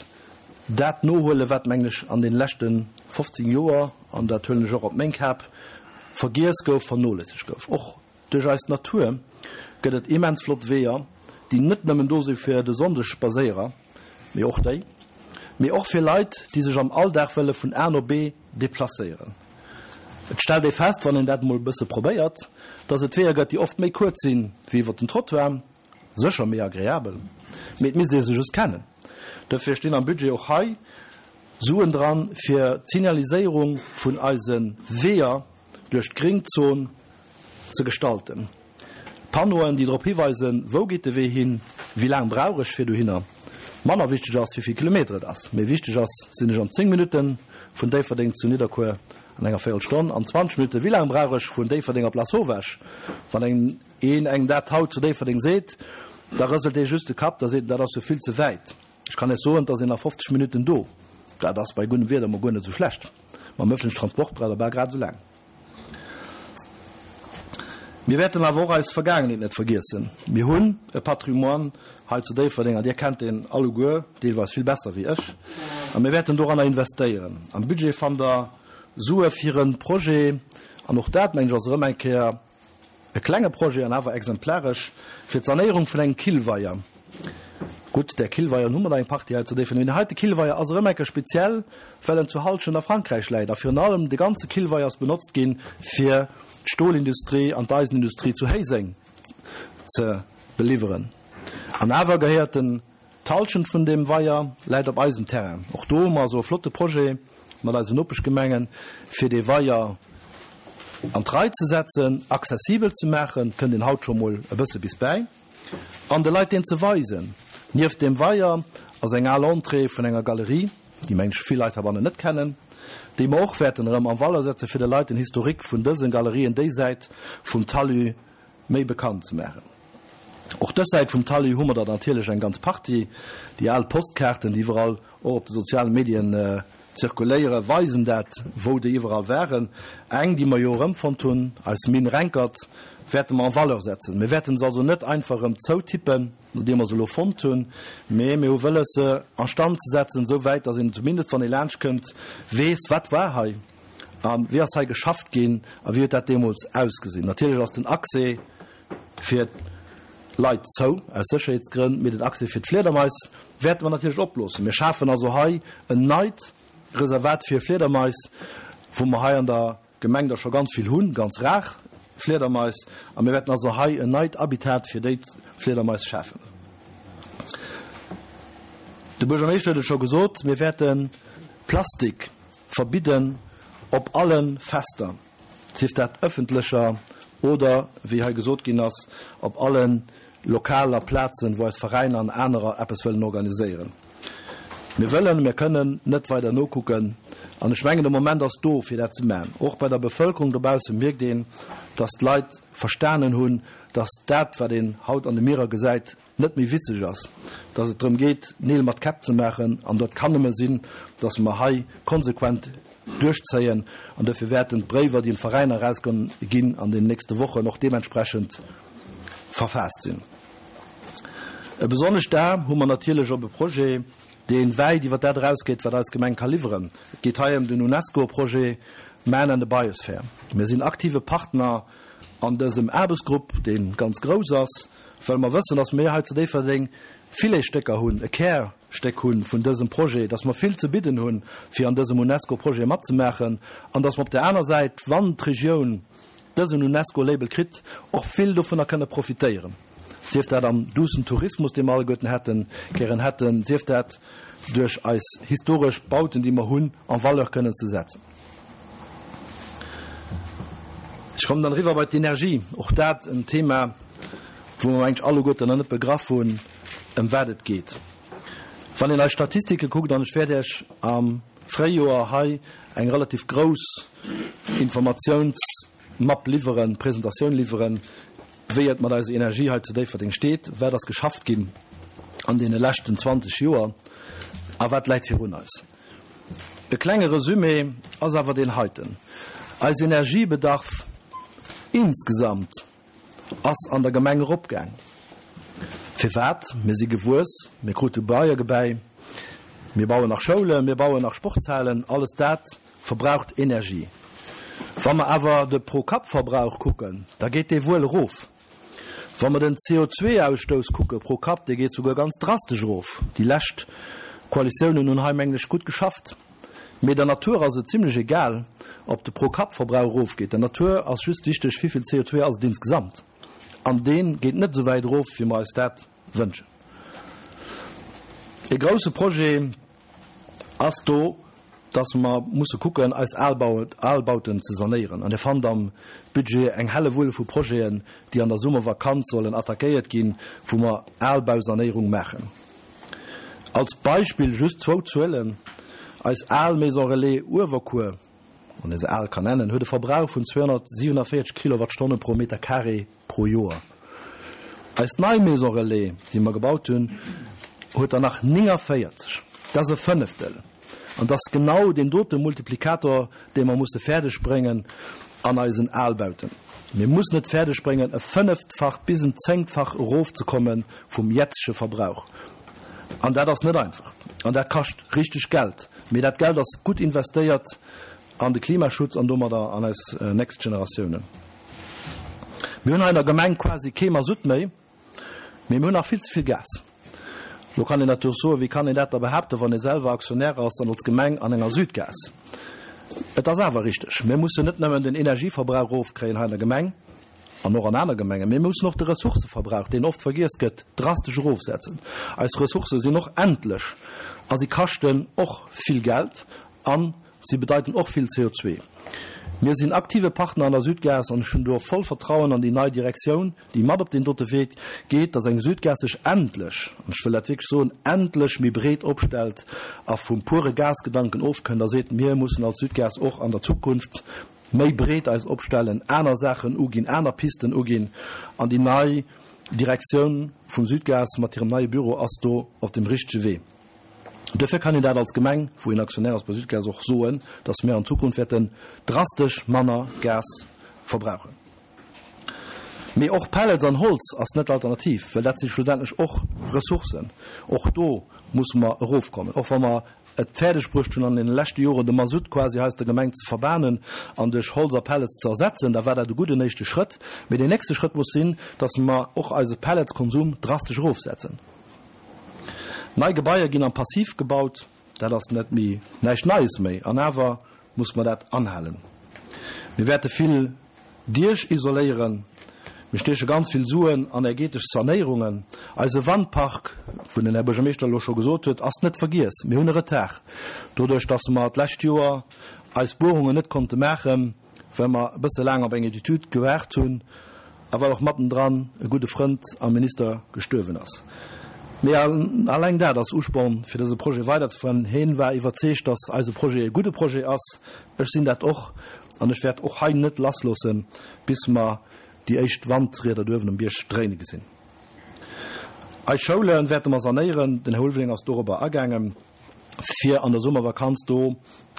dat nohuelen, wat, mengen ech, an deene leschte 15 Joer, an dat huelen ech och op meng Kap, vergiess gouf, vernoléissegt gouf. Och Duerch eis Natur gëtt et immens flott Weeër, déi net nëmmen do si fir de Sonndesspadséierer, mee och déi, mee och fir Leit, déi sech am Alldag wëlle vun A no B deplacéieren. Et stellt ee fest, wann een dat emol e bësse probéiert, dass et Weeër gëtt, déi oft méi kuerz sinn wéi iwwer den Trottoir, sécher méi agreabel, mee et misst ee se just kennen. Dofir stinn am Budget och hei Suen dran, fir d'Signaliséierung vun eise Weeër duerch d'Gringzon ze gestalten. Panneauen, déi drop hiweisen, wou geet de Wee hin, wéi laang brauch ech fir dohinner. Manner wichteg ass, wéi vill Kilometer et ass. Méi wichteg ass, sinn ech an 10 Minutte vun Déifferdeng zu Nidderkuer, an enger Véierelstonn, an 20 Minutten, wéi laang brauch ech vun Déifferdeng op Lasauvage? Wann engem een engem dat haut zu Déifferdeng seet, da rëselt dee just de Kapp, da seet en, dat ass jo vill ze wäit. Ech kann Iech soen, et ass een a 50 Minutten do. Dat ass bei guddem Wieder mol guer net esou schlecht. Mam ëffentlechen Transport braucht der bal grad esou laang. Mir wäerten awer och eis Vergaangenheet net vergiessen. Mir hunn e Patrimoine hei zu Déifferdeng, an Dir kennt deen alleguer deelweis vill besser wéi ech, a mir wäerten doranner investéieren. Am Budget fannt Der Sue fir e Projet, an och dat, mengen ech, ass erëm eng Kéier E klenge Projet an awer exemplaresch fir d'Sanéierung vun engem Killweier. Gutt, där Killweieren hu mer der eng Partie hei zu Déifferdeng, mee deen heite Killweier ass erëm eng Kéier speziell, well en zu Halschent a Frankräich läit a virun allem de ganze Killweier ass benotzt ginn, fir d'Stolindustrie an d'Eisenindustrie zu Héiseng ze beliwweren. An awer gehéiert den D'Halschent vun deem Weier läit op eisem Terrain. Och do hu mer also e flotte Projet mat eisen Nopeschgemengen, fir dee Weier an d'Rei ze setzen, accessibel ze maachen, et kënnt een haut scho mol e bësse bis bäi, an de Leit deen ze weisen. Nieft deem Weier ass eng al Entrée vun enger Galerie, déi mengen ech vill Leit heibannen net kennen, déi mer och wäerten erëm en Valeur setzen, fir de Leit den Historique vun dëse Galerien déi Säit vum Talus méi bekannt ze maachen. Och dës Säit vum Talus hu mer der natierlech eng ganz Partie, déi al Postkaarten, déi iwwerall och op de soziale Medien. zirkuléiere weisen dat, wou déi iwwerall waren. Eng, déi mer jo erëmfonnt hunn, eis Mine Renkert, wäerte mer en valeur setzen. Mir wäerten se also net einfach erëm zoutippen, nodeem mer se elo fonnt hunn, mee mir hu wëlles, se a Stand ze setzen, esou wäit, datt een zumindest, wann ee laanschtkënnt, weess, wat war hei a wéi ass hei geschafft ginn a wéi huet dat deemools ausgesinn. Natierlech ass den Accès fir d'Leit zou, aus Sécherheetsgrënn, mee den Accès fir d'Fliedermais wäerte mer natierlech oploossen. Mir schafen also hei en neit Reservat fir Fliedermais, wou mer hei an der Gemeng der scho ganz vill hunn, ganz rar Fliedermais, a mir wäerten also hei en neit Habitat fir déi Fliedermais schafen. De Buergermeeschter huet et scho gesot, mir wäerte Plastik verbidden op alle Fester. sief dat ëffentlecher oder, wéi hei gesot ginn ass, op alle Lokaler, Plazen, wou eis Veräiner an anerer eppes wëllen organiséieren. Mir wëllen, mir kënnen net weider nokucken. An ech mengen, de Moment ass do, fir dat ze maachen. Och bei der Bevëlkerung dobausse mierkt een, dass d'Leit verstanen hunn, dass dat, wat een haut an de Mierer gesäit, net méi witzeg ass, dass et drëm geet, Neel mat Käpp ze maachen, an dat kann nëmme sinn, dass mer hei konsequent duerchzéien, an dofir wäerten d'Bréiwer, déi un d'Veräiner erausginn an den nächste Wochen, och deementsprechend verfaasst sinn. E besonnescht A hu mer natierlech op e Projet, dee wäit iwwer dat erausgeet, wat eis Gemeng ka liwweren. Et geet hei ëm den UNESCO-Projet Man and the Biosphere. Mir sinn aktive Partner an dësem Aarbechtsgrupp, dee ganz grouss ass, well mer wëssen, dass mir hei zu Déifferdeng Filetsstécker hunn, e Kärstéck hu vun dësem Projet, dass mer vill ze bidden hunn, fir an dësem UNESCO-Projet matzemaachen, an dass mer op där aner Säit, wann d'Regioun dësen UNESCO-Label kritt, och vill dovunner kënne profitéieren, sief dat am duussen Tourismus, dee mer alleguerten hätten, gären hätten, sief dat duerch eis historesch Bauten, déi mer hunn, en valeur kënnen ze setzen. Ech kommen dann eriwwer bei d'Energie. Och dat en Thema, wou mer mengen ech alleguerten nach net begraff hunn, ëm wat et geet. Wann een eis Statistike kuckt, an ech wäert Iech am Fréijoer hei eng relativ grouss Informatiounsmapp liwweren, Presentatioun liwweren, wéi et mat eiser Energie hei zu Déifferdeng steet, wat ass geschafft ginn an deene leschten 20 Joer a wat läit virun eis. E klenge Resumé ass awer deen heiten, Eis Energiebedarf insgesamt ass an der Gemeng eropgaang. Firwat? Mir si gewuess, mir krute Beiegebäi, mir bauen nach Schoulen, mir bauen nach Sportshalen, alles dat verbraucht Energie. Wa mer awer de Pro-Kapp-Verbrauch kucken, da geet dee wuel erof. Wa mer den CO2-Ausstouss kucke pro Kapp, dee geet souguer ganz drastesch erof. Déi lescht Koalitiounen hunn hei, mengen ech, gutt geschafft. Mee der Natur ass et zimlech egal, ob de Pro-Kapp-Verbrauch erofgeet. Der Natur ass just wichteg, wéivill CO2 ass et insgesamt. An dee geet net esou wäit erof, wéi mer eis dat wënschen. E grousse Projet ass do, dass mer musse kucken, eis Albauten ze sanéieren. An Dir fannt am Budget eng Hellewull vu Projeten, déi an der Summervakanz sollen attackéiert ginn, wou mer Albausanéierung maachen. Als Beispill just zwou Zuelen, Eis al Maison Relais Uewerkuer, wann ee se al kann nennen, huet e Verbrauch vun 247 Kilowattstonne pro Meter carré pro Joer. Eis nei Maison Relais, déi mer gebaut hunn, huet der nach 49. Dat ass e Fënneftel. An dat ass genau deen dote Multiplikator, dee mer musse fäerdeg bréngen an eisen Albauten. Mir mussen et fäerdeg bréngen, e Fënneftfach bis en Zéngtfach erofzekomme vum jetzege Verbrauch. An dat ass net einfach. An dat kascht richteg Geld. Mee dat Geld ass gutt investéiert an de Klimaschutz an domadder an eis nächst Generatiounen. Mir hunn hei an der Gemeng quasi kee Masutt méi, mee mir hunn nach vill ze vill Gas. Lo kann een natierlech soen, wéi kann een dat da behaapten, wann ee selwer Aktionär ass an als Gemeng an enger Südgas. Et ass awer richteg, mir mussen net nëmmen den Energieverbrauch erofkréien hei an der Gemeng an och an aner Gemengen, mee mir mussen och de Ressourcëverbrauch, deen oft vergiess gëtt, drastesch erofsetzen. Eis Ressourcë sinn och endlech a si kaschten och vill Geld an Si bedeiten och vill CO2. Mir sinn aktive Partner an der Südgas an ech hunn do voll Vertrauen an déi nei Direktioun, déi mat op deen dote Wee geet, dass eng Südgas sech endlech, an ech wëll dat wierklech soen, endlech méi breet opstellt a vum pure Gasgedanken ofkënnt a seet, mir mussen als Südgas och an der Zukunft méi breet eis opstellen, aner Saachen uginn, aner Pisten uginn. An déi nei Direktioun vum Südgas mat hirem neie Büro ass do op dem richtege Wee. Duerfir kann een dat als Gemeng, wou een Aktionär ass bei Südgas, och soen, dass mir an Zukunft wäerten drastesch manner Gas verbrauchen. Mee och Pellets an Holz ass net d'Alternativ, well dat si schlussendlech och Ressourcen. Och do musse mer erofkommen, och wa mer et fäerdeg bruecht hunn an deene leschte Joren de Masutt quasi hei aus der Gemeng ze verbanen an duerch Holz a Pellets ze ersetzen. Da war dat e gudden éischte Schrëtt. Mee deen nächste Schrëtt muss sinn, dass mer och eise Pelletskonsum drastesch erofsetzen. Nei Gebaier ginn am Passiv gebaut, dat ass net méi, näischt Neies méi, an awer muss mer dat anhalen. Mir wäerte vill Diech isoléieren, mir stieche ganz vill Suen an ergetesch Sanéierungen. Eise Wandpark, wou den Här Buergermeeschter elo scho gesot huet, ass net vergiess. Mir hunn e Retard, doduerch datt mer d'lescht Joer eis Buerungen net konnte maachen, well mer e bësse laang op eng Etüd gewaart hunn a well och mattendran e gudde Frënd a Minister gestuerwen ass. Mee alleng dat ass Usporn, fir dëse Projet weiderzefueren. Heen war iwwerzeegt, datt eise Projet e gudde Projet ass. Ech sinn dat och an ech wäert och hei net lassloossen, bis mer déi éischt Wandrieder do uewen um Bierg dréine gesinn. Eis Schoule wäerte mer sanéieren, den Här Ulveling ass dorobber agaangen. fir an der Summervakanz do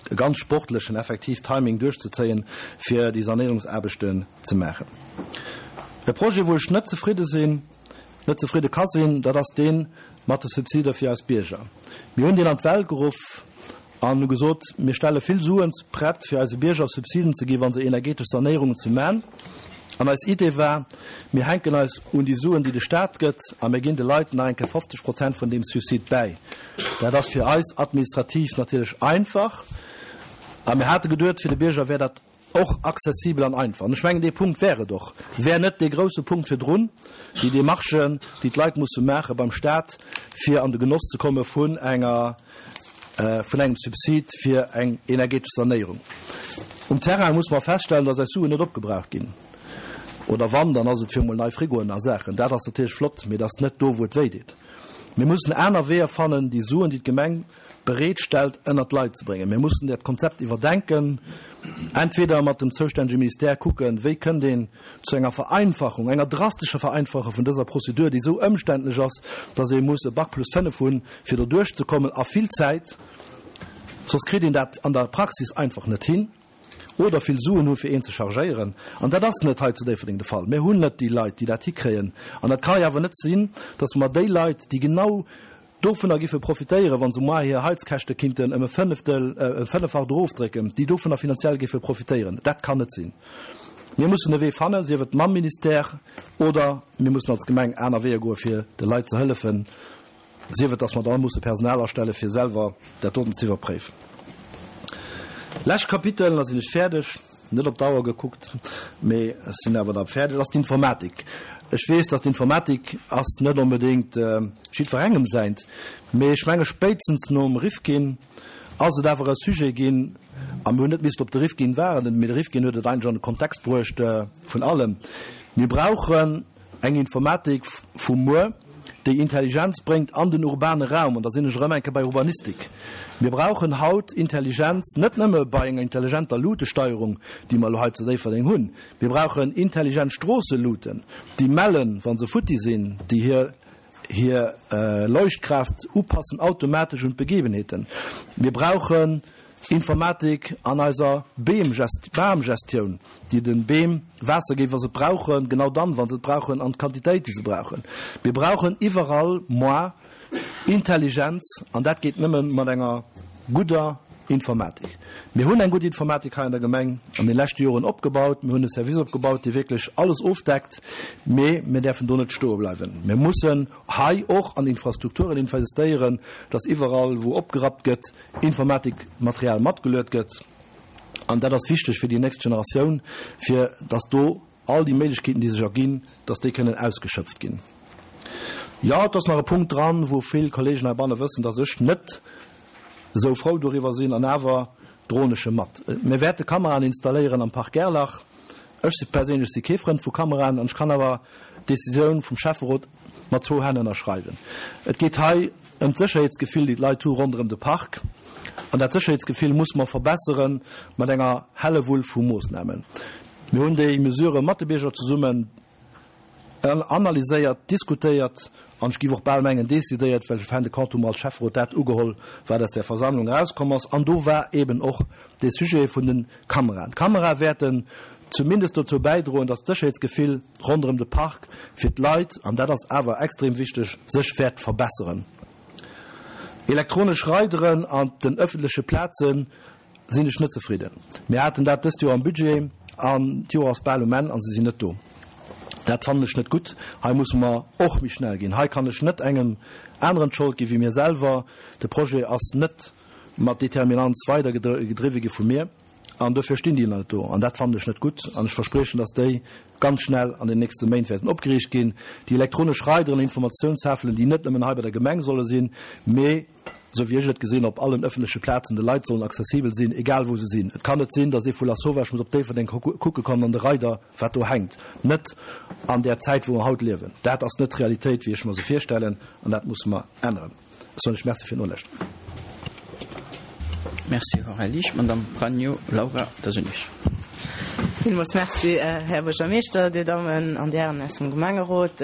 e ganz sportlechen effektiv Timing duerchzezéien, fir déi Sanéierungsaarbechten ze maachen. E Projet, wou ech net zefridde sinn, net zefridde ka sinn, dat ass dee mat de Subsider fir eis Bierger. Mir hunn deen an d'Welt geruff an hu gesot, mir stelle vill Suen prett, fir eise Bierger Subsiden ze ginn, wa se energetesch Sanéierungen ze man. An eis Idee war, mir hänken eis un déi Suen, déi de Stat gëtt, a mir ginn de Leit nach eng Kéier 50 Prozent vun deem Subsid bäi. Dat ass fir eis administrativ natierlech einfach. A mir hate geduet, fir de Bierger wär dat och accessibel an einfach. An ech mengen, dee Punkt wär et och, wär net dee grouse Punkt virdrun, déi Démarchen, déi d'Leit musse maache beim Stat, fir an de Genoss ze komme vun enger, vun engem Subsid fir eng energetesch Sanéierung. Um Terrain muss mer feststellen, dass eis Suen net opgebraucht ginn. Oder wann, dann ass et fir emol nei Frigoen a Saachen. Dat ass natierlech flott, mee dat ass net do, wou et wéideet. Mir mussen aner Weeër fannen, déi Suen, déi d'Gemeng bereet stellt, ënnert d'Leit ze bréngen. Mir mussen dat Konzept iwwerdenken, entweder mat dem zoustännege Ministère kucken, wéi kënnt een zu enger Vereinfachung, enger drastescher Vereinfachung vun dëser Prozedur, déi esou ëmständlech ass, dass ee muss e Bac plus 5 hunn, fir do duerchzekommen, a vill Zäit, soss kritt een dat an der Praxis einfach net hin, oder vill Suen hu fir een ze chargéieren. An dat ass net hei zu Déifferdeng de Fall. Mir hunn net déi Leit, déi dat hikréien. An dat ka jo awer net sinn, dass mer déi Leit, déi genau dovunner giffe profitéieren, wa se moar hir Heizkäschte kinnten ëm e Fënneftel, e Fënneffacht erofdrécken, déi dovunner finanziell géife profitéieren. Dat kann net sinn. Mir mussen e Wee fannen, sief et mam Ministère oder mir mussen als Gemeng aner Weeër goe fir de Leit ze hëllefen, sief et, datt mer da musse Personal astelle fir selwer dat doten ze iwwerpréifen. Lescht Kapitel, da sinn ech fäerdeg. Net op d'Auer gekuckt, mee ech sinn awer da fäerdeg, ass d'Informatik. Ech weess, dass d'Informatik ass net onbedéngt jiddwerengem säint, mee ech menge spéitstens nom Rifkin ass et awer e Sujet ginn, a mir hunn net missten op de Rifkin waarden, mee de Rifkin huet et eigentlech an de Kontext bruecht vun allem. Mir brauchen Eng Informatik vu muer, déi Intelligenz bréngt an den urbane Raum, an da sinn ech erëm eng Kéier bei Urbanistik. Mir brauchen haut Intelligenz net nëmme bei enger intelligenter Lutesteierung, déi mer elo hei zu Déifferdeng hunn. Mir brauchen intelligent Stroosseluten, déi mellen, wa se futti sinn, déi hir hir Leuchtkraaft upassen automatesch un d'Begebenheeten. Mir brauchen Informatik an eiser Bamgestioun, déi de Beem Waasser géif, wa se et brauchen, genau dann, wa se et brauchen, an d'Quantitéit, déi se brauchen. Mir brauchen iwwerall moi Intelligenz, an dat geet nëmme mat enger gudder Informatik. Mir hunn eng gutt Informatik hei an der Gemeng an de leschte Joren opgebaut. Mir hunn e Service opgebaut, dee wierklech alles ofdeckt, mee mir däerfen do net stoe bleiwen. Mir mussen hei och an Infrastrukturen investéieren, dass iwwerall, wou opgerappt gëtt, Informatikmaterial matgeluet gëtt, an dat ass wichteg fir déi nächst Generatioun, fir dass do all déi Méiglechkeeten, déi sech erginn, dass déi kënnen ausgeschöpft ginn. Jo, et ass nach e Punkt dran, wou vill Kollegen heibanne wëssen, dass ech net esou frou doriwwer sinn, an awer droen ech e mat. Mir wäerte Kameraen installéieren am Park Gerlach. Ech si perséinlech si kee Frënd vu Kameraen, an ech kann awer d'Decisioun vum Schäfferot mat zwou Hänn ënnerschreiwen. Et geet hei ëm d'Sécherheetsgefill, déi d'Leit hu ronderëm de Park. An dat Sécherheetsgefill muss mer verbessere mat enger Hellewull vu Moossnamen. Mir hunn déi Mesurë mat de Bierger zesummen. Analyséiert, diskutéiert an ech géif och bal mengen decidéiert, well fin de compte hu mer als Schäfferot dat ugeholl, wat aus där Versammlung erauskomm ass. An do war eeben och dee Sujet vun de Kameraen. D'Kamerae wäerten zumindest dozou bäidroen, dass d'Sécherheetsgefill ronderëm de Park fir d'Leit, an dat ass awer extrem wichteg, sech wäert verbesseren. Elektronesch Raideren an den ëffentleche Plaze sinn ech net zefridden. Mir haten dat dëst Joer am Budget an d'Joer ass bal um Enn a se sinn net do. Dat fannen ech net gutt. Hei musse mer och méi schnell ginn. Hei kann ech net engem aneren d'Schold gi wéi mir selwer. De Projet ass net mat Determinanz weidergedriwwe gi vu mir an dofir stinn déi nach net do. An dat fannen ech net gutt an ech verspriechen, dass déi ganz schnell an den nächste Méint wäerten opgeriicht ginn. Déi elektronesch Raideren an Informatiounstafelen, déi net nëmmen hei bei der Gemeng solle sinn, mee, esou wéi ech et gesinn, op allen ëffentleche Plazen de Leit sollen accessibel sinn, egal wou se sinn. Et kann net sinn, datt ee vu Lasauvage muss op Déifferdeng kucke kommen an de Raider, wat do hänkt, net an där Zäit, wou mer haut liewen. Dat ass net d'Realitéit, wéi ech mer se virstellen, an dat musse mer änneren. Ech soen lech Merci fir d'Nolauschteren. Merci, Här Liesch. Madame Pregno Laura, da sinn ech. Villmools Merci, Här Buergermeeschter, Dir Dammen an Dir Hären aus dem Gemengerot,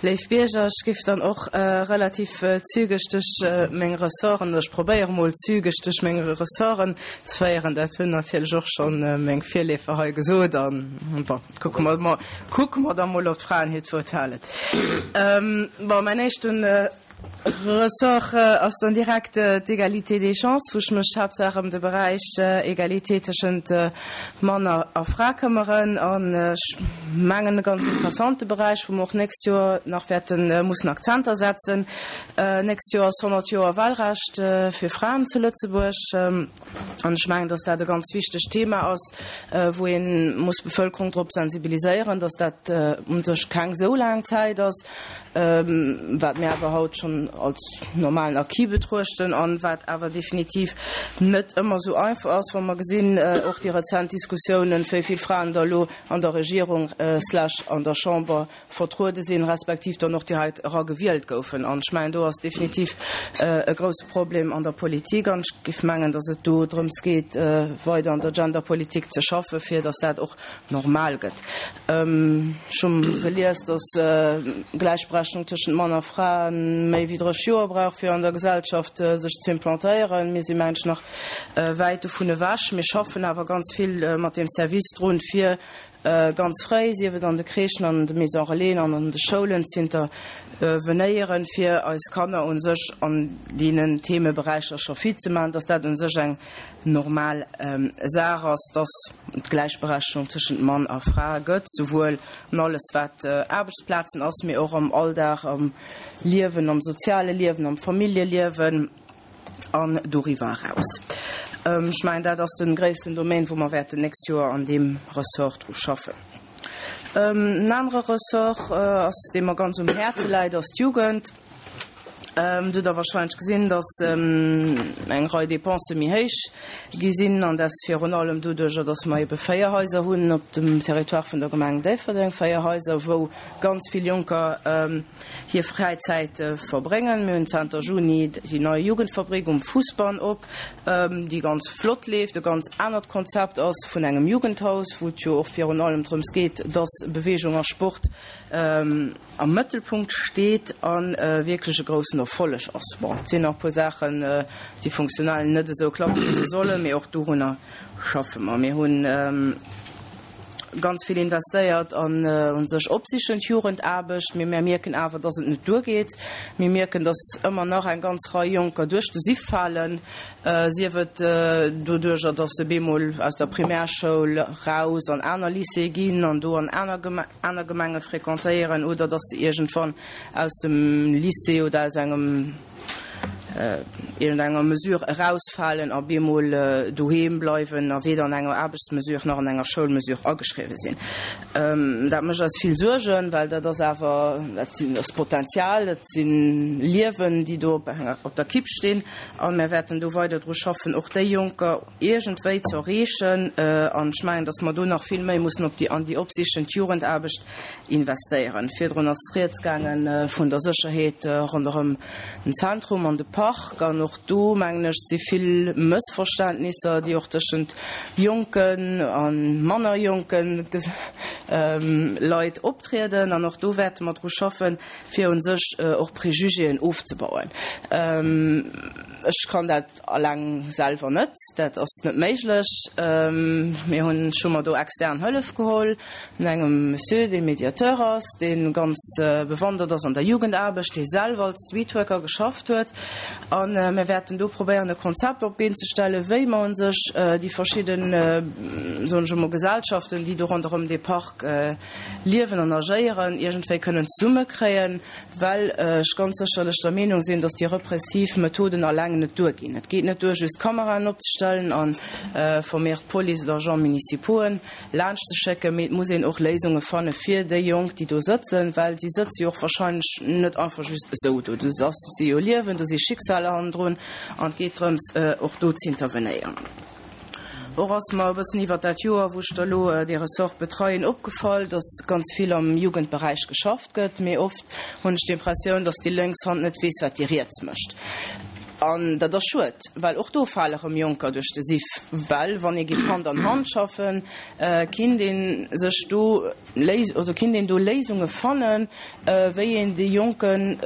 léif Bierger. Ech géif dann och relativ zügeg duerch meng Ressorten, oder ech probéiere mol zügeg duerch meng Ressorten ze féieren. Dat hunn natierlech och schonn meng Virleefer hei gesot an, bon, kucke mer mol, kucke mer da mol, ob d'Fraen hiert Wuert halen. Bon, mäin éischten Ressort ass dann direkt d'Égalité des chances, wou ech mech haaptsaach ëm de Beräich Égalité tëschent Mann a Fra këmmeren. An ech mengen e ganz interessante Beräich, wou mer och nächst Joer nach wäerte mussen Akzenter setzen. Nächst Joer ass 100 Joer Wahlrecht fir Fraen zu Lëtzebuerg. An ech mengen, dass dat e ganz wichtegt Thema ass, wou ee muss d'Bevölkerung drop sensibiliséieren, dass dat u sech keng esou laang Zäit ass, wat mir awer haut schonn als normalen Acquis betruechten an wat awer definitiv net ëmmer esou einfach ass, wa mer gesinn, och déi rezent Diskussiounen, wéi vill Fraen der elo an der Regierung slash an der Chamber vertruede sinn, respektiv dann och déi hei era gewielt goufen. An ech mengen, do ass definitiv e grouse Problem an der Politik. An ech géif mengen, datt et do drëms geet, weider an der Genderpolitik ze schaffen, fir datt dat och normal gëtt. Ech hu gelies, datt Gläichberechtigung tëschent Mann a Fra méi wéi 30 Joer brauch, fir an der Gesellschaft sech ze implantéieren. Mir si mengen ech nach wäit dovun ewech. Mir schaffen awer ganz vill mat deem Service drun, fir ganz fréi, sief et an de Crèchen, an de Maisons Relaisen an an de Schoulen, z'intervenéieren, fir eis Kanner u sech an deenen Themeberäicher scho fit ze maachen, dass dat u sech eng normal Saach ass, dass et Gläichberechtegung tëschent Mann a Fra gëtt, souwuel an alles wat Aarbechtsplazen ass, mee och am Alldag, am Liewen, am soziale Liewen, am Familljeliewen. An doriwwer eraus. Ech mengen, dat ass de gréissten Domaine, wou mer wäerten d'nächst Joer an deem Ressort dru schaffen. En anere Ressort ass, dee mer ganz um Häerze läit, ass d'Jugend. Dir hutt der wahrscheinlech gesinn, dass eng Rei Dépensë méi héich gi sinn, an dat virun allem doduerjer, dass mer ebe 4 Haiser hunn op dem Territoire vun der Gemeng Déifferdeng, 4 Haiser, wou ganz vill Jonker hir Fräizäit verbréngen. Mir hunn zanter Juni déi nei Jugendfabrik um Fousbann op, déi ganz flott leeft, e ganz anert Konzept ass vun engem Jugendhaus, wou et jo och virun allem drëms geet, dass Beweegung a Sport am Mëttelpunkt steet a wierklech e groussen Erfolleg ass. Bon, et sinn nach e puer Saachen, déi funktionell net esou klappen, wéi se sollen, mee och dorunner schaffe mer. Mir hunn. Ganz vill investéiert an u sech opsichend Jugendaarbecht, mee mär mierken awer, dass et net duergeet. Mir mierken, dass ëmmer nach eng ganz Rei Jonker duerch de Siff falen, sief et doduerjer, dass se bemol aus der Primärschoul raus an aner Lycéeë ginn an do an aner aner Gemenge fréquentéieren oder dass se iergendwann aus dem Lycée oder aus engem iergendenger Mesure erausfalen a bemol doheem bleiwen a weder an enger Aarbechtsmesure nach an enger Schoulmesure ageschriwwen sinn. Dat mécht eis vill Suergen, well dat ass awer, dat sinn, ass Potenzial, dat si Liewen, déi do op enger, op der Kipp stinn. A mir wäerten do weider dru schaffen, och déi Jonker iergendwéi ze erreechen. An ech mengen, datt mer do nach vill méi mussen op déi, an déi opsichend Jugendaarbecht investéieren. Virdrun ass rieds gaange vun der Sécherheet ronderëm den Zentrum an de Park. Park an och do, mengen ech, si vill Mëssverständnisser, déi och tëschent jonken a manner jonke Leit optrieden. An och do wäerte mer dru schaffen, fir u sech och Préjugéen ofzebauen. Ech kann dat alleng selwer net, dat ass net méiglech. Mir hunn, ech hu mer do extern Hëllef geholl vun engem Monsieur, dee Mediateur ass, dee ganz bewandert ass an der Jugendaarbecht, dee selwer als Streetworker geschafft huet. A mir wäerten do probéieren, e Konzept op d'Been ze stellen, wéi mer u sech déi verschidden, soen ech emol, Gesellschaften, déi do ronderëm dee Park liewen an agéieren, iergendwéi kënnen zesummekréien, well ech ganz sécherlech der Meenung sinn, dass déi repressiv Methoden alleng net duerginn. Et geet net duer, just Kameraen opzestellen a vermehrt Police oder Agents municipauxen laanscht ze schécken, mee et muss een och Léisunge fanne fir déi Jonk, déi do sëtzen, well si sëtze jo och wahrscheinlech net einfach just esou do. Do ass, do si jo Liewen, do si Schicksaler hannendrun an et geet drëms, och do z'intervenéieren. Och ass mer e bëssen iwwert dat Joer, wou ech da lo dee Ressort betreien, opgefall, dass ganz vill am Jugendberäich geschafft gëtt, mee oft hunn ech d'Impressioun, dass déi lénks Hand net weess, wat déi riets mécht. An dat ass schued, well och do fale rëm Jonker duerch de Siff, well wann ee géif Hand an Hand schaffen, kinnt ee sech do oder kinnt een do Léisunge fannen, wéi een déi Jonken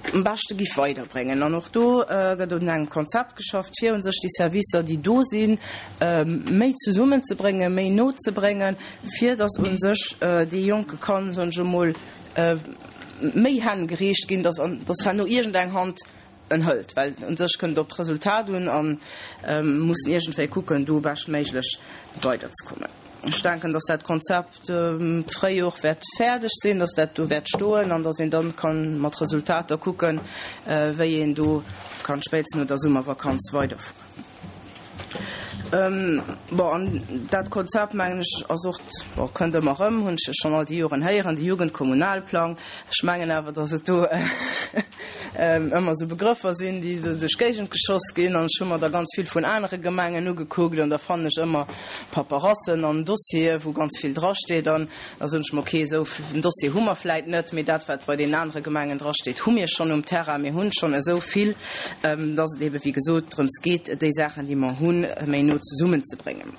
am beschte giff weiderbréngen. An och do gëtt un engem Konzept geschafft, fir u sech déi Servicer, déi do sinn, méi zesummenzebréngen, méi no ze bréngen, fir datt u sech dee Jonke kann, soen ech emol, méi Hänn gereecht ginn, datt datt herno iergendeng Hand en hëlt. Well u sech kënnt et op d'Resultat un a mussen iergendwéi kucken, do beschtméiglech weiderzekommen. Ech denken, dass dat Konzept d'Fréijor wäert fäerdeg sinn, dass dat do wäert stoen an dass een dann kann mat Resultater kucken, wéi een do kann spéitstens no der Summervakanz weiderfueren. Bon, an dat Konzept, mengen ech, ass och, bon, kënnt ëmmer erëm, hunn ech schonn all déi Joren héieren, de Jugendkommunalplang. Ech mengen awer, dass et do ëmmer esou Begrëffer sinn, déi esou duerch d'Géigend geschoss ginn. An ech hu mer der ganz vill vun anere Gemengen ugekuckt an da fannen ech ëmmer Paperassen an Dossiere wou ganz vill drasteet. An da soen ech mer, okay, esou en Dossier hu mer vläit net, mee dat wat bei deenen anere Gemengen drasteet, hu mir schonn um Terrain. Mir hunn schonn esou vill, dass et ebe wéi gesot drëms geet, déi Saachen, déi mer hunn, méi no zesummenzebréngen.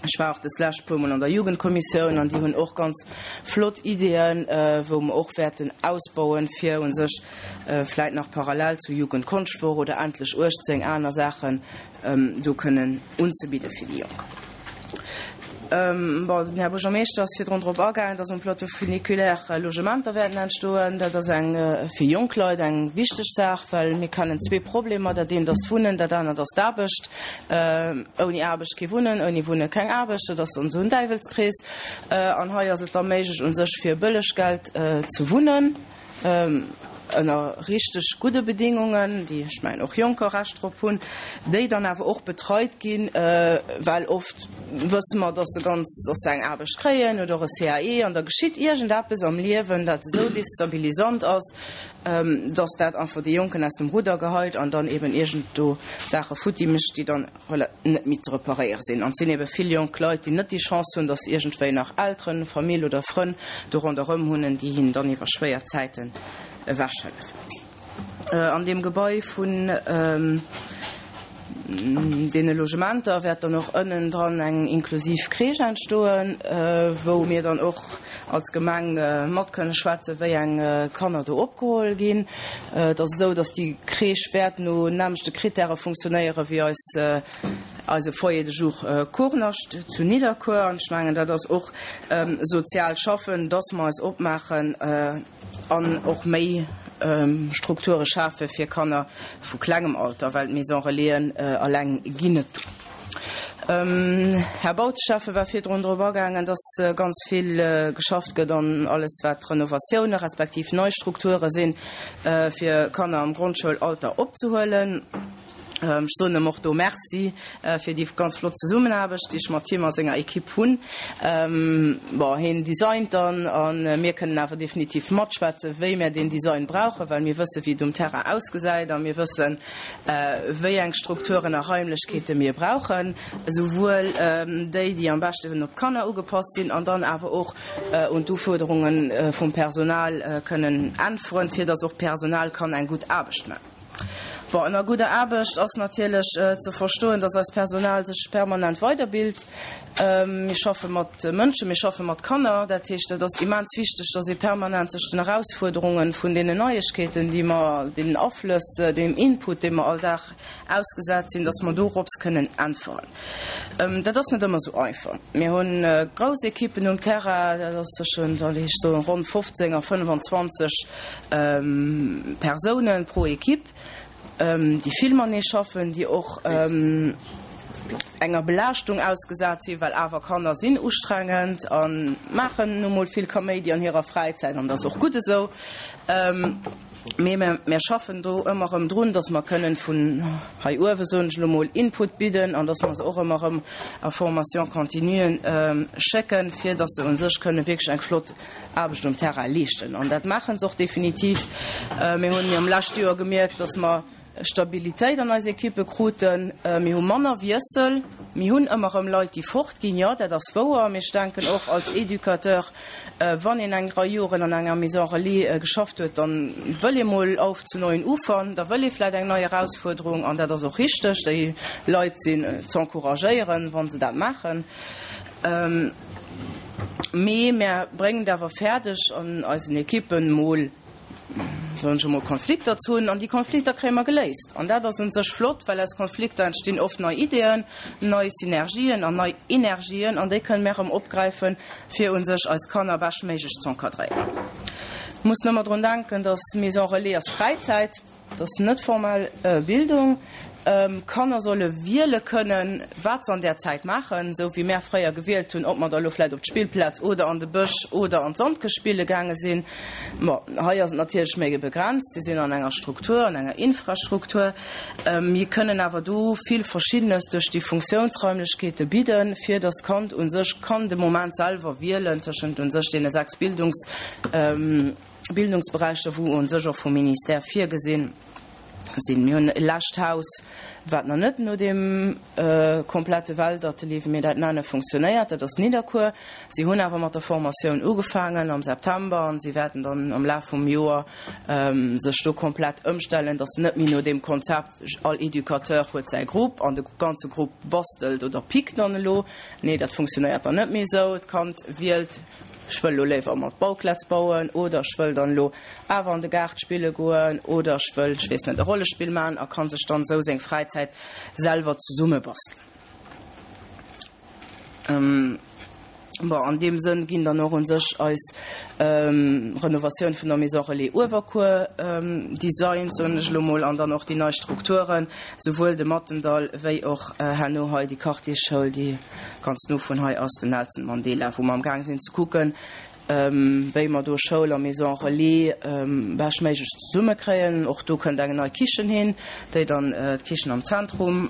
Ech war och des lescht puer mol an der Jugendkommissioun an déi hunn och ganz flott Ideeën, wou mer och wäerten ausbauen, fir u sech vläit nach parallel zu Jugendkonschtwoch oder Endlech 18 aner Saachen do kënnen unzebidde fir déi Jonk. Bon, den Här Buergermeeschter ass virdrun drop agaangen, dass um Plateau funiculaire Logementer wäerten entstoen. Dat ass eng fir jonk Leit eng wichteg Saach, well mir kennen zwee Problemer, Dat eent ass d'Wunnen, dat anert ass d'Aarbecht. Ouni Aarbecht kee Wunnen, ouni Wunne keng Aarbecht, dat ass dann esou en Däiwelskrees. An hei ass et da méiglech u sech fir bëlleg Geld ze wunnen, ënner richteg gudde Bedingungen, déi ech mengen och Jonker Recht drop hunn, déi dann awer och betreit ginn, well oft wësse mer, dass se ganz, dass se eng Aarbecht kréien oder och e CAE an da geschitt iergendeppes am Liewen, dat esou destabilisant ass, dass dat einfach déi Jonken aus dem Rudder geheit an dann eben iergend do Saache futti mécht, déi dann net méi ze reparéiere sinn. An et sinn ebe vill jonk Leit, déi net déi Chance hunn, dass se iergendwéi nach Elteren, Famill oder Frënn do ronderëm hunn, déi hinnen dann iwwer schwéier Zäiten ewechhëllefen. An deem Gebai vun deene Logementer wäert dann och ënnen dran eng inklusiv Crèche entstoen, wou mir dann och als Gemeng mat kënne schwätzen, wéi eng Kanner do opgeholl ginn. Et ass esou, datt déi Crèche wäert no nämmlechte Krittäre funktionéiere wéi eis, eise Foyer de jour Kournascht zu Nidderkuer. An ech mengen, dat ass och sozial schaffen, datt mer eis opmaachen, An och méi Strukture schafe fir Kanner vu klengem Alter, well d'Maison Relaisen eleng ginn net duer. Här Bautschäffe war virdrun drop agaangen, dass ganz vill geschafft gëtt an alles wat Renovatioune respektiv nei Strukture sinn, fir Kanner am Grondschoulalter opzehuelen. Ech soen em och do Merci fir déi ganz flott Zesummenaarbecht, déi ech mat him a senger Equipe hunn. Bon, hien designt dann a mir kënnen awer definitiv matschwätzen, wéi mär deen Design brauchen, well mir wëssen, wéi et um Terrain ausgesäit a mir wëssen, wéi eng Strukturen a Raimlechkeete mir brauchen, esouwuel déi, déi am beschten op d'Kanner ugepasst sinn an dann awer och un d'Ufuerderunge vum Personal kënnen äntweren, fir dass och d'Personal kann eng gutt Aarbecht maachen. Bon, ënner gudder Aarbecht ass natierlech ze verstoen, dass eist Personal sech permanent weiderbilt. Mir schaffe mat Mënschen, mir schaffe mat Kanner. Dat heescht, et ass immens wichteg, dass ee permanent sech den Erausfuerderunge vun deenen Neiegkeeten, déi mer, deenen Aflëss, deem Input, deem mer all Dag ausgesat sinn, dass mer dorops kënnen äntweren. Dat ass net ëmmer esou einfach. Mir hu grouss Ekippen um Terrain, dat ass tëschent, allez, ech soen, ronn 15 a 25 Persounen pro Ekipp, déi vill matenee schaffen, déi och enger Belaaschtung ausgesat sinn, well awer Kanner sinn ustrengend a maachen nu mol vill Kaméidi an hirer Fräizäit an dat ass och gutt esou. Mee mir schaffen do ëmmer erëm drun, dass mer kënnen vun hei uewe, soen ech elo mol, Input bidden an dass mer se och ëmmer erëm a Formation continue schécken, fir dass se u sech kënnen wierklech eng flott Aarbecht um Terrain leeschten. An dat maache se och definitiv. Mir hunn am leschte Joer gemierkt, dass mer Stabilitéit an eis Ekippe kruten. Mir hu manner Wiessel. Mir hunn ëmmer erëm Leit, déi fortginn, jo, dat ass wouer. Mee ech denken och als Educateur, wann een eng Rei Joren an enger Maison relais geschafft huet, da wëll ee mol auf zu neuen Ufern, da wëll ee vläicht eng nei Erausfuerderung. An dat ass och richteg. Déi Leit sinn z'encouragéieren, wa se dat maachen. Mee mär bréngen et awer fäerdeg, an eisen Ekippen mol, soen ech emol, Konflikter ze hunn. An déi Konflikter kréie mer geléist. An dat ass u sech flott, well aus Konflikter entstinn oft nei Ideeën, nei Synergien an nei Energien. An déi kënnen mär erëm opgräifen, fir u sech eis Kanner beschtméiglech z'encadréieren. Mussen ëmmer drun denken, dass Maison relais ass Fräizäit. Et ass net formell Bildung. Kanner solle wiele kënnen, wat se an där Zäit maachen, esou wéi mär fréier gewielt hunn, ob mer da lo vläicht op d'Spillplaz oder an de Bësch oder an d'Sandkëscht spille gaange sinn. Bon, hei ass et natierlech méi begrenzt, si sinn an enger Struktur, an enger Infrastruktur. Mir kënnen awer do vill Verschiddenes duerch déi Funktiounsraimlechkeete bidden, fir datt d'Kand u sech kann de Moment selwer wielen tëschent u sech deene 6 Bildungs. Bildungsberäicher, wou u sech och vum Ministère virgesinn sinn. Mir hunn e lescht Haus, wat nach net no deem komplette Weltatelier, wéi mir dat nennen, funktionéiert, dat ass Nidderkuer. Si hunn awer mat der Formatioun ugefaangen am September an si wäerten dann am Laf vum Joer sech do komplett ëmstellen, dass se net méi no deem Konzept, all Educateur huet säi Grupp an de ganze Grupp bastelt oder pickt dann elo. Nee, dat funktionéiert dann net méi esou. D'Kand wielt. Ech wëll elo léiwer mat Bauklätz bauen oder ech wëll dann elo awer an de Gaart spille goen oder ech wëll, ech weess net, e Rollespill maachen a kann sech dann esou seng Fräizäit selwer zesummebastelen. Bon, an deem Sënn ginn dann och un sech eis Renovatioun vun der Maison Relais Uewerkuer designt, soen ech elo mol, an dann och déi nei Strukturen, souwuel de Mattendall wéi och herno hei déi Quartiersschoul, déi Ganz no vun hei ass den Nelson Mandela, wou mer am gaang sinn ze kucken, wéi mer do Schoul a Maison Relais beschtméiglech zesummekréien. Och do kënnt eng nei Kichen hin, déi dann d'Kichen am Zentrum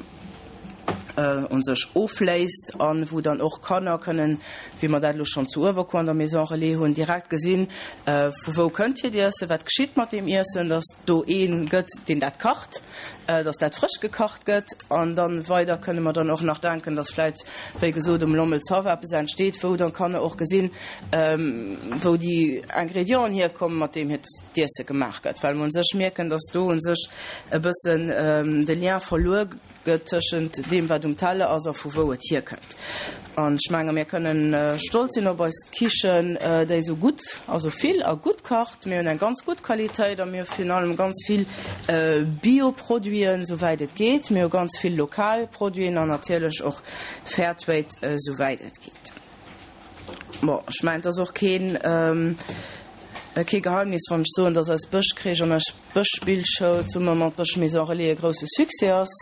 u sech ofléist a wou dann och Kanner kënnen, wéi mer dat elo schonn zu Uewerkuer an der Maison Relais hunn, direkt gesinn, vu wou kënnt hiert Iessen, wat geschitt mat deem Iessen, dass do ee gëtt, deen dat kacht. dass dat frësch gekacht gëtt. An dann weider kënne mer dann och nach denken, dass vläit, wéi gesot, um Lommelshaff eppes entsteet, wou dann d'Kanner och gesinn, wou déi Ingrédienten hierkommen, mat deem hiert d'Iesse gemaach gëtt. Well mer u sech mierken, dass do u sech e bëssen de Lien verluer gëtt tëschent deem, wat um Teller ass a vu wou et hierkënnt. An ech menge mir kënnen stolz sinn op eis Kichen, déi esou gutt, also vill a gutt kacht. Mir hunn eng ganz gutt Qualitéit a mir hu virun allem ganz vill Bio-Produiten, souwäit et geet. Mir hu ganz vill lokal Produiten an natierlech och Fairtrade, souwäit et geet. Bon, ech mengen, et ass och keen, kee Geheimnis, wann ech soen, dass eis Bëschcrèche an eis Bëschspillschoul zesumme mat Bësch-Maison Relais e grousse Succès ass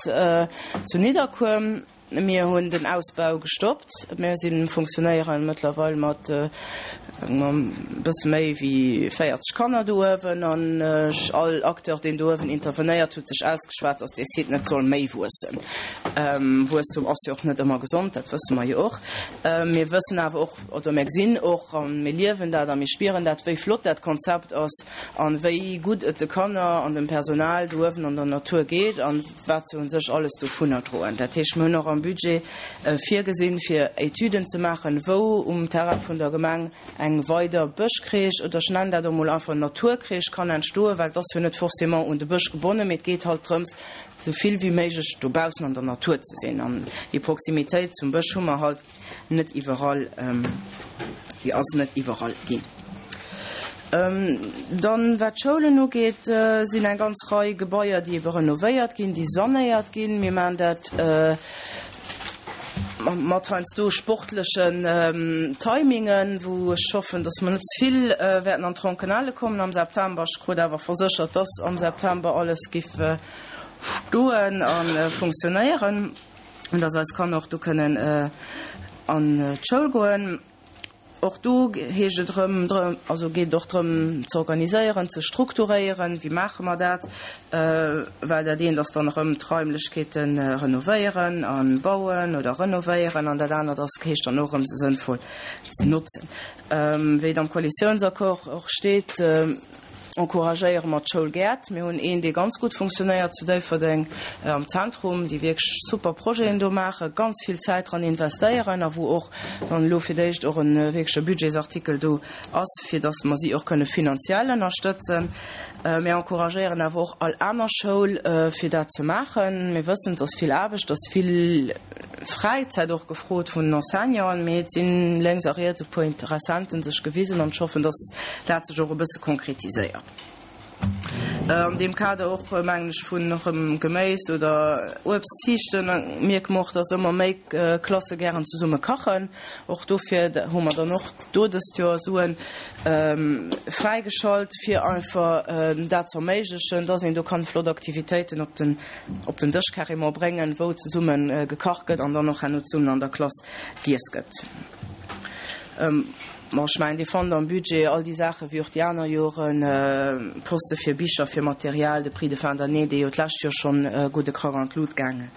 zu Nidderkuer. Mir hunn den Ausbau gestoppt. Mir si funktionéiere mëttlerweil mat e bësse méi wéi 40 Kanner do uewen. An all Acteur, deen do uewen intervenéiert, huet sech ausgeschwat, datt dee Site net soll méi wuessen. Wuesstum ass jo och net ëmmer gesond, dat wësse mer jo och. Mir wëssen awer och, oder mir gesinn och a mir liewen dat a mir spieren dat, wéi flott dat Konzept ass a wéi gutt et de Kanner an dem Personal do uewen an der Natur geet. Wat se u sech alles dovunner droen. Dat heescht, mir hunn och am Budget virgesinn, fir Etüden ze maachen, wou um Terrain vun der Gemeng eng weider Bësch. Bëschcrèche, oder ech nennen dat emol einfach Naturcrèche, kann entstoen, well et ass jo net forcément un de Bësch gebonnen, mee et geet halt drëms, esou vill wéi méiglech dobaussen an der Natur ze sinn. An déi Proximitéit zum Bësch hu mer halt net iwwerall, déi ass net iwwerall ginn. Dann, wat d'Schoulen ugeet, sinn eng ganz Rei Gebaier, déi ebe renovéiert ginn, déi sanéiert ginn. Mir maachen dat mat heiansdo sportlechen Timingen, wou ech hoffen, dass mer net ze vill wäerten an d'Tronkenale kommen am September. Ech krut awer verséchert, dass am September alles giff stoen a funktionéieren an dass eis Kanner och do kënnen an d'Schoul goen. Och do heescht et erëm, also geet et och drëm ze organiséieren, ze strukturéieren, wéi maache mer dat, well dat eent ass dann erëm d'Raimlechkeete renovéieren a bauen oder renovéieren an dat anert ass, heescht dann och erëm se sënnvoll ze notzen. Wéi et am Koalitiounsaccord och steet, encouragéiere mer d'Schoulgäert. Mir hunn een, dee ganz gutt funktionéiert zu Déifferdeng am Zentrum, déi wierklech super Projeten do maachen, ganz vill Zäit dran investéieren a wou och dann elo fir d'éischt och e wierkleche Budgetsartikel do ass, fir datt mer si och kënne finanziell ënnerstëtzen. Mir encouragéieren awer och all aner Schoul, fir dat ze maachen. Mir wëssen, et ass vill Aarbecht, et ass vill Fräizäit och gefrot vun den Enseignanten, mee et sinn lénks a riets e puer Interessenten sech gewisen an ech hoffen, dass dat sech och e bësse konkretiséiert. An deem Kader och, mengen ech, vun erëm Geméis oder Uebst ziichten, mierke mer och, dass ëmmer méi Klasse gären zesumme kachen. Och dofir hu mer dann och do dëst Joer Suen fräigeschalt, fir einfach dat ze erméiglechen, dass een do kann flott Aktivitéiten op den op den Dësch carrément bréngen, wou zesumme gekacht gëtt an dann och herno zesummen an der Klass giess gëtt. Bon, ech mengen, Dir fannt am Budget all déi Saachen, wéi och déi aner Joren, Poste fir Bicher, fir Material, de Prix de fin d'année, dee jo d'lescht Joer schonn e gudde Krack an d'Lut gaange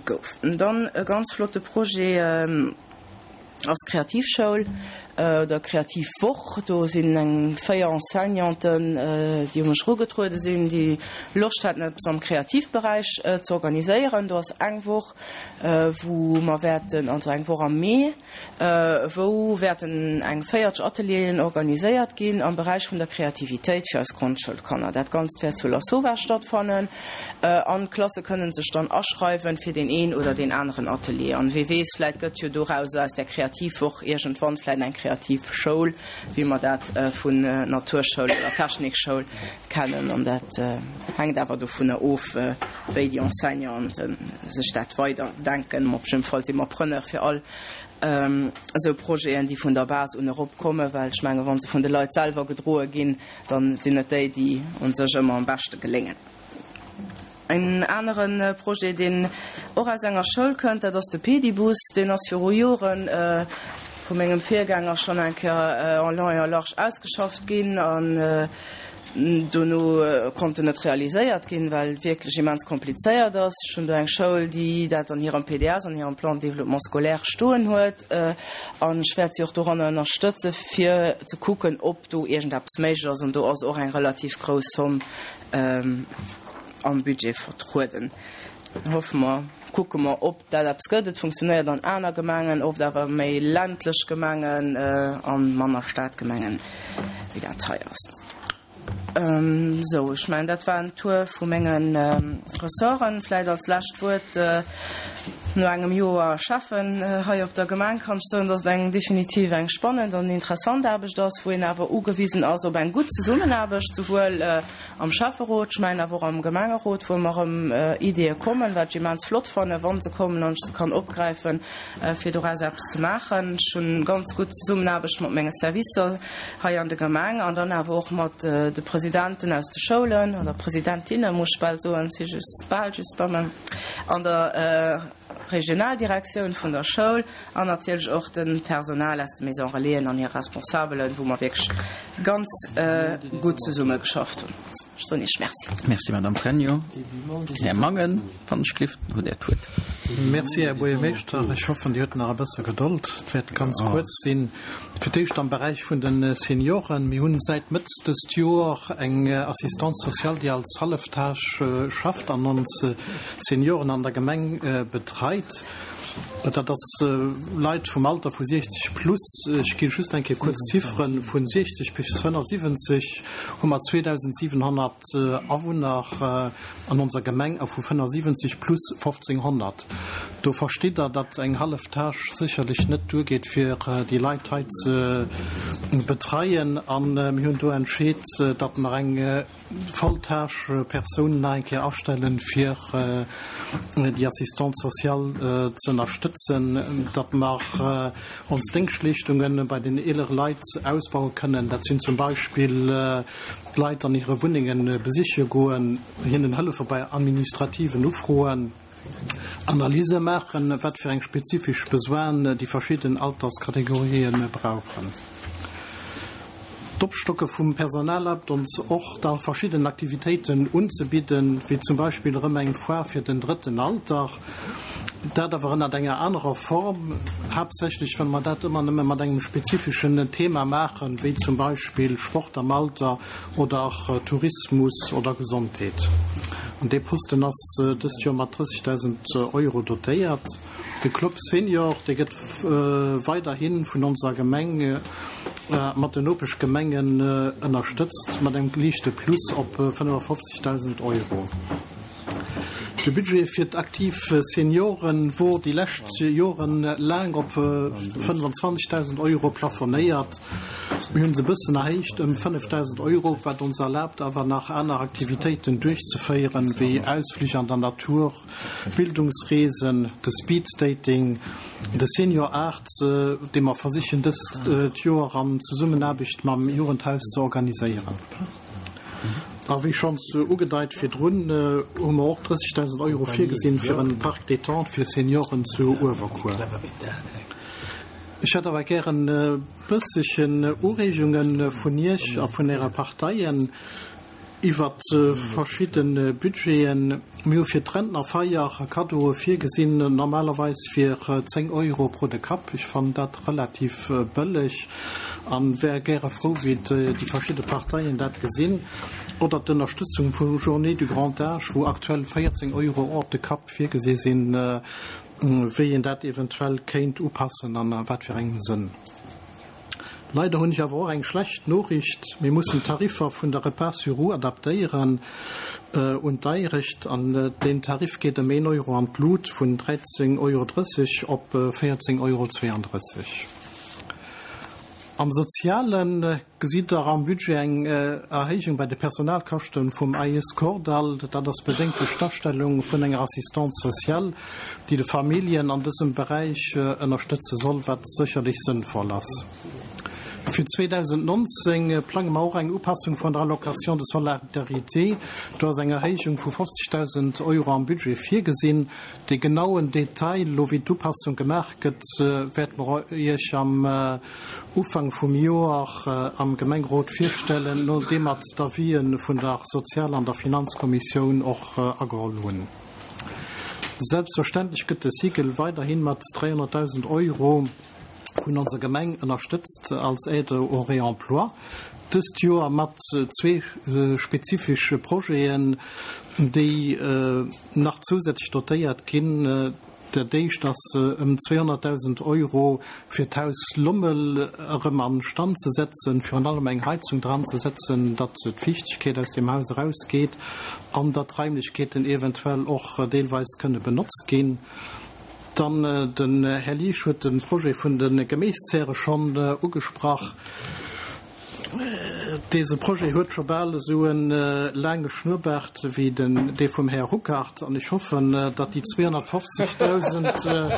gouf. Dann e ganz flotte Projet. Ass Kreativschoul oder Kreativwoch. Do sinn eng 4 Enseignanten, déi u mech erugetruede sinn, déi Loscht haten, eppes am Kreativberäich ze organiséieren. Do ass eng Woch, wou mer wäerten, also eng Woch am Mee, wou wäerten eng 40 Atelieren organiséiert ginn am Beräich vun der Kreativitéit fir eis Grondschoulkanner. Dat Ganzt wäert zu Lassowag stattfannen. An d'Klasse kënnen sech dann aschreiwen fir deen een oder deen aneren Atelier. An wee weess, vläit gëtt jo dorauser, aus där Kreativwoch, iergendwann vläit eng Kreativschoul, wéi mer dat vun Naturschoul oder Technikschoul kennen. An dat hänkt awer dovunner of, wéi déi Enseignanten sech dat weider denken. Op jidde Fall si mer Preneur fir all esou Projeten, déi vun der Base un erop kommen, well ech mengen, wa se vun de Leit selwer gedroe ginn, dann sinn et déi, déi un sech ëmmer am beschte geléngen. En anere Projet, deen och aus enger Schoul kënnt, dat ass de Pedibus. Deen ass viru Jore vu mengem Virgänger schonn eng Kéier en long et en large ausgeschafft ginn an dono konnt en net realiséiert ginn, well et wierklech immens komplizéiert ass. Ech hunn do eng Schoul, déi dat an hirem PDS, an hirem Plan de développement scolaire stoen huet an ech wäert si och doranner ënnerstëtzen, fir ze kucken, ob do iergendeppes méiglech ass, an do ass och eng relativ grouss Somm am Budget vertrueden. Hoffe mer, kucke mer, ob dat eppes gëtt. Et funktionéiert an aner Gemengen, oft awer méi ländlech Gemengen a manner Stadgemengen, wéi dat hei ass. Sou, ech mengen, dat war en Tour vu menge Ressorten. Vläicht als lescht Wuert, No engem Joer Schäffen hei op der Gemeng kann ech soen, dass et eng definitiv eng spannend an interessant Aarbecht ass, wou een awer ugewisen ass op eng gutt Zesummenaarbecht, souwuel am Schäfferot, ech mengen awer och am Gemengerot, wou ëmmer erëm Ideeë kommen, wat ech immens flott fannen, wa se kommen an ech se kann opgräifen, fir doraus eppes ze maachen. Ech hunn ganz gutt Zesummenaarbecht mat menge Servicer hei an der Gemeng an dann awer och mat de Presidenten aus de Schoulen, oder Presidentinne muss ech bal soen, et si just bal just Dammen, an der Regionaldirektioun vun der Schoul an natierlech och dem Personal aus de Maison Relaisen an hir Responsabelen, wou mer wierklech ganz gutt zesumme geschafft hunn. Ech soen Iech Merci. Merci, Madame Pregno. Här Mangen, wann ech gelift, hutt Där d'Wuert. Merci, Här Buergermeeschter. Ech hoffen, Dir hutt nach e bësse Gedold. Et wäert ganz kuerz sinn. Fir d'éischt am Beräich vun de Senioren. Mir hunn säit Mëtt dëst Joer eng Assistante sociale, déi als Halleftage schafft an ons Senioren an der Gemeng betreit. Dat ass Leit vum Alter vu 60 plus. Ech gi just eng Kéier kuerz d'Zifferen, Vu 60 bis 75 hu mer 2.700 Awunner an onser Gemeng a vu 75 plus 1.500. Do verstitt Der, datt eng hallef Tâche sécherlech net duergeet, fir déi Leit hei ze betreien. A mir hunn do entscheet, datt mer eng Volltâche Persoun nach eng Kéier astellen, fir déi Assistante sociale ze ënnerstëtzen, datt mer ons Déngschtleeschtunge bei den eelere Leit ausbaue kënnen. Dat sinn zum Beispill d'Leit an hire Wunnenge besiche goen, hinnen hëllefe bei administrativen Ufroen. Analyse maachen, wat fir eng spezifesch Besoinen déi verschidden Alterskategorië brauchen. D'Opstocke vum Personal erlaabt ons och, da verschidden Aktivitéiten unzebidden, wéi zum Beispill erëm eng Foire fir den drëtten Alter, dat awer ënnert enger anerer Form, haaptsächlech well mer dat ëmmer nëmme mat engem spezifeschen Thema maachen, wéi zum Beispill Sport am Alter oder Tourismus oder Gesondheet. An dee Posten ass dëst Joer mat 30.000 Euro dotéiert. De Club Senior, dee gëtt weiderhi vun onser Gemeng mat den Nopeschgemengen ënnerstëtzt mat engem liichte Plus op 55.000 Euro. De Budget fir d'aktiv Senioren wor déi lescht Joren laang op 25.000 Euro plafonéiert. Mir hunn se e bëssen erhéicht ëm 5.000 Euro, wat ons erlaabt awer nach aner Aktivitéiten duerchzeféieren, wéi Ausflich an der Natur, Bildungsreesen, de Speeddating, de Senior Art, dee mer versichen dëst Joer an Zesummenaarbecht mam Jugendhaus ze organiséieren. A wéi schonns ugedeit virdrun, hu mer och 30.000 Euro virgesinn fir en Parc détente fir Senioren zu Uewerkuer. Ech hätt awer gären e bëssechen Ureegunge vun Iech a vun Äre Parteien iwwert verschidde Budgeten. Mir hu fir d'Rentnerfeier Kaddoe virgesinn, normalerweis fir 10 Euro pro de Kapp. Ech fannen dat relativ bëlleg. An wär gäre frou wéi déi verschidde Parteien dat gesinn. Oder d'Ënnerstëtzung vum Journées du Grand Âge, wou aktuell 14 Euro op de Kapp virgesi sinn, wéi een dat eventuell kéint upassen an a wat fir engem Sënn. Leider hunn ech awer och eng schlecht Noriicht, Mir mussen d'Tariffer vun der Repas sur roues adaptéieren un d'Deierecht an deen Tarif geet ëm een Euro an d'Lut, vun 13,30 Euro op 14,32 Euro. Am Soziale gesitt Der am Budget eng Erhéijung bei de Personalkaschte vum AIS Kordall. Dat ass bedéngt duerch d'Astellung vun enger Assistante sociale, déi de Familljen an dësem Beräich ënnerstëtze soll, wat sécherlech sënnvoll ass. Fir 2019 plange mer och eng Upassung vun der Allocation de solidarité. Do ass eng Erhéijung vu 50.000 Euro am Budget virgesinn. De genauen Detail, elo wéi d'Upassung gemaach gëtt, wäerte mer Iech am Ufank vum Joer am Gemengerot virstellen, nodeem mer d'Avisë vun der Sozial an der Finanzkommissioun och ageholl hunn. Selbstverständlech gëtt de Cycle weiderhi mat 300.000 Euro vun onser Gemeng ënnerstëtzt als Aide au réemploi, dëst Joer mat zwee spezifesche Projeten, déi nach zousätzlech dotéiert ginn. Dat éischt ass ëm 200.000 Euro fir d'Haus Lommel erëm a Stand ze setzen, virun allem eng Heizung dran ze setzen, datt d'Fiichtegkeet aus deem Haus erausgeet an datt d'Raimlechkeeten eventuell och deelweis kënne benotzt ginn. Dann, den Här Liesch huet de Projet vun de Geméiszäre schonn ugesprach. Dese Projet huet scho bal esou e laange Schnurrbaart wéi den dee vum Här Ruckert an ech hoffen, datt déi 250.000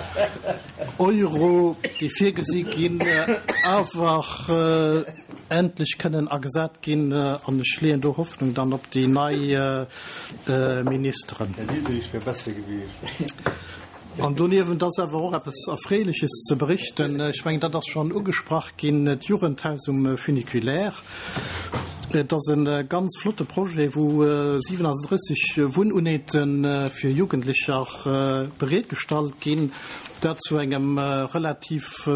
Euro, déi virgesi ginn, awer endlech kënnen agesat ginn an ech leeën do Hoffnung dann op déi nei Ministeren. Här Diderich wär besser gewiescht. An doniewent ass awer och eppes Erfreeleches ze berichten. Ech mengen, dat ass schonn ugesprach ginn, d'Jugendhaus um Funiculaire. Et ass e ganz flotte Projet, wou 37 Wunnunete fir Jugendlecher bereetgestallt ginn, dat zu engem relativ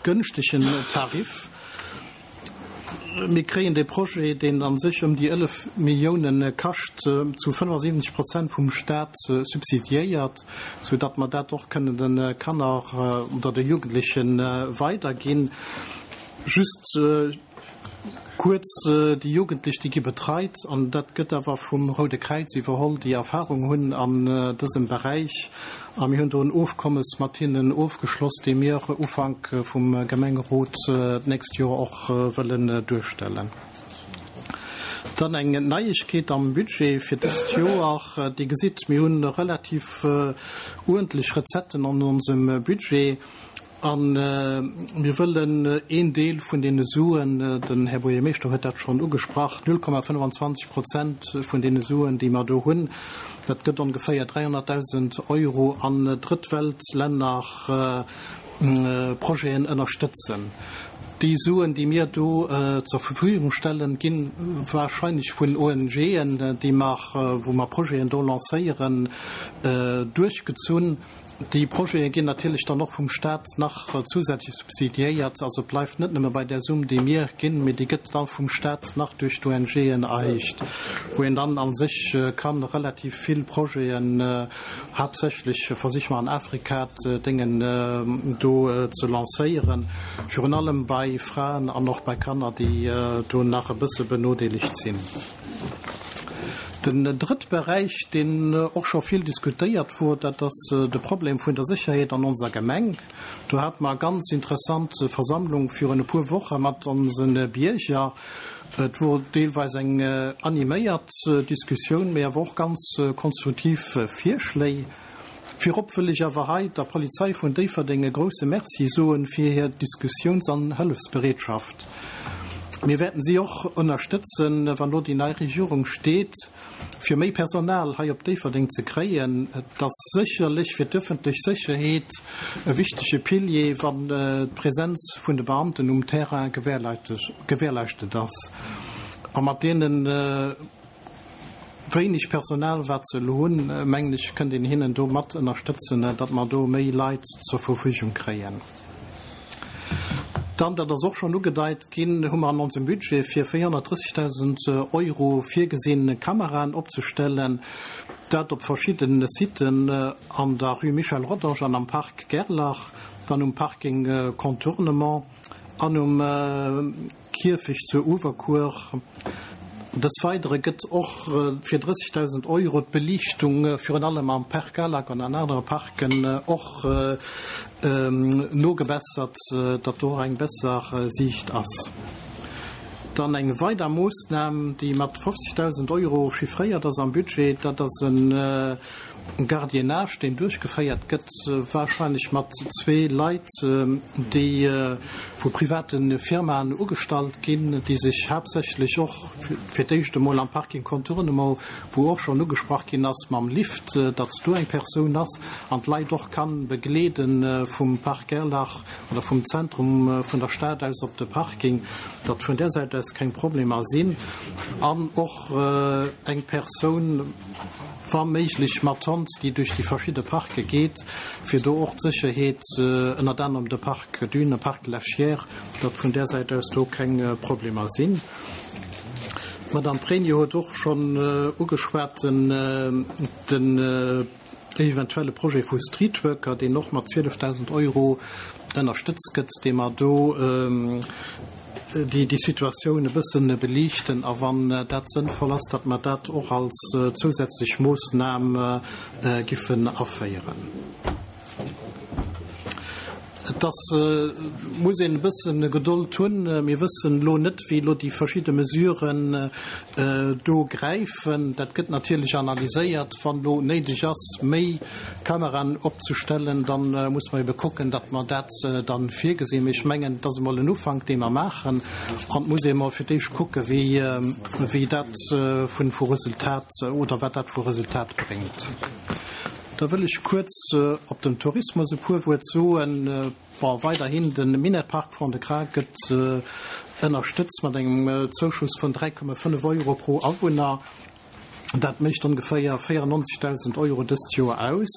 gënschtegen Tarif. Mir kréien dee Projet, deen a sech ëm déi 11 Milliounen kascht, zu 75 Prozent vum Stat subsidiéiert, sou datt mer dat och kënnen de Kanner oder de Jugendleche weiderginn. Just kuerz, Déi Jugendlech, déi gi betreit, an dat gëtt awer vum Roude Kräiz iwwerholl, déi Erfahrung hunn an dësem Beräich. A mir hunn do en Ofkommes mat hinnen ofgeschloss, dee mir Ufank vum Gemengerot d'nächst Joer och wëllen duerstellen. Dann eng Neiegkeet am Budget fir dëst Joer. Dir gesitt, mir hu relativ uerdentlech Recetten an onsem Budget. A mir wëllen een Deel vun deene Suen, den Här Buergermeeschter huet dat schonn ugesprach, 0,25 Prozent vun deene Suen, déi mer do hunn, dat gëtt ongeféier 300.000 Euro, an Drëttweltlänner Projeten ënnerstëtzen. Déi Suen, déi mir do zur Verfügung stellen, gi wahrscheinlech vun ONGen, déi mer, wou mer Projeten do lancéieren, duerchgezunn. Déi Projete ginn natierlech dann och vum Stat nach zousätzlech subsidiéiert. Also et bleift net nëmme bei där Summ, déi mir ginn, mee déi gëtt da vum Stat nach duerch d'ONGen erhéicht, wou een dann a sech ka relativ vill Projeten, haaptsächlech versiche mer an Afrika d'Déngen do ze lancéieren, virun allem bei Fraen an och bei Kanner, déi do nach e bësse benodeelegt sinn. Den drëtt Beräich, deen och scho vill diskutéiert wor, dat ass de Problem vun der Sécherheet an onser Gemeng. Do hate mer e ganz interessant Versammlung virun e puer Woche mat onse Bierger. Et wor deelweis eng animéiert Diskussioun, mee awer och ganz konstruktiv Virschléi. Virop wëll ech awer hei der Polizei vun Déifferdeng e grousse Merci soen fir hir Diskussiouns an Hëllefsbereetschaft. Mir wäerten si och ënnerstëtzen, wann elo déi nei Regierung steet, fir méi Personal hei op Déifferdeng ze kréien. Et ass sécherlech fir d'ëffentlech Sécherheet e wichtege Pilier, wann d'Präsenz vun de Beamten um Terrain gewährleischtet ass. A mat deenen. Wéineg Personal wat se elo hunn, mengen ech, kënnt een hinnen do mat ënnerstëtzen, datt mer do méi Leit zur Verfügung kréien. Dann, dat ass och schonn ugedeit ginn, hu mer an onsem Budget fir 430.000 Euro virgesinn, Kameraen opzestellen, dat op verschidde Siten an der Rue Michel Rodange an am Parc Gerlach, dann um Parking Contournement an um. Kierfecht zu Uewerkuer. Des Weidere gëtt och fir 30.000 Euro d'Beliichtung virun allem am Parc Alak an an anere Parken och nogebessert, datt do och eng besser Siicht ass. Dann eng weider Moossnam, déi mat 50.000 Euro chiffréiert ass am Budget, dat ass e Gardiennage, deen duerchgeféiert gëtt, wahrscheinlech mat zwee Leit, déi vu private Firmaen ugestallt ginn, déi sech haaptsächlech och fir d'éischt emol am Parking Contournement, wou och schonn ugesprach ginn ass mam Lift, datt do eng Persoun ass an d'Leit och ka begleede vum Park Gerlach oder vum Zentrum vun der Stad aus op de Parking, datt vun där Säit aus keng Problemer sinn an och eng Persoun, wa méiglech mat Hond, déi duerch déi verschidde Parke geet, fir do och d'Sécherheet, ënnert anerem de Parc Dune, Parc de la Chiers, datt vun där Säit aus do keng Problemer sinn. D'Madame Pregno huet och schonn ugeschwat den eventuelle Projet vu Streetworker, deen och mat 12.000 Euro ënnerstëtzt gëtt, dee mer do déi déi Situatioun e bëssen beliichten a wann dat sënnvoll ass, datt mer dat och als zousätzlech Moossnam giffen aféieren. Et ass, muss een e bëssen Gedold hunn. Mir wëssen elo net, wéi elo déi verschidde Mesuren do gräifen. Dat gëtt natierlech analyséiert. Wann elo néideg ass, méi Kameraen opzestellen, da muss mer ebe kucken, datt mer dat da virgesinn. Mee ech mengen, et ass emol en Ufank, dee mer maachen. An et muss ee emol fir d'éischt kucken, wéi dat vu Resultat oder wat dat vu Resultat bréngt. Da wëll ech kuerz op den Tourismus e puer Wuert soen. Bon, weiderhin, de Minett-Park Fond-de-Gras gëtt ënnerstëtzt mat engem Zouschuss vun 3,5 Euro pro Awunner. Dat mécht ongeféier 94.000 Euro dëst Joer aus.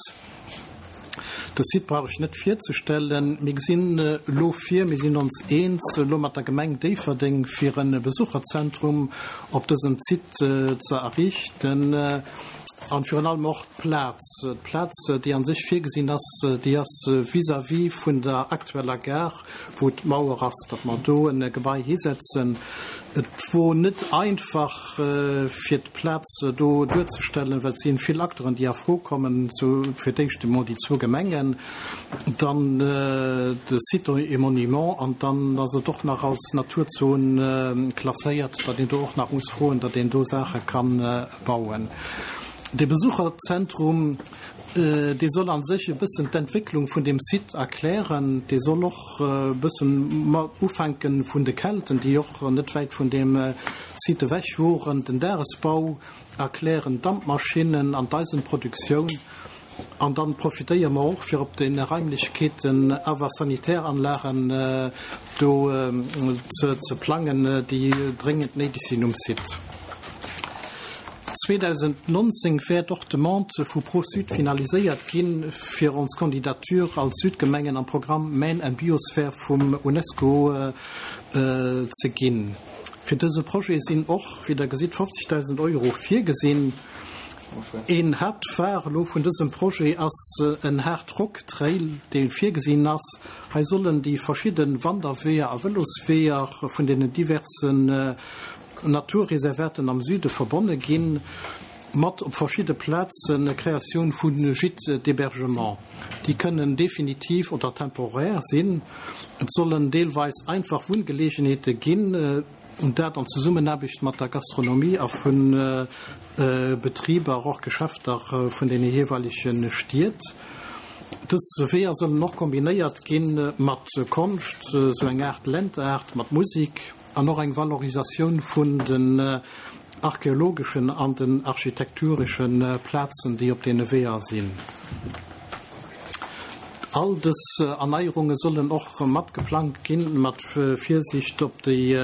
De Site brauch ech net virzestellen. Mir gesinn elo vir, mir sinn ons eens elo mat der Gemeng Déifferdeng, fir e Besucherzentrum op dësem Site ze errichten an virun allem och d'Plaz, d'Plaz, déi a sech virgesinn ass, déi ass vis-à-vis vun der aktueller Gare, wou d'Mauer ass, datt mer do e Gebai hisetzen. Et wor net einfach, fir d'Plaz do duerzestellen, well et si vill Acteuren, déi a Fro kommen, sou fir d'éischt emol déi zwou Gemengen, dann de Site et Monument an dann ass et och nach als Naturzon klasséiert, datt een do och nach muss froen, datt een do Saache ka bauen. Dee Besucherzentrum, dee soll a sech e bëssen d'Entwécklung vun deem Site erklären. Dee soll och e bëssen ufänke vun de Kelten, déi och net wäit vun deem Site ewech woren, den Dagesbau erklären, d'Dampmaschinnen an d'Eisenproduktioun. An dann profitéiere mer och, fir op de Raimlechkeeten awer Sanitäranlagen do ze plangen, déi dréngend néideg sinn um Site. 2019 wäert och d'Demande vu Pro-Sud finaliséiert ginn, fir ons Candidature als Südgemengen am Programm Maine and Biosphere vum UNESCO ze ginn. Fir dëse Projet sinn och, wéi Der gesitt, 50.000 Euro virgesinn. Een Haaptphare elo vun dësem Projet ass en Hard Rock Trail, dee virgesinn ass. Hei sollen déi verschidde Wanderweeër a Vëlosweeër vun deenen diversen Naturreservaten am Süde verbonne ginn, mat op verschidde Plaze Kreatioun vu Gîtes d'hébergement. Déi kënnen definitiv oder temporär sinn. Et sollen deelweis einfach Wunngeleegenheete ginn. Dat an Zesummenaarbecht mat der Gastronomie a vu Betriber, och Geschäfter vun deene jeeweilege Stied. Dës Weeër sollen och kombinéiert gi mat Konscht, sou eng Aart Land-Art, mat Musik an och eng Valorisatioun vun den archeologeschen an den architekturesche Plazen, déi op deene Weeër sinn. All dës Erneierunge sollen och mat geplangt ginn, mat Virsicht op déi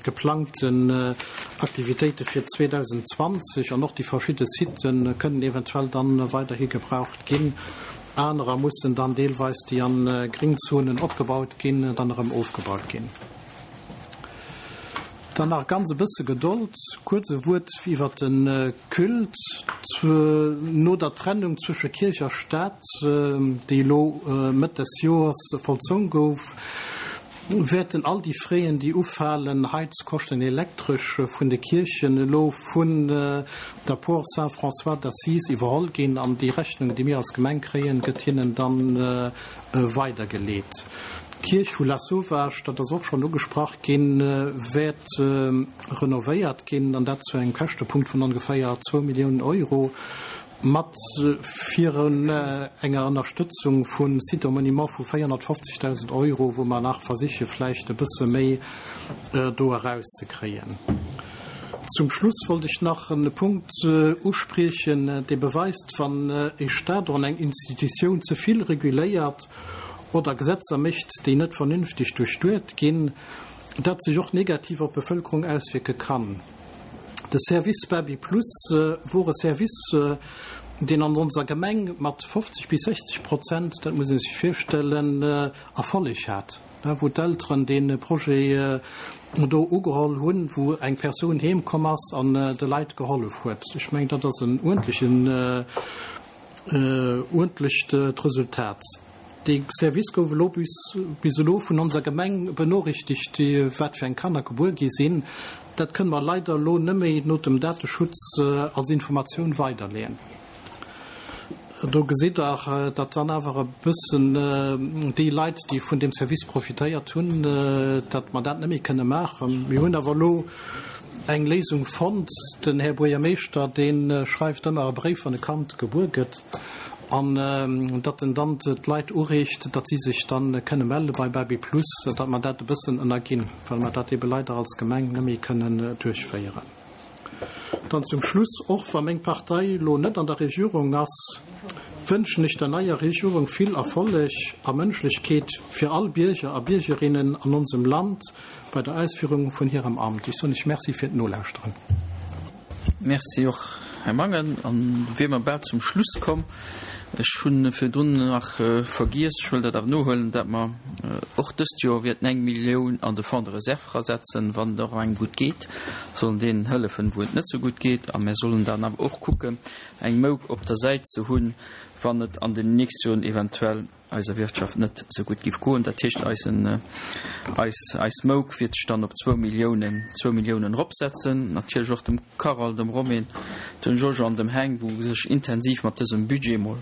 geplangten Aktivitéite fir 2020 an och déi verschidde Sitë kënnen eventuell dann weiderhi gebraucht ginn. Anerer mussen dann deelweis, déi an Gringzonen opgebaut ginn, dann erëm ofgebaut ginn. Dann nach ganz e bësse Gedold, kuerz e Wuert iwwer de Culte. No der Trennung zwësche Kierch a Staat, déi elo Mëtt des Joers vollzong gouf, wäerten all déi Fräen, déi ufalen, Heizkoschten, Elektresch, vun de Kierchen elo vun der Por Saint-François d'Assise iwwerholl ginn an déi Rechnung, déi mir als Gemeng kréien, gëtt hinnen dann weidergeleet. D'Kierch vu Lasauvage, dat ass och schonn ugesprach ginn, wäert renovéiert ginn, an dat zu engem Käschtepunkt vun ongeféier zwou Milliounen Euro, mat virun enger Ënnerstëtzung vu Sites et Monuments vu 450.000 Euro, wou mer nach versiche vläicht e bësse méi do erauszekréien. Zum Schluss wollt ech nach e Punkt uspriechen, dee beweist, wann e Stat oder eng Institutioun ze vill reguléiert oder Gesetzer mécht, déi net vernünfteg duerchduet ginn, dat sech och negativ op d'Bevëlkerung auswierke kann. De Service Baby Plus wor e Service, deen an onser Gemeng mat 50 bis 60 Prozent, dat muss ee sech virstellen, Erfolleg hat. wou d'Elteren dee Projet do ugeholl hunn, wou eng Persoun heem komm ass an de Leit gehollef huet. Ech mengen, dat ass en uerdentlechen, uerdentlecht Resultat. Dee Service gouf elo bis, bis elo vun onser Gemeng benorichtegt, wat fir eng Kanner gebuer gi sinn. Dat kënne mer leider elo nëmme no dem Dateschutz als Informatioun weiderleeën. Do gesitt Der, datt dann awer e bëssen déi Leit, déi vun deem Service profitéiert hunn, datt mer dat net méi kënne maachen. Mir hunn awer elo eng Léisung fonnt. Den Här Buergermeeschter, dee schreift ëmmer e Bréif, wann e Kand gebuer gëtt, an datt en dann d'Leit ureegt, datt si sech da kënne melle bei Baby Plus, datt mer dat e bëssen ënnerginn, well mer dat ebe leider als Gemeng net méi kënnen duerchféieren. Dann zum Schluss, Och wa meng Partei elo net an der Regierung ass, wënschen ech der neier Regierung vill Erfolleg a Mënschlechkeet fir all Bierger a Biergerinnen an onsem Land bei der Ausführung vun hirem Amt. Ech soen Iech Merci fir d'Nolauschteren. Merci och, Här Mangen. An wier mer bal zum Schluss komm. Ech hu virdrun nach vergiess, ech wëll dat awer nohuelen, dat mer och dëst Joer wäerten eng Millioun an de Fonds de réserve erasetzen, wann et och engem gutt geet, sollen deenen hëllefen, wou et net esou gutt geet. A mer sollen dann awer och kucken, eng Mouk op der Säit ze hunn, wann et an den nächste Joren eventuell eiser Wirtschaft net esou gutt giff goen. Dat heescht, eisen, eis, eis Mouk wiert sech dann op zwou Milliounen, zwou Milliounen eropsetzen. Natierlech och dem Carole, dem Romain, dem Jojo an dem Heng, wou sech intensiv mat dësem Budget mol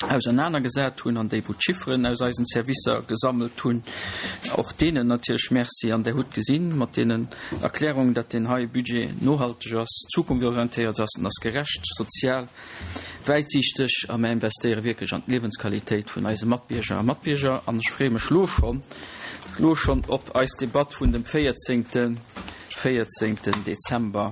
ausernanergesat hunn an déi wou d'Chifferen aus eisen Servicer gesammelt hunn. Och deenen natierlech Merci. An Der hutt gesinn mat deenen Erklärungen, datt deen hei Budget nohalteg ass, zukunftsorientéiert ass, en ass gerecht, sozial, Wäitsiichteg a mär investéiere wierklech an d'Liewensqualitéit vun eise Matbierger a Matbierger an ech freeë mech lo schonn, lo schonn op eis Debatt vun dem 14. 14. Dezember.